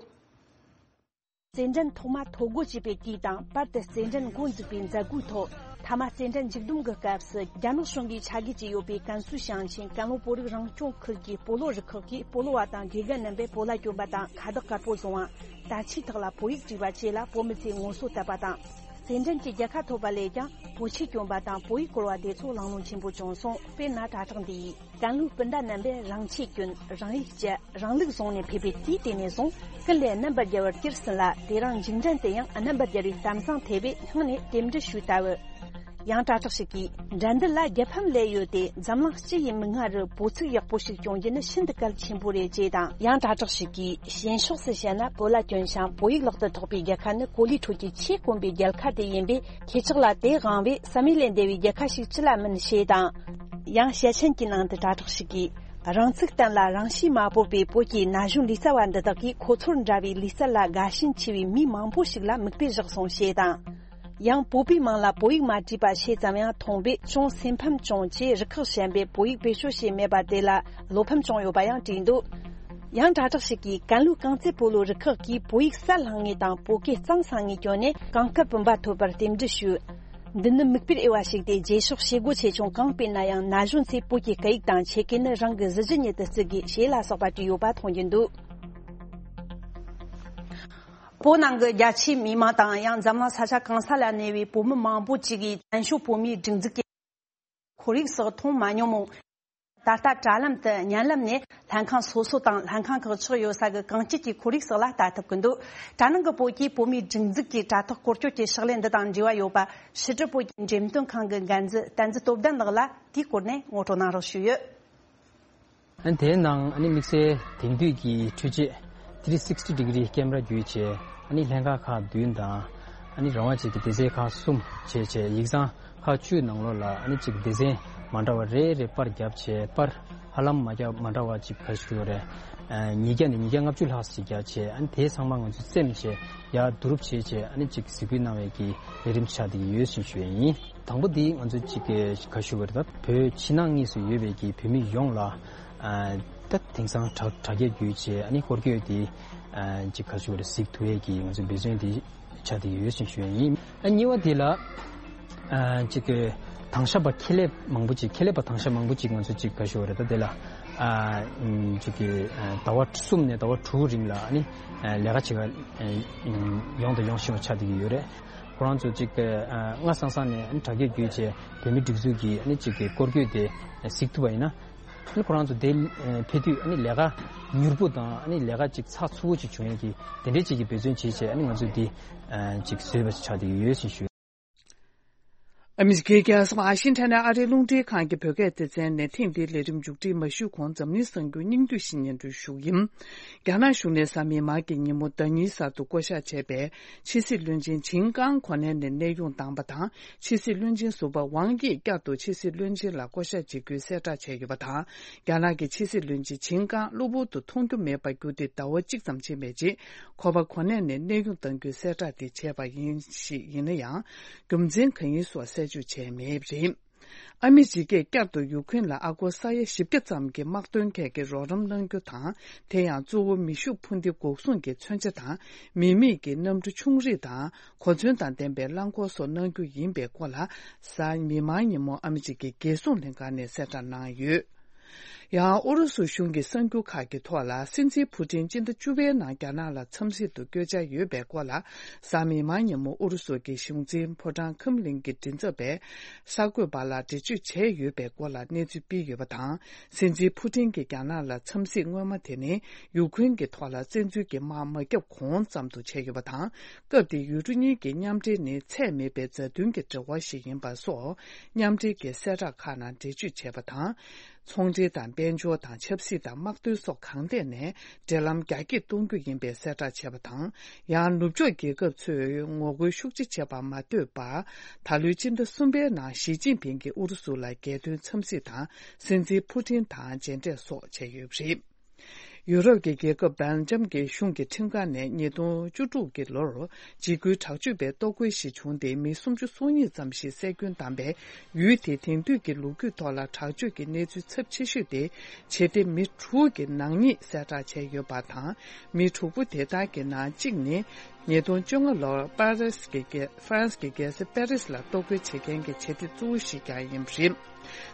རྩེད་འགྲན་ཐོག་མ་ཐོ་འགོད་བྱས་པའི་དུས་དང་བར་དུ་རྩེད་འགྲན་འགོ་འཛུགས་པའི་མཛད་སྒོའི་ཐོག་མཐའ་མ་རྩེད་འགྲན་མཇུག་བསྡོམས་ཀྱི་སྐབས་སུ་རྒྱ་ནག་གཞུང་གིས་ཆ་བགོས་བྱས་ཡོད་པའི་ཀན་སུའུ་ཞིང་ཆེན་ཀན་ལྷོ་བོད་རིགས་རང་སྐྱོང་ཁུལ་གྱི་སྤོ་ལོ་རུ་ཁག་གི་སྤོ་ལོ་བ་དང་དགེ་རྒན་རྣམ་པས་བོད་ལྭ་གྱོན་པ་དང་ཁ་བཏགས་དཀར་པོ་བཟུང་བ། དར་ཆའི་ཐོག་ལ་བོད་ཡིག་བྲིས་པ་བཅས་ལ་བོད་མི་ཚོས་ངོ་སོ་བསྟོད་པ་དང་། རྩེད་འགྲན་གྱི་རྒྱལ་ཁ་ཐོབ་པ་ལས་ཀྱང་བོད་ཆས་གྱོན་པ་དང་བོད་ཡིག་བསྐུར་བ་དེ་ཚོ་གླེང་སློང་ཆེན་པོ་བྱུང་སོང་། དཔེར་ན་དྲ་གྲགས་འདི་ཡིས། ཀན་ལྷོའི་སྤུན་ཟླ་རྣམ་པས་རང་ཆས་གྱོན། རང་ཡིག་སྤྱད། རང་ལུགས་བཟུང་ནས་ཕེབས་པའི་དུས་དེ་ནས་བཟུང་ཀུན་ལས་རྣམ་པར་རྒྱལ་བར་གྱུར་ཟིན་ལ། དེ་རིང་མཇུག་འགྲན་དུ་ཡང་རྣམ་པར་རྒྱལ་བའི་གཏམ་བཟང་ཐེབས་པས་སྙིང་ནས་རྟེན་འབྲེལ་ཞུས་ལྟ་བུ། ཡང་དྲ་གྲགས་ཤིག་གིས། འགྲན་བསྡུར་ལ་རྒྱལ་ཕམ་སླེབས་ཡོད་དེ། འཛམ་གླིང་སྤྱི་ཡི་མིག་སྔ་རུ་བོད་ཚིག་ཡག་པོ་ཞིག་སྐྱོང་རྒྱུ་ནི་ཤིན་ཏུ་གལ་ཆེན་པོ་རེད། ཅེས་དང་། ཡང་དྲ་གྲགས་ཤིག་གིས། ཞེན་ཕྱོགས་སུ་བཤད་ན་བོད་ལྭ་གྱོན་ཞིང་བོད་ཡིག་ལག་ཏུ་ཐོགས་པའི་རྒྱལ་ཁ་ནི་གོ་ལའི་ཁྲོད་ཀྱི་ཆེས་དཀོན་པའི་རྒྱལ་ཁ་དེ་ཡིན་པས། ཁྱེད་ཅག་ལ་དེ་དབང་བས་བསམ་ཡུལ་ལས་འདས་པའི་རྒྱལ་ཁ་ཞིག་ཅི་ལ་མིན། ཞེས་དང་། ཡང་ཞལ་ཆེམས་ཀྱི་ནང་དུ་དྲ་གྲགས་ཤིག་གིས། རང་ཚུགས་བརྟན་ལ་རང་གཤིས་མ་བོར་བའི་བོད་ཀྱི་ན་གཞོན་ལུས་རྩལ་བ་འདི་དག་གིས་ཁོ་ཚོར་འདྲ་བའི་ལུས་རྩལ་ལ་དགའ་ཞེན་ཆེ་བའི་མི་མང་པོ་ཞིག་ལ་མིག་དཔེ་བཞག་སོང་། ཞེས་དང་། ཡང་བོད་པའི་མིང་ལ་བོད་ཡིག་མ་བྲིས་པ་ཞེ་ཙམ་ཡང་མཐོང་བས་ཅུང་སེམས་ཕམ་བྱུང་ཅེས་རུ་ཁག་གཞན་པས་བོད་ཡིག་བེད་སྤྱོད་བྱས་མེད་པ་དེ་ལ་བློ་ཕམ་བྱུང་ཡོད་པ་ཡང་བྲིས་འདུག་ཡང་དྲ་གྲགས་ཤིག་གིས་ཀན་ལྷོའི་རྐང་རྩེད་སྤོ་ལོ་རུ་ཁག་གིས་བོད་ཡིག་གསལ་ལྷང་ངེ་དང་བོད་སྐད་གཙང་སང་ངེ་བསྐྱོན་ནས་གངས་དཀར་བུམ་པ་ཐོབ་པར་རྟེན་འབྲེལ་ཞུས། འདི་ནི་མིག་དཔེར་འོས་པ་ཞིག་སྟེ། རྗེས་ཕྱོགས་བྱེད་སྒོ་ཆེ་ཆུང་གང་སྤེལ་ན་ཡང་ན་གཞོན་ཚོས་བོད་ཀྱི་སྐད་ཡིག་དང་ཆས་སྐད་ནི་རང་གི་གཟི་བརྗིད་ཉིད་དུ་བརྩི་དགོས། ཞེས་ལ་སོགས་པ་བྲིས་ཡོད་པ་མཐོང་རྒྱུ་འདུག་བོད་ནང་གི་རྒྱ་ཆེའི་མི་མང་དང་ཡང་འཛམ་གླིང་ས་ཆ་གང་ས་ལ་གནས་པའི་བོད་མི་མང་པོ་ཅིག་གིས་བཙན་བྱོལ་བོད་མིའི་སྒྲིག་འཛུགས་ཀྱི་ཁོར་ཡུག་སོགས་མཐོང་མ་མྱོང་མོད། ད་ལྟ་དྲ་ལམ་དུ་བརྙན་ལམ་ནས་ལྷན་ཁང་སོ་སོ་དང་ལྷན་ཁང་ཁག་ཆགས་ཡོད་ས་གི་གངས་སྐྱིད་ཀྱི་ཁོར་ཡུག་སོགས་ལ་ལྟ་ཐུབ་ཀྱི་འདུག་དྲ་ནང་གི་བོད་ཀྱིས་བོད་མིའི་སྒྲིག་འཛུགས་ཀྱི་དྲ་ཐོག་སྐོར་སྐྱོད་ཀྱི་ཕྱག་ལས་འདི་དང་འབྲེལ་བ་ཡོད་པ་ཕྱི་དྲིལ་བོད་ཀྱི་འགྲེམས་སྟོན་ཁང་གི་འགན་འཛིན་བསྟན་འཛིན་སྟོབས་ལྡན་ལགས་ལ་དེའི་སྐོར་ནས་ངོ་སྤྲོད་གནང་རོགས་ཞུས་ཡོད། ཨ་ནི་དེའི་ནང་ཨ་ནི་དམིགས་བསལ་དེང་དུས་ཀྱི་འཕྲུལ་ཆས་three sixty degree camera བརྒྱུད་བྱས་ཨ་ནི་ལྷན་ཁང་ཁག་བདུན་དང་ཨ་ནི་རང་དབང་ཅན་གྱི་སྡེ་ཚན་ཁག་གསུམ་བྱས་བྱས་ཡིག་ཚང་ཁག་བཅུའི་ནང་ལོགས་ལ་ཨ་ནི་གཅིག་སྡེ་ཚན་མ་འདྲ་བ་རེ་རེ་པར་བརྒྱབ་བྱས་པར་ཧ་ལམ་མ་བརྒྱབ་མ་འདྲ་བ་གཅིག་ག་ཞུ་རེད། ཉིས་བརྒྱ་ནས་ཉིས་བརྒྱ་ལྔ་བཅུ་ལྷག་ཅིག་བརྒྱབ་བྱས་ཨ་ནི་དེ་ཚང་མ་ང་ཚོས་བཙེམས་བྱས་ཡར་བསྡུ་རུབ་བྱས་བྱས་ཨ་ནི་གཅིག་གཟིགས་འབུལ་གནང་བའི་གི་ལས་རིམ་ཆགས་བསྡད་ཀྱི་ཡོད་ཅེས་ཞུ་ཡས་ཡིན། དང་པོ་འདི་ང་ཚོས་གཅིག་ག་ཞུ་བ་རེད། ད་བོད་ཕྱི་ནང་གཉིས་སུ་ཡོད་པའི་གི་བོད་མི་ཡོངས་ལ་ད་དེང་སང་དྲ་དྲ་རྒྱ་བརྒྱུད་བྱས་ཨ་ནི་སྐོར་སྐྱོད་དེ་གཅིག་ག་ཞུ་བ་རེད། གཟིགས་ཐུབ་ཡས་ཀྱི་ང་ཚོའི་འབད་བརྩོན་དེ་ཆགས་བསྡད་ཀྱི་ཡོད་ཅེས་ཞུ་ཡས་ཡིན། ཨ་གཉིས་པ་དེ་ལ་གཅིག་གི་དྭང་ཞབས་པ་ཁྱད་ལས་མང་པོ་ཅིག་ཁྱད་ལས་པ་དྭང་ཞབས་མང་པོ་ཅིག་ང་ཚོ་གཅིག་ག་ཞུ་བ་རེད། ད་དེ་ལ་གཅིག་གི་ཟླ་བ་གསུམ་ནས་ཟླ་བ་དྲུག་རིང་ལ་ཨ་ནི་ལས་ཀ་བྱེད་ག་ཡོང་དང་ཡོང་བཞིན་པ་ཆགས་བསྡད་ཀྱི་ཡོད་རེད། ཁོ་རང་ཚོ་གཅིག་སྔ་སང་སང་ནས་དྲ་རྒྱ་བརྒྱུད་བྱས་བོད་མི་སྒྲིག་འཛུགས་ཀྱི་གཅིག་གི་སྐོར་སྐྱོད་དེ་གཟིགས་ཐུབ་པ་ཡིན་ན། ཁོ་རང་ཚོ་དེ་ཕེབས་དུས་ལས་ཀ་མྱུར་པོ་དང་ལས་ཀ་གཅིག་ཚགས་ཚུད་པོ་ཅིག་བྱུང་ཡས་ཀྱི་དེ་འདྲའི་ཅིག་གི་འབད་བརྩོན་བྱས་བྱས་ང་ཚོས་འདི་གཅིག་བཟོས་པ་ཆགས་བསྡད་ཀྱི་ཡོད་ཅེས་ཞུ། ཨ་མི་རི་ཀའི་རྒྱལ་ས་ཝ་ཤིང་ཊོན་ནས་ཨ་རིའི་རླུང་འཕྲིན་ཁང་གི་བོད་སྐད་སྡེ་ཚན་ནས་ཐེངས་འདིའི་ལས་རིམ་མཇུག་སྒྲིལ་མ་ཞུས་གོང་འཛམ་གླིང་གསར་འགྱུར་སྙིང་བསྡུས་ཤིག་སྙན་སྒྲོན་ཞུ་གི་ཡིན། རྒྱ་ནག་གཞུང་ནས་གཟའ་མིག་དམར་གྱི་ཉིན་མོ་ཟླ་ཉིན་གསར་དུ་བསྐོ་གཞག་བྱས་པའི་ཕྱི་སྲིད་བློན་ཆེན་ཆིན་ཀང་གོ་གནས་ནས་གནས་དབྱུང་བཏང་བ་དང་། ཕྱི་སྲིད་བློན་ཆེན་ཟུར་པ་ཝང་དབྱིས་བསྐྱར་དུ་ཕྱི་སྲིད་བློན་ཆེན་ལ་བསྐོ་གཞག་བྱེད་རྒྱུའི་གསལ་བསྒྲགས་བྱས་ཡོད་པ་དང་། རྒྱ་ནག་གི་ཕྱི་སྲིད་བློན་ཆེན་ཆིན་ཀང་གློ་བུར་དུ་མཐོང་རྒྱུ་མེད་པར་གྱུར་ཏེ་ཟླ་བ་གཅིག་ཙམ་ཕྱིན་པའི་རྗེས། ཁོ་པ་གོ་གནས་ནས་གནས་དབྱུང་གཏང་རྒྱུའི་གསལ་བསྒྲགས་དེ་བྱས་པ་ཡིན་ཞིག་ཡིན་ན་ཡང་། རྒྱུ་མཚན་གང་ཡིན་སོགས་གསལ་བརྗོད་བྱས་མེད་པ་རེད། ཨ་མི་རི་ཀས་བསྐྱར་དུ་ཡུ་ཁུན་ལ་ཨ་སྒོར་ས་ཡ་བཞི་བརྒྱ་ཙམ་གྱི་དམག་དོན་གྱི་རོགས་རམ་གནང་རྒྱུ་དང་། དེ་ཡང་གཙོ་བོ་མེ་ཤུགས་འཕུར་མདེལ་འགོག་སྲུང་གི་མཚོན་ཆ་དང་། མི་མེད་ཀྱི་གནམ་གྲུ་ཆུང་རིགས་དང་། གོ་མཚོན་དང་ལྡན་པའི་རླངས་འཁོར་སོགས་གནང་རྒྱུ་ཡིན་པའི་སྐོར་ལ། གཟའ་མིག་དམར་ཉིན་མོ་ཨ་མི་རི་ཀའི་རྒྱལ་སྲུང་ལྷན་ཁང་ནས་གསལ་བསྒྲགས་གནང་ཡོད། ཡང་ཨུ་རུ་སུ་གཞུང་གི་གསར་འགྱུར་ཁག་གི་ཐོག་ལ། སྲིད་འཛིན་ཕུ་ཏིན་སྤྱི་ཟླ་བཅུ་པའི་ནང་རྒྱ་ནག་ལ་འཚམས་གཟིགས་དུ་བསྐྱོད་འཆར་ཡོད་པའི་སྐོར་ལ། གཟའ་མིག་དམར་ཉིན་མོ་ཨུ་རུ་སུ་གི་གཞུང་འཛིན་ཕོ་བྲང་ཁྲེམ་ལིན་གྱི་མགྲིན་ཚབ་པས་གསར་འགོད་པ་ལ་འགྲེལ་བརྗོད་བྱས་ཡོད་པའི་སྐོར་ལ་གནས་ཚུལ་སྤེལ་ཡོད་པ་དང་། སྲིད་འཛིན་ཕུ་ཏིན་གྱི་རྒྱ་ནག་ལ་འཚམས་གཟིགས་སྔོན་མ་དེ་ནི་ཡུ་ཁུན་གྱི་ཐོག་ལ་བཙན་འཛུལ་གྱི་དམག་མ་བརྒྱབ་གོང་ཙམ་དུ་བྱས་ཡོད་པ་དང་། སྐབས་དེའི་ཡུལ་གྲུ་གཉིས་ཀྱི་མཉམ་འབྲེལ་ནི་ཚད་མེད་པའི་མཛའ་མཐུན་གྱི་འབྲེལ་བ་ཞིག་ཡིན་པ་སོགས་མཉམ་འབྲེལ་གྱི་གསལ་བསྒྲགས་ཁག་ནང་འགྲེལ་བརྗོད་བྱས་པ་དང་། ཚོང་འབྲེལ་དང་ དཔལ་འབྱོར་དང་ཆབ་སྲིད་དང་དམག་དོན་སོགས་གང་ཐད་ནས་འབྲེལ་ལམ་རྒྱ་སྐྱེད་གཏོང་རྒྱུ་ཡིན་པའི་གསལ་བསྒྲགས་བྱས་པ་དང་། ཡང་ནུབ་ཕྱོགས་རྒྱལ་ཁབ་ཚོས་ངོ་རྒོལ་ཤུགས་ཆེ་བྱེད་པར་མ་ལྟོས་པར། ད་ལོའི་སྤྱི་ཟླ་གསུམ་པའི་ནང་ཞི་ཅིན་ཕིང་གིས་ཨུ་རུ་སུ་ལ་རྒྱལ་དོན་འཚམས་གཟིགས་དང་། སྲིད་འཛིན་ཕུ་ཊིན་དང་མཇལ་འཕྲད་སོགས་བྱས་ཡོད་པ་རེད། ཡུ་རོབ་ཀྱི་རྒྱལ་ཁབ་སྦེལ་ཇམ་གྱི་གཞུང་གི་ཁྲིམས་ཁང་ནས་ཉིས་སྟོང་བཅུ་དྲུག་གི་ལོར་འཇིགས་སྐུལ་དྲག་སྤྱོད་པའི་ལྟོ་གོས་ཤིག་བྱུང་སྟེ། མི་སུམ་ཅུ་སོ་གཉིས་ཙམ་ཞིག་བསད་སྐྱོན་བཏང་བའི་ཡུལ་དེའི་དེང་དུས་ཀྱི་ལོ་རྒྱུས་ཐོག་ལ་དྲག་སྤྱོད་ཀྱི་གནས་ཚུལ་ཚབས་ཆེ་ཤོས་དེ་བྱེད་གཏེ་མི་དྲུག་གི་ནག་ཉེས་གསལ་བསྒྲགས་བྱས་ཡོད་པ་དང་། མི་དྲུག་པོ་དེ་དག་གི་ནང་གཅིག་ནི་ཉིས་སྟོང་བཅོ་ལྔ་ལོར་པ་རིས་ཀྱི་རྒྱལ་ཧྥ་རན་སི་གི་རྒྱལ་ས་པེ་རིས་ལ་ལྟོ་གོས་བྱེད་མཁན་གྱི་བྱེད་གཏེ་གཙོ་བོ་ཞིག་ཀྱང་ཡིན་པ་རེད།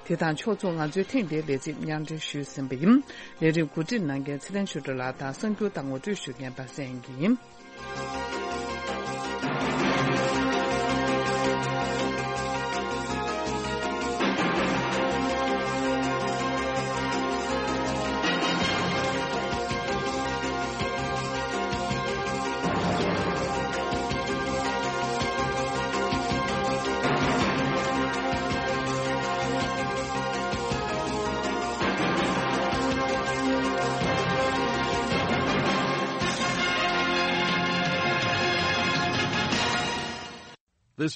དེ་དང་ཕྱོགས་མཚུངས། ང་ཚོའི་ཐེངས་འདིའི་ལས་ཚིག་སྙན་སྒྲོན་ཞུས་ཟིན་པ་ཡིན། ལས་རིམ་གོ་སྒྲིག་གནང་མཁན་ཚེ་རིང་ཆོས་སྒྲོན་ལགས་དང་གསར་འགྱུར་དང་ངོ་སྤྲོད་ཞུ་མཁན་པ་སངས་ཡིན།